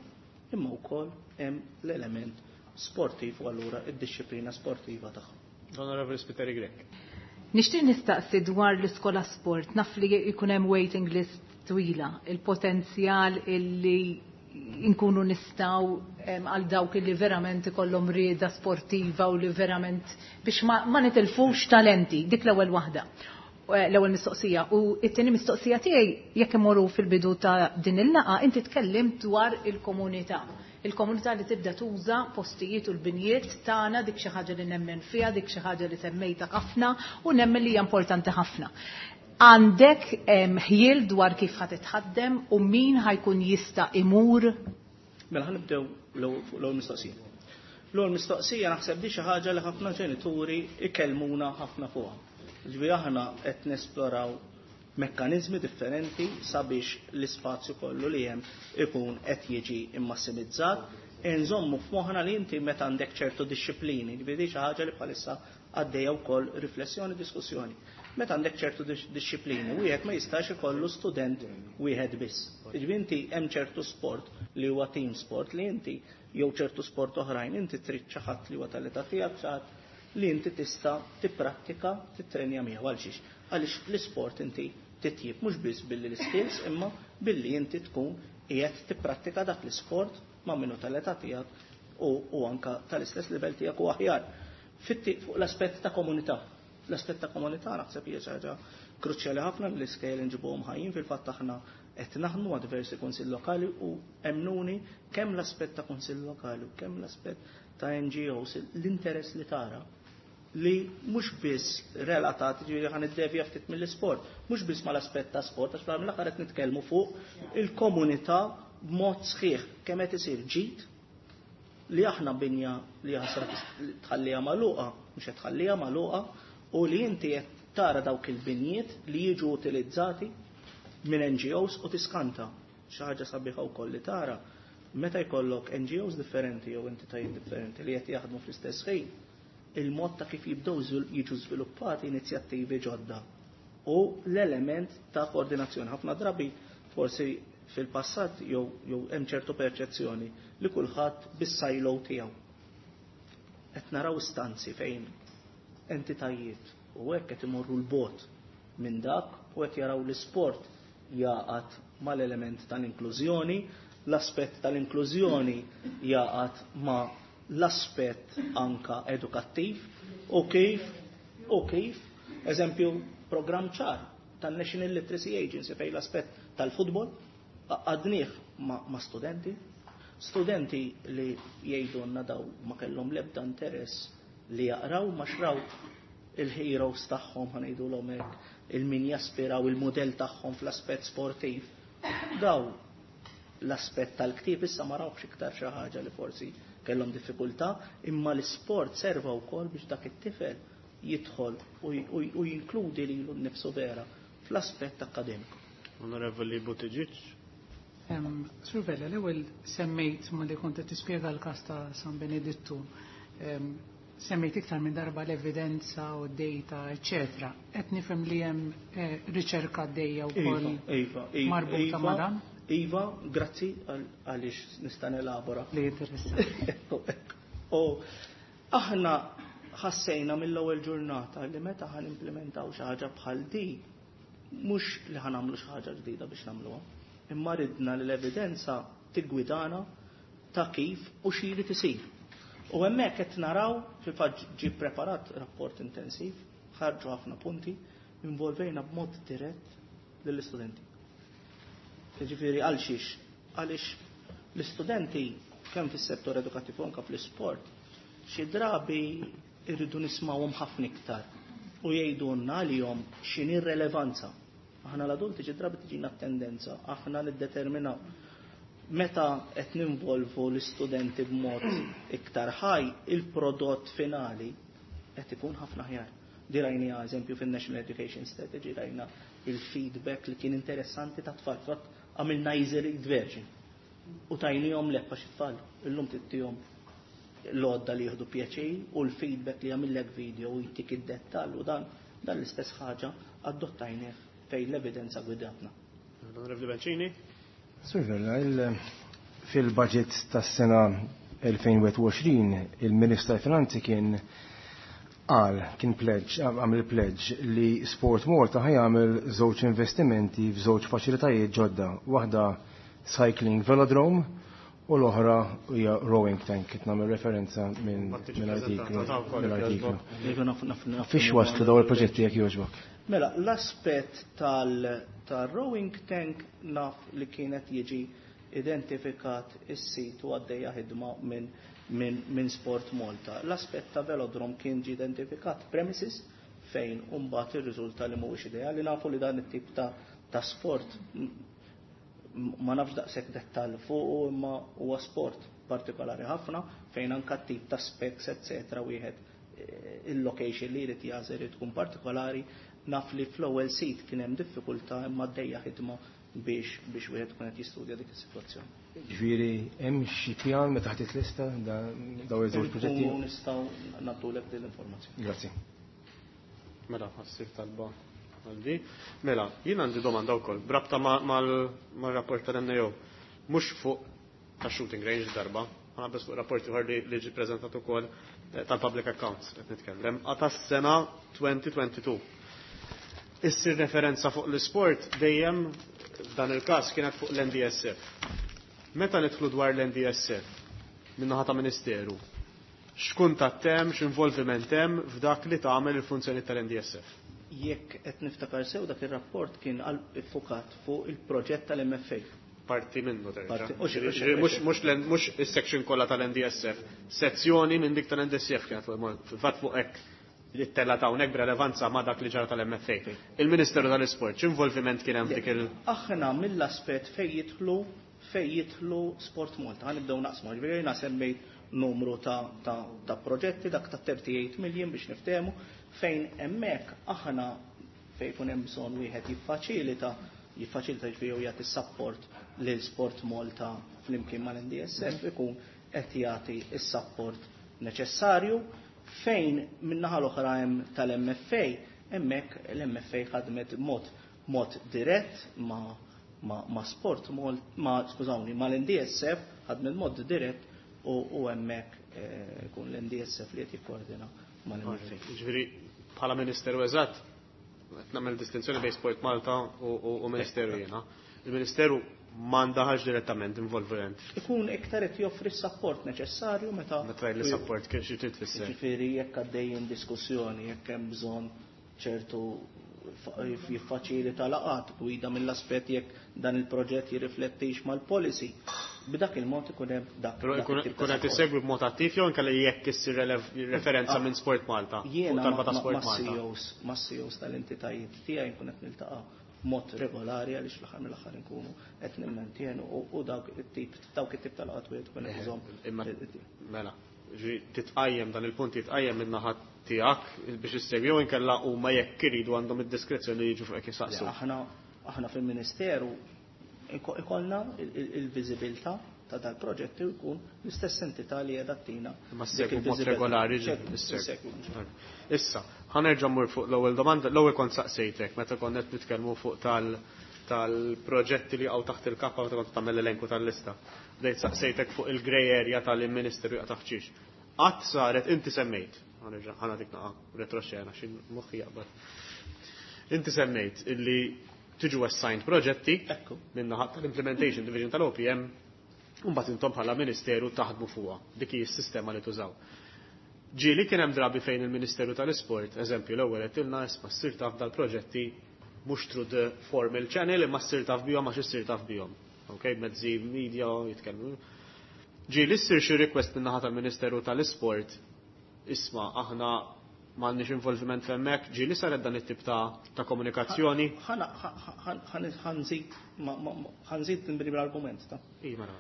imma wkoll hemm l-element sportiv u allura id-disciplina sportiva tagħhom. Onorevoli Spiteri Grech. Nixtieq nistaqsi dwar l-iskola sport, naf li jkun hemm waiting list twila, il-potenzjal illi nkunu nistgħu, em, għal dawk illi verament ikollhom rieda sportiva u li verament biex ma, ma nitilfux talenti, dik l-ewwel waħda. Eh, l-ewwel mistoqsija. U t-tieni mistoqsija tiegħi, jekk imorru fil-bidu ta' din il-laqgħa, inti tkellimt dwar il-komunità. Il-komunità li tibda tuża postijiet u l-binjiet tagħna, dik xi ħaġa li nemmen fiha, dik xi ħaġa li semmejta ħafna u nemmen li hija importanti ħafna. Għandek, em, ħjiel dwar kif ħa titħaddem u min ħajkun jista' imur? Mela ħanibdew fuq l-ewwel mistoqsija. L-ewwel mistoqsija naħseb di xi ħaġa li ħafna ġenituri ikellmuna ħafna fuqha. Ġifieri aħna qed nesploraw mekkaniżmi differenti sabiex l-ispazju kollu li hemm ikun qed jiġi immassimizzat. Inżommu f'moħħna li inti meta għandek ċertu disċiplini, ġifieri xi ħaġa li bħalissa għaddejja wkoll riflessjoni, diskussjoni. Meta għandek ċertu dis-, disċiplini, wieħed ma jistax ikollu student wieħed biss. Ġifieri inti hemm ċertu sport li huwa team sport li inti jew ċertu sport oħrajn inti trid xi ħadd li huwa tal-età tiegħek, xi ħadd li inti tista' tipprattika, titrenja miegħu. Għalxiex? Għaliex l-isport inti titjib mhux biss billi l-skills, imma billi inti tkun qiegħed tipprattika dak l-isport ma' minnu tal-età tiegħek u, u anka tal-istess livell tiegħek u aħjar. Fitti fuq l-aspett ta' komunità. L-aspett ta' komunità naħseb hija xi ħaġa kruċjali ħafna li l-iskejjel inġibuhom ħajjin. Fil-fatt aħna qed naħdmu ma' diversi kunsill lokali u emmnuni kemm l-aspett ta' kunsill lokali u kemm l-aspett ta' N G Os, l-interess li tara li mhux biss relatat, ġifieri ħan iddevja ftit mill-isport, mhux biss mal-aspett ta' sport, għax fl-aħħar mill-aħħar qed nitkellmu fuq il-komunità b'mod sħiħ kemm qed isir ġid li aħna binja li ħasra tħallija magħluqa, mhux qed tħallija magħluqa, u li inti qed tara dawk il-binjiet li jiġu utilizzati minn N G Os u tiskanta. Xi ħaġa sabiħa wkoll li tara meta jkollok N G Os differenti jew entitajiet differenti li qed jaħdmu fl-istess ħin, il-mod ta' kif jibdew żvil-, jiġu żviluppati inizjattivi ġodda u l-element ta' koordinazzjoni. Ħafna drabi forsi fil-passat jew, jew hemm ċertu perċezzjoni li kulħadd bis-silo tiegħu. Qed naraw istanzi fejn entitajiet u hekk qed imorru l-bot minn dak u qed jaraw l-isport jaqgħad mal-element tal-inklużjoni, l-aspett tal-inklużjoni jaqgħad ma' l-aspett anka edukattiv u kif u kif eżempju programm ċar tan-National Literacy Agency fejn l-aspett tal-futbol għadnieh ma, ma studenti, studenti li jgħidulna daw ma kellhom l-ebda interess li jaqraw ma xraw il-heroes tagħhom, ħa ngħidulhom hekk, il-min jaspiraw il-mudell tagħhom fl-aspett sportiv. Daw l-aspett tal-ktieb issa ma rawx iktar xi ħaġa li forsi kellhom diffikultà, imma l-isport serva wkoll biex dak it-tifel jidħol u jinkludi lilu nnifsu vera fl-aspett akkademiku. Onorevoli Buttigieg. Sur Vella, l-ewwel semmejt malli kont qed tispjega l-każ ta' San Benedittu, semmejt iktar minn darba l-evidenza u d-data, eċċetera. Qed nifhem li hemm riċerka għaddejja wkoll marbuta ma' dan? Iva, grazzi għaliex nista' nelabora. Li interessanti. U aħna ħassejna mill-ewwel ġurnata li meta ħan implementaw xi ħaġa bħal di, mhux li ħa nagħmlu xi ħaġa ġdida biex nagħmluha, imma ridna li l-evidenza tiggwidana ta' kif u xi jrid isir. U hemmhekk qed naraw, fil-fatt ġie preparat rapport intensiv, ħarġu ħafna punti, involvejna b'mod dirett lill-istudenti. Jiġifieri għal xiex? Għaliex l-istudenti kemm fis-settur edukattiv u anke fl-isport, xi drabi irridu nismawhom ħafna iktar u jgħidulna għalihom x'inhi r-relevanza. Aħna l-adulti xi drabi tiġina tendenza, aħna niddeterminaw meta qed ninvolvu l-istudenti b'mod iktar ħaj, il-prodott finali qed ikun ħafna ħjar. Di rajna eżempju fin-National Education Strategy, rajna il-feedback li kien interessanti ta' tfal, fatt għamilna easy read version. U tajnihom leppa xi tfal, illum tittihom l-għodda li jieħdu pjaċir u l-feedback li jagħmillek video u jtik id-dettall u dan dan l-istess ħaġa adottajnieh fejn l-evidenza gwidatna. Onorevoli Bencini. Sur Vella, fil-budget tas-sena elfejn u għoxrin il-Ministru tal-Finanzi kien qal, kien pledge, għamel pledge li Sport Malta ħajamel żewġ investimenti f'żewġ faċilitajiet ġodda, waħda cycling velodrome u l-oħra hija rowing tank, qed nagħmel referenza minn artiklu. Fiex waslu dawn il-proġetti jekk jogħġbok? Mela, l-aspett tal-rowing tank naf li kienet jiġi identifikat is-sit u għaddejja ħidma minn min, min Sport Malta. L-aspett ta' velodrom kien ġi identifikat premises fejn mbagħad irriżulta li mhuwiex ideali. Nafu li dan it-tip ta', ta' sport ma nafx daqshekk dettall fuq, imma huwa sport partikolari ħafna fejn anke tip ta' specs eċetera wieħed il-location li jrid jażel irid tkun partikolari. Naf li fl-ewwel sit kien hemm diffikultà imma għaddejja ħidma biex biex wieħed tkun qed jistudja dik is-sitwazzjoni. Ġifieri hemm xi pjan meta ħadd lista dawn iż-żewġ proġetti? Nistgħu nagħtulek din l-informazzjoni. Grazzi. Mela, ħassir talba għaldi. Mela, jien għandi domanda wkoll brabta mal-rapport tal-N A O. Mhux fuq ta' shooting range darba, ħana bes fuq rapport ieħor li ġie preżentat ukoll tal-Public Accounts qed nitkellem. Għata s-sena twenty twenty-two. Issir referenza fuq l-isport dejjem f'dan il-każ kienet fuq l-N D S F. Meta nidħlu dwar l-N D S F min-naħa ta' Ministeru, x'kuntatt hemm, x'involviment hemm f'dak li tagħmel il-funzjoni tal-N D S F? Jekk qed niftakar sew dak ir-rapport kien iffukat fuq il-proġett tal-M F A. Parti minnu terġa'. Parti, u xi, u xi, Mhux, mhux l-N, mhux is-section kollha tal-N D S F, sezzjoni minn dik tal-N D S F kienet fil-fatt fuq hekk li tella ta' hawnhekk b'relevanza ma' dak li ġara tal-M F A. Il-Ministeru tal-Isport, x'involviment kien hemm dik il- Aħna mill-aspett fejn jidħlu, fejn jidħlu Sport Malta, ħanibdew naqsmu, ġifieri jiena semmejt numru ta', ta', ta' proġetti, dak ta' thirty-eight million biex niftehmu, fejn hemmhekk aħna fejn ikun hemm bżonn wieħed jiffaċilita, jiffaċilita ġifieri jew jagħti support lil Sport Malta flimkien mal-N D S F ikun qed jagħti s-support neċessarju. Fejn min-naħa l-oħra hemm tal-M F A, hemmhekk l-M F A ħadmet mod, mod dirett ma', ma', ma' Sport Malta, ma', skużawni, mal-N D S F ħadmet mod dirett u, u hemmhekk, eh, ikun l-N D S F li qed jikkoordina mal-M F A. Ġifieri bħala Ministeru eżatt, qed nagħmel distinzjoni bejn Sport Malta u, u, u Ministeru jiena. Il-Ministeru ma ndaħalx direttament involviment. Ikun iktar qed joffri s-sapport neċessarju meta. Meta li support kif xi trid tfisser. Ġifieri jekk għaddejjin diskussjoni, jekk hemm bżonn ċertu jiffaċilita laqat, gwida mill-aspett jekk dan il-proġett jirriflettix mal-policy. B'dak il-mod ikun hemm dak. Però ikun qed isegwi b'mod attiv jew inkella jekk issir referenza minn Sport Malta. Jiena ma' C E Os tal-entitajiet tiegħi nkun qed niltaqa' b'mod regolari għaliex fl-aħħar mill-aħħar inkunu qed nimmantienu u dawk it-tip dawk it-tip tal-laqat wieħed ikun qed iżomm. Mela, titqajjem dan il-punt jitqajjem minn naħa tiegħek biex issegwi jew inkella huma jekk iridu għandhom id-diskrezzjoni li jiġu fuq jisaqsu. Aħna aħna fil-Ministeru ikollna il-viżibilità ta' dal-proġetti u jkun l-istess entità li qiegħda tina. Ma ssegwu b'mod regolari. Issa, ħa nerġa' mmur fuq l-ewwel domanda, l-ewwel kont saqsejtek meta kont qed nitkellmu fuq tal-proġetti li jaqgħu taħt il-kappa meta kont tagħmel l-elenku tal-lista. Bdejt saqsejtek fuq il-grey area tal-Ministeru jaqa' taħt xiex. Qatt saret inti semmejt, ħa nagħtik naqa' retroxena xi moħħi jaqbad. Inti semmejt illi tiġu assigned proġetti min-naħa tal-Implementation Division tal-O P M u mbagħad intom bħala Ministeru taħdmu fuqha. Dik hi s-sistema li tużaw. Ġieli kien hemm drabi fejn il-Ministeru tal-Isport, eżempju l-ewwel qed ilna isma' ssir taf dal-proġetti mhux through the formal channel imma ssir taf bihom għax issir taf bihom. Okay, mezzi media jitkellmu. Ġieli ssir xi request min-naħa tal-Ministeru tal-Isport, isma' aħna m'għandniex involviment f'hemmhekk, ġieli saret dan it-tip ta', ta' komunikazzjoni. Ħanżid nbri bl-argument ta'. Iva, mela.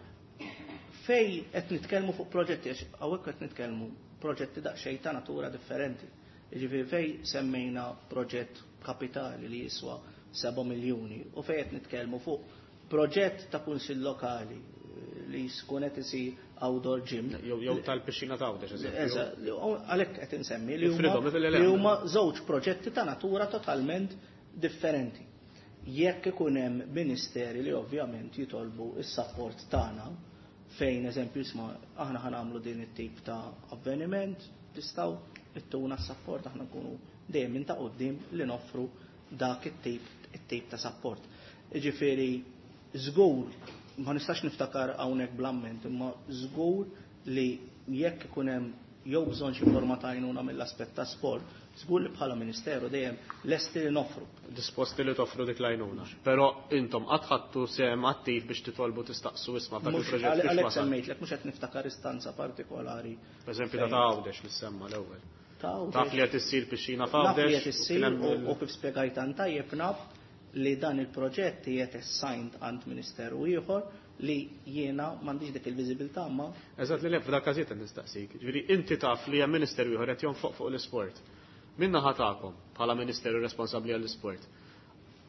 Fej qed nitkellmu fuq proġetti, għax hawnhekk qed nitkellmu proġetti daqsxejn ta' natura differenti. Jiġifieri fej semmejna proġett kapitali li jiswa seba' miljuni u fej qed nitkellmu fuq proġett ta' kunsill lokali li jkun qed isir outdoor gym. Jew, jew tal-pixxina ta' Għawdex, eżempju. Eżatt, li hu, għalhekk qed insemmi li huma Ifridhom, ifridhom, li huma żewġ proġetti ta' natura totalment differenti. Jekk ikun hemm ministeri li ovvjament jitolbu s-sapport tagħna, fejn eżempju isma' aħna ħa nagħmlu din it-tip ta' avveniment, tistgħu ittuna s-sapport, aħna nkunu dejjem minn ta' quddiem li noffru dak it-tip, it-tip ta' sapport. Jiġifieri żgur ma nistax niftakar hawnhekk bl-amment, imma żgur li jekk ikun hemm jew bżonn xi forma ta' għajnuna mill-aspett ta' sport, żgur li bħala Ministeru dejjem lesti li noffru. Disposti li toffru dik l-għajnuna. Però intom qatt ħadtu sehem attiv biex titolbu tistaqsu isma' f'dak Mhux il-proġett għal- biex għalhekk wasal. semmejtlek, mhux qed niftakar istanza partikolari. Per eżempju, ta' Għawdex li semma l-ewwel. Ta' Għawdex. Taf li qed issir pixxina Naf li f'Għawdex, qed issir kien hemm u- il- u kif spjegajt tan tajjeb naf li dan il-proġett qiegħed assigned għand ministeru ieħor li jiena m'għandix dik il-viżibilità ma. Eżatt li le, f'dak każijiet qed nistaqsik. Ġifieri inti taf li hemm ministeru ieħor qed jonfoq fuq l-isport. Min naħa tagħkom bħala ministeru responsabbli għall-isport?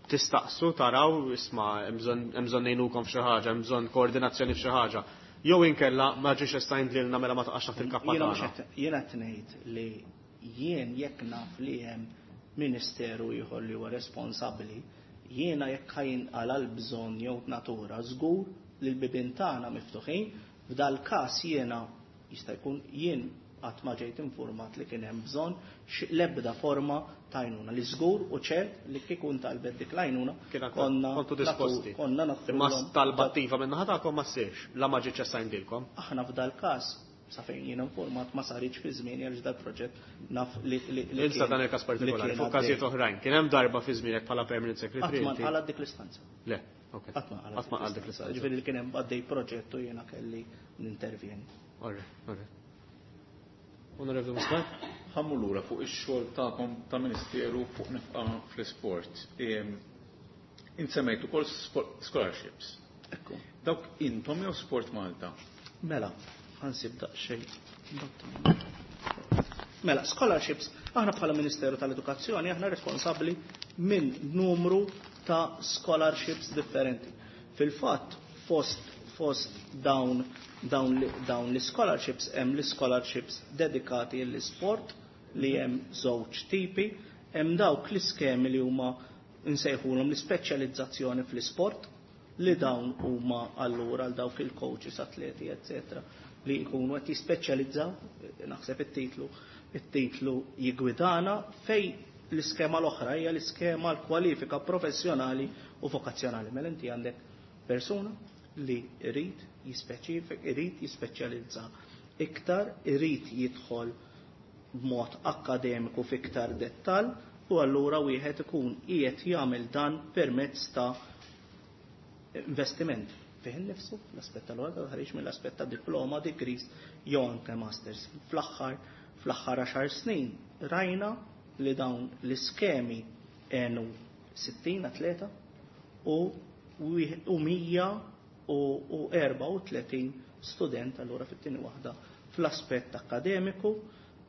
Tistaqsu taraw isma' hemm bżonn, hemm bżonn ngħinukom f'xi ħaġa, hemm bżonn koordinazzjoni f'xi ħaġa. Jew inkella ma ġiex assigned lilna mela ma taqax taħt il-kappa Jiena mhux tagħna. qed, jiena qed ngħid li jien jekk naf li hemm ministeru ieħor li huwa responsabbli, jiena jekk ħajinqala l-bżonn jew natura żgur li l-bibien tagħna miftuħin, f'dal każ jiena jista' jkun jien qatt ma ġejt informat li kien hemm bżonn l-ebda forma ta' għajnuna li żgur u ċert li kieku ntalbet dik l-għajnuna Kien għandkom konna kontu disposti. natu-, konna nofru Imma l-om talba attiva minn naħa tagħkom ma ssirx, la ma ġietx assigned-ilkom. Aħna f'dal każ sa fejn jien informat ma saritx fi żmien għaliex dal-proġett naf li, li, li Insa kien dan il-każ partikolari, li kien fuq każijiet għaddej. oħrajn. Kien hemm darba fi żmienek bħala permanent secretary Qatt ma inti? nqalgħet dik l-istanza. Le, ok. Qatt ma nqalgħet Qatt ma nqalgħet dik l-istanza. Ġifieri li kien hemm għaddej proġett u jiena kelli nintervjeni. Orre, orre. Onorevoli Muscat? Ħammu lura fuq ix-xogħol tagħkom ta' Ministeru fuq nefqa fl-isport. Ehm, Insemmejt ukoll spo-, scholarships. Ekku. Dawk intom jew Sport Malta? Mela, ħansib daqsxejn. Mela, scholarships, aħna bħala Ministeru tal-Edukazzjoni aħna responsabbli minn numru ta' scholarships differenti. Fil-fatt, fost, fost dawn, dawn, dawn l-scholarships hemm l-scholarships dedikati l-isport li hemm żewġ tipi, hemm dawk l-iskemi li huma nsejħulhom l-ispeċjalizzazzjoni fl-isport, li dawn huma allura għal dawk il-coaches, atleti, eccetera, li jkunu qed jispeċjalizzaw, naħseb it-titlu, it-titlu jigwidana, fej l-iskema l-oħra hija l-iskema l-kwalifika professjonali u vokazzjonali. Mela inti għandek Persuna li irid jispeċifik, irid jispeċjalizza iktar, irid jidħol b'mod akkademiku f'iktar dettal u allura wieħed ikun qiegħed jagħmel dan permezz ta' investiment fih innifsu, l-aspett tal-għoda, ħareġ mill-aspett ta' diploma, degrees, jew anke masters. Fl-aħħar fl-aħħar għaxar snin rajna li dawn l-iskemi għenu sittin atleta u u mija u erbgħa u tletin student allura fit-tieni waħda fl-aspett akkademiku.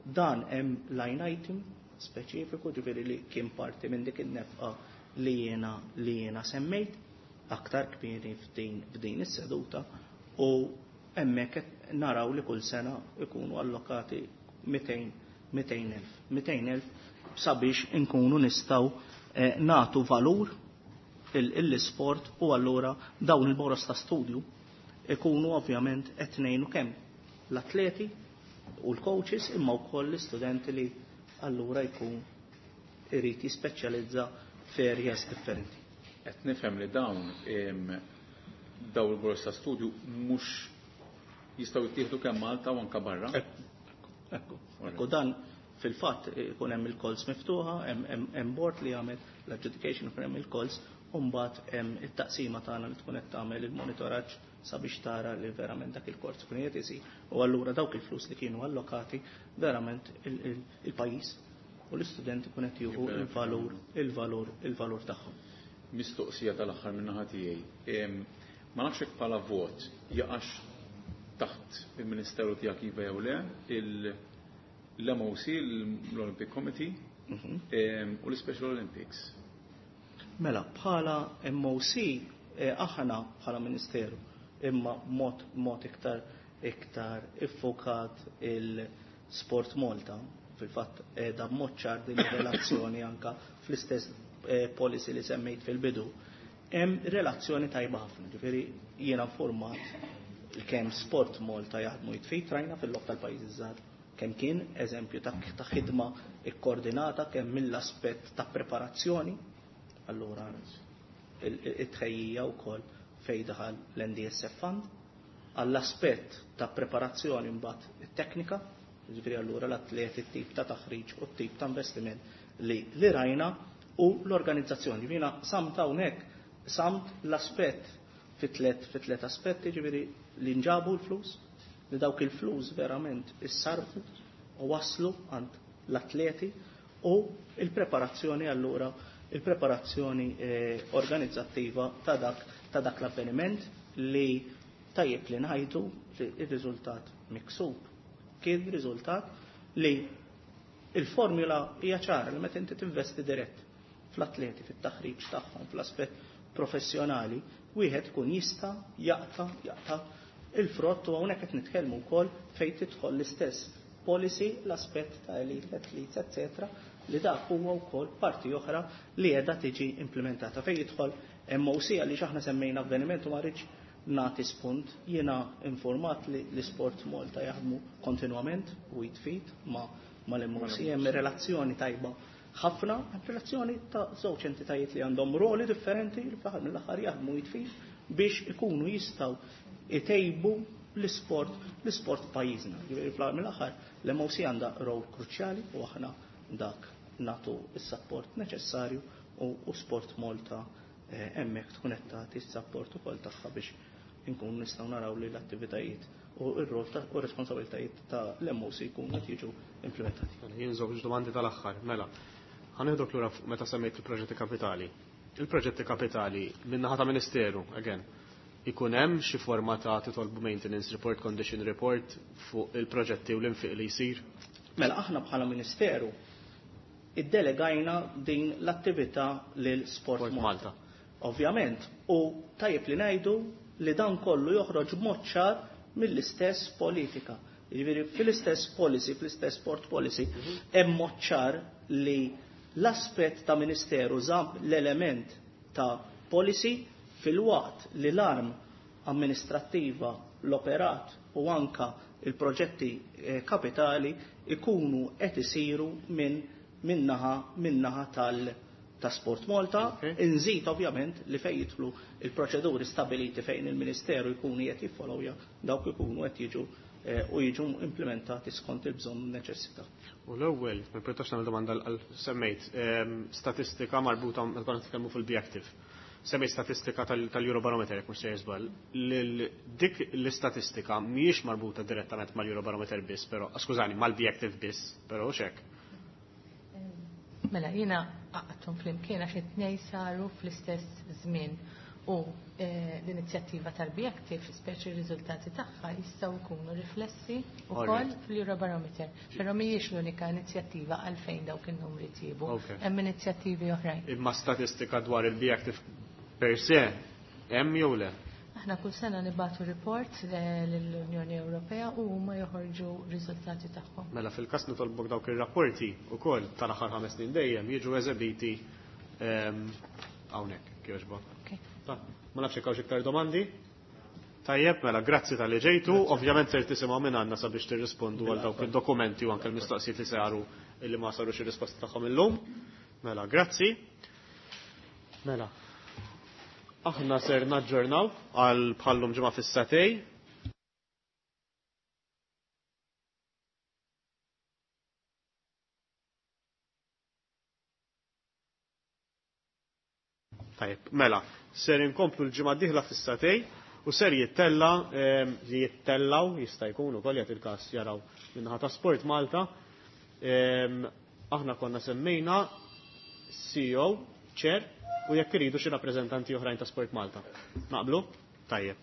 Dan hemm line item speċifiku, ġifieri li kien parti minn dik in-nefqa li jiena li jiena semmejt aktar kmieni f'din f'din is-seduta, u hemmhekk qed naraw li kull sena ikunu allokati mitejn mitejn elf mitejn elf sabiex inkunu nistgħu eh, nagħtu valur l-isport u allura dawn il-boros ta' studju ikunu ovvjament qed ngħinu kemm l-atleti u l-coaches imma wkoll l-istudenti li allura jkun irid jispeċjalizza f'areas differenti. Qed nifhem li dawn dawn il-boros ta' studju mhux jistgħu jittieħdu kemm Malta u anke barra. Ekku, ekku dan fil-fatt ikun hemm il-calls miftuħa, hemm board li jagħmel l-adjudication, ikun hemm il-calls, u mbagħad hemm it-taqsima tagħna li tkun qed tagħmel il-monitoraġġ sabiex tara li verament dak il-kors ikun qed isir. U allura dawk il-flus li kienu allokati verament il-pajjiż u l-istudenti ikun qed jieħu il-valur, il-valur, il-valur tagħhom. Mistoqsija tal-aħħar minn naħa tiegħi. Ma nafx hekk bħala vot jaqax taħt il-Ministeru tiegħek iva jew le, l-M O C, l-Olympic Committee, u l-Special Olympics. Mela, bħala M O C, aħna bħala Ministeru, imma mod, mod iktar, iktar iffokat il-Sport Malta, fil-fatt da mod ċar din ir-relazzjoni anka fl-istess policy li semmejt fil-bidu, hemm relazzjoni tajba ħafna, ġifieri jiena informat kemm Sport Malta jaħdmu jitfit rajna fil-lok tal-pajjiżi żgħar, kemm kien eżempju ta', ta' ħidma ikkoordinata kemm mill-aspett ta' preparazzjoni, allura it-tħejjija wkoll fejn daħal l-N D S F Fund, għall-aspett ta' preparazzjoni mbagħad it-teknika, ġifieri allura l-atleti t-tip ta' taħriġ u t-tip ta' investiment li, li rajna u l-organizzazzjoni. Ġifieri samt hawnhekk samt l-aspett fi tliet, fi tliet aspetti, ġifieri li nġabu l-flus, li dawk il-flus verament issarfu u waslu għand l-atleti u il-preparazzjoni allura il-preparazzjoni, eh, organizzattiva ta' dak, ta' dak l-avveniment li tajjeb li ngħidu li r-riżultat miksub kien riżultat li il-formula hija ċara li meta inti tinvesti dirett fl-atleti, fit-taħriġ tagħhom, fl-aspett professjonali, wieħed ikun jista' jaqta' jaqta' il-frott u hawnhekk qed nitkellmu wkoll fejn tidħol l-istess policy, l-aspett ta' elite athletes, eccetera, li dak huwa wkoll parti oħra li qiegħda tiġi implementata. Fejn jidħol M O C għaliex aħna semmejna avveniment u ma rridx nagħti spunt, jiena informat li l-Sport Malta jaħdmu kontinwament u jitfit ma' mal-M O C, hemm relazzjoni tajba ħafna, hemm relazzjoni ta' żewġ entitajiet li għandhom roli differenti li fl-aħħar mill-aħħar jaħdmu jitfit biex ikunu jistgħu itejbu l-isport, l-isport pajjiżna. Ġifieri fl-aħħar mill-aħħar l-M O C għandha rol kruċjali u aħna dak nagħtu s-sapport neċessarju u, u Sport Malta, eh, hemmhekk tkun qed tagħti s-sapport ukoll tagħha biex inkunu nistgħu naraw li l-attivitajiet u r-rol ta' u r-responsabilitajiet ta' l-M O C jkunu qed jiġu implementati. Mela, jien żewġ domandi tal-aħħar, mela. Ħanieħdok lura fuq meta semmejt il-proġetti kapitali. Il-proġetti kapitali min-naħa ta' Ministeru, again, ikun hemm xi forma ta' titolbu maintenance report, condition report fuq il-proġetti u l-infiq li jsir? Mela aħna bħala Ministeru iddelegajna din l-attività lil Sport Sport Malta. Malta. Ovvjament, u tajjeb li ngħidu li dan kollu joħroġ b'mod ċar mill-istess politika. Jiġifieri fl-istess policy, fl-istess sport policy, Mhm. hemm mod ċar li l-aspett ta' Ministeru żamm l-element ta' policy fil-waqt li l-arm amministrattiva, l-operat u anka il-proġetti, eh, kapitali ikunu qed isiru minn minnaħa, minnaħa tal, ta' Sport Malta, inżid ovvjament li fejn jidħlu il-proċeduri stabiliti fejn il-Ministeru jkunu qed jiffollowja dawk ikunu qed jiġu eh, u jiġu implementati skont il-bżonn u neċessità. U l-ewwel, ma pertax nagħmel domanda għal semmejt, ehm, statistika marbuta meta konna nitkellmu fil-Be Active. Semmejt statistika tal-Eurobarometer, jekk mhux se żball. Dik l-istatistika mhijiex marbuta direttament mal-Eurobarometer biss, però, skużani, mal-Be Active biss, però hux hekk. Mela, jiena għaqqadthom flimkien għax it-tnejn saru fl-istess żmien u eh, l-inizjattiva tal-Be Active, speċi r-riżultati tagħha jistgħu jkunu riflessi wkoll fl-Eurobarometer. Però mhijiex l-unika inizjattiva għalfejn dawk in-numri tjiebu. Hemm inizjattivi oħrajn. Imma statistika dwar il-Be Active per se hemm jew le? Aħna kull sena nibagħtu report eh, lill-Unjoni Ewropea u huma joħorġu riżultati tagħhom. Mela fil-każ nitolbok dawk ir-rapporti wkoll tal-aħħar ħames snin dejjem jiġu eżebiti ehm, hawnhekk kieġbok. Ma nafx jekk hawnx iktar domandi? Tajjeb, mela, grazzi tal-li ġejtu. Ovvjament ser tisimgħu minn għandna sabiex tirrispondu għal dawk id-dokumenti u anke l-mistoqsijiet li saru illi ma sarux ir-risposta tagħhom illum. Mela, grazzi. Mela. Aħna ser naġġornaw għal bħallum ġimgħa fis-satej. Tajjeb, mela, ser inkomplu l-ġimgħa d-dieħla fis-satej u ser jittella ehm, jittellaw jista' jkun ukoll jagħti il-każ jaraw minnaħa ta' Sport Malta. Ehm, aħna konna semmejna C E O, Chair, u jekk iridu xi rappreżentanti oħrajn ta' Sport Malta. Naqblu? Tajjeb.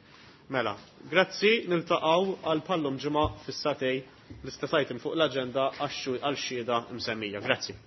Mela, grazzi, niltaqgħu għal pallum ġimgħa fis-satej l-istess item fuq l-aġenda għal xhieda msemmija. Grazzi.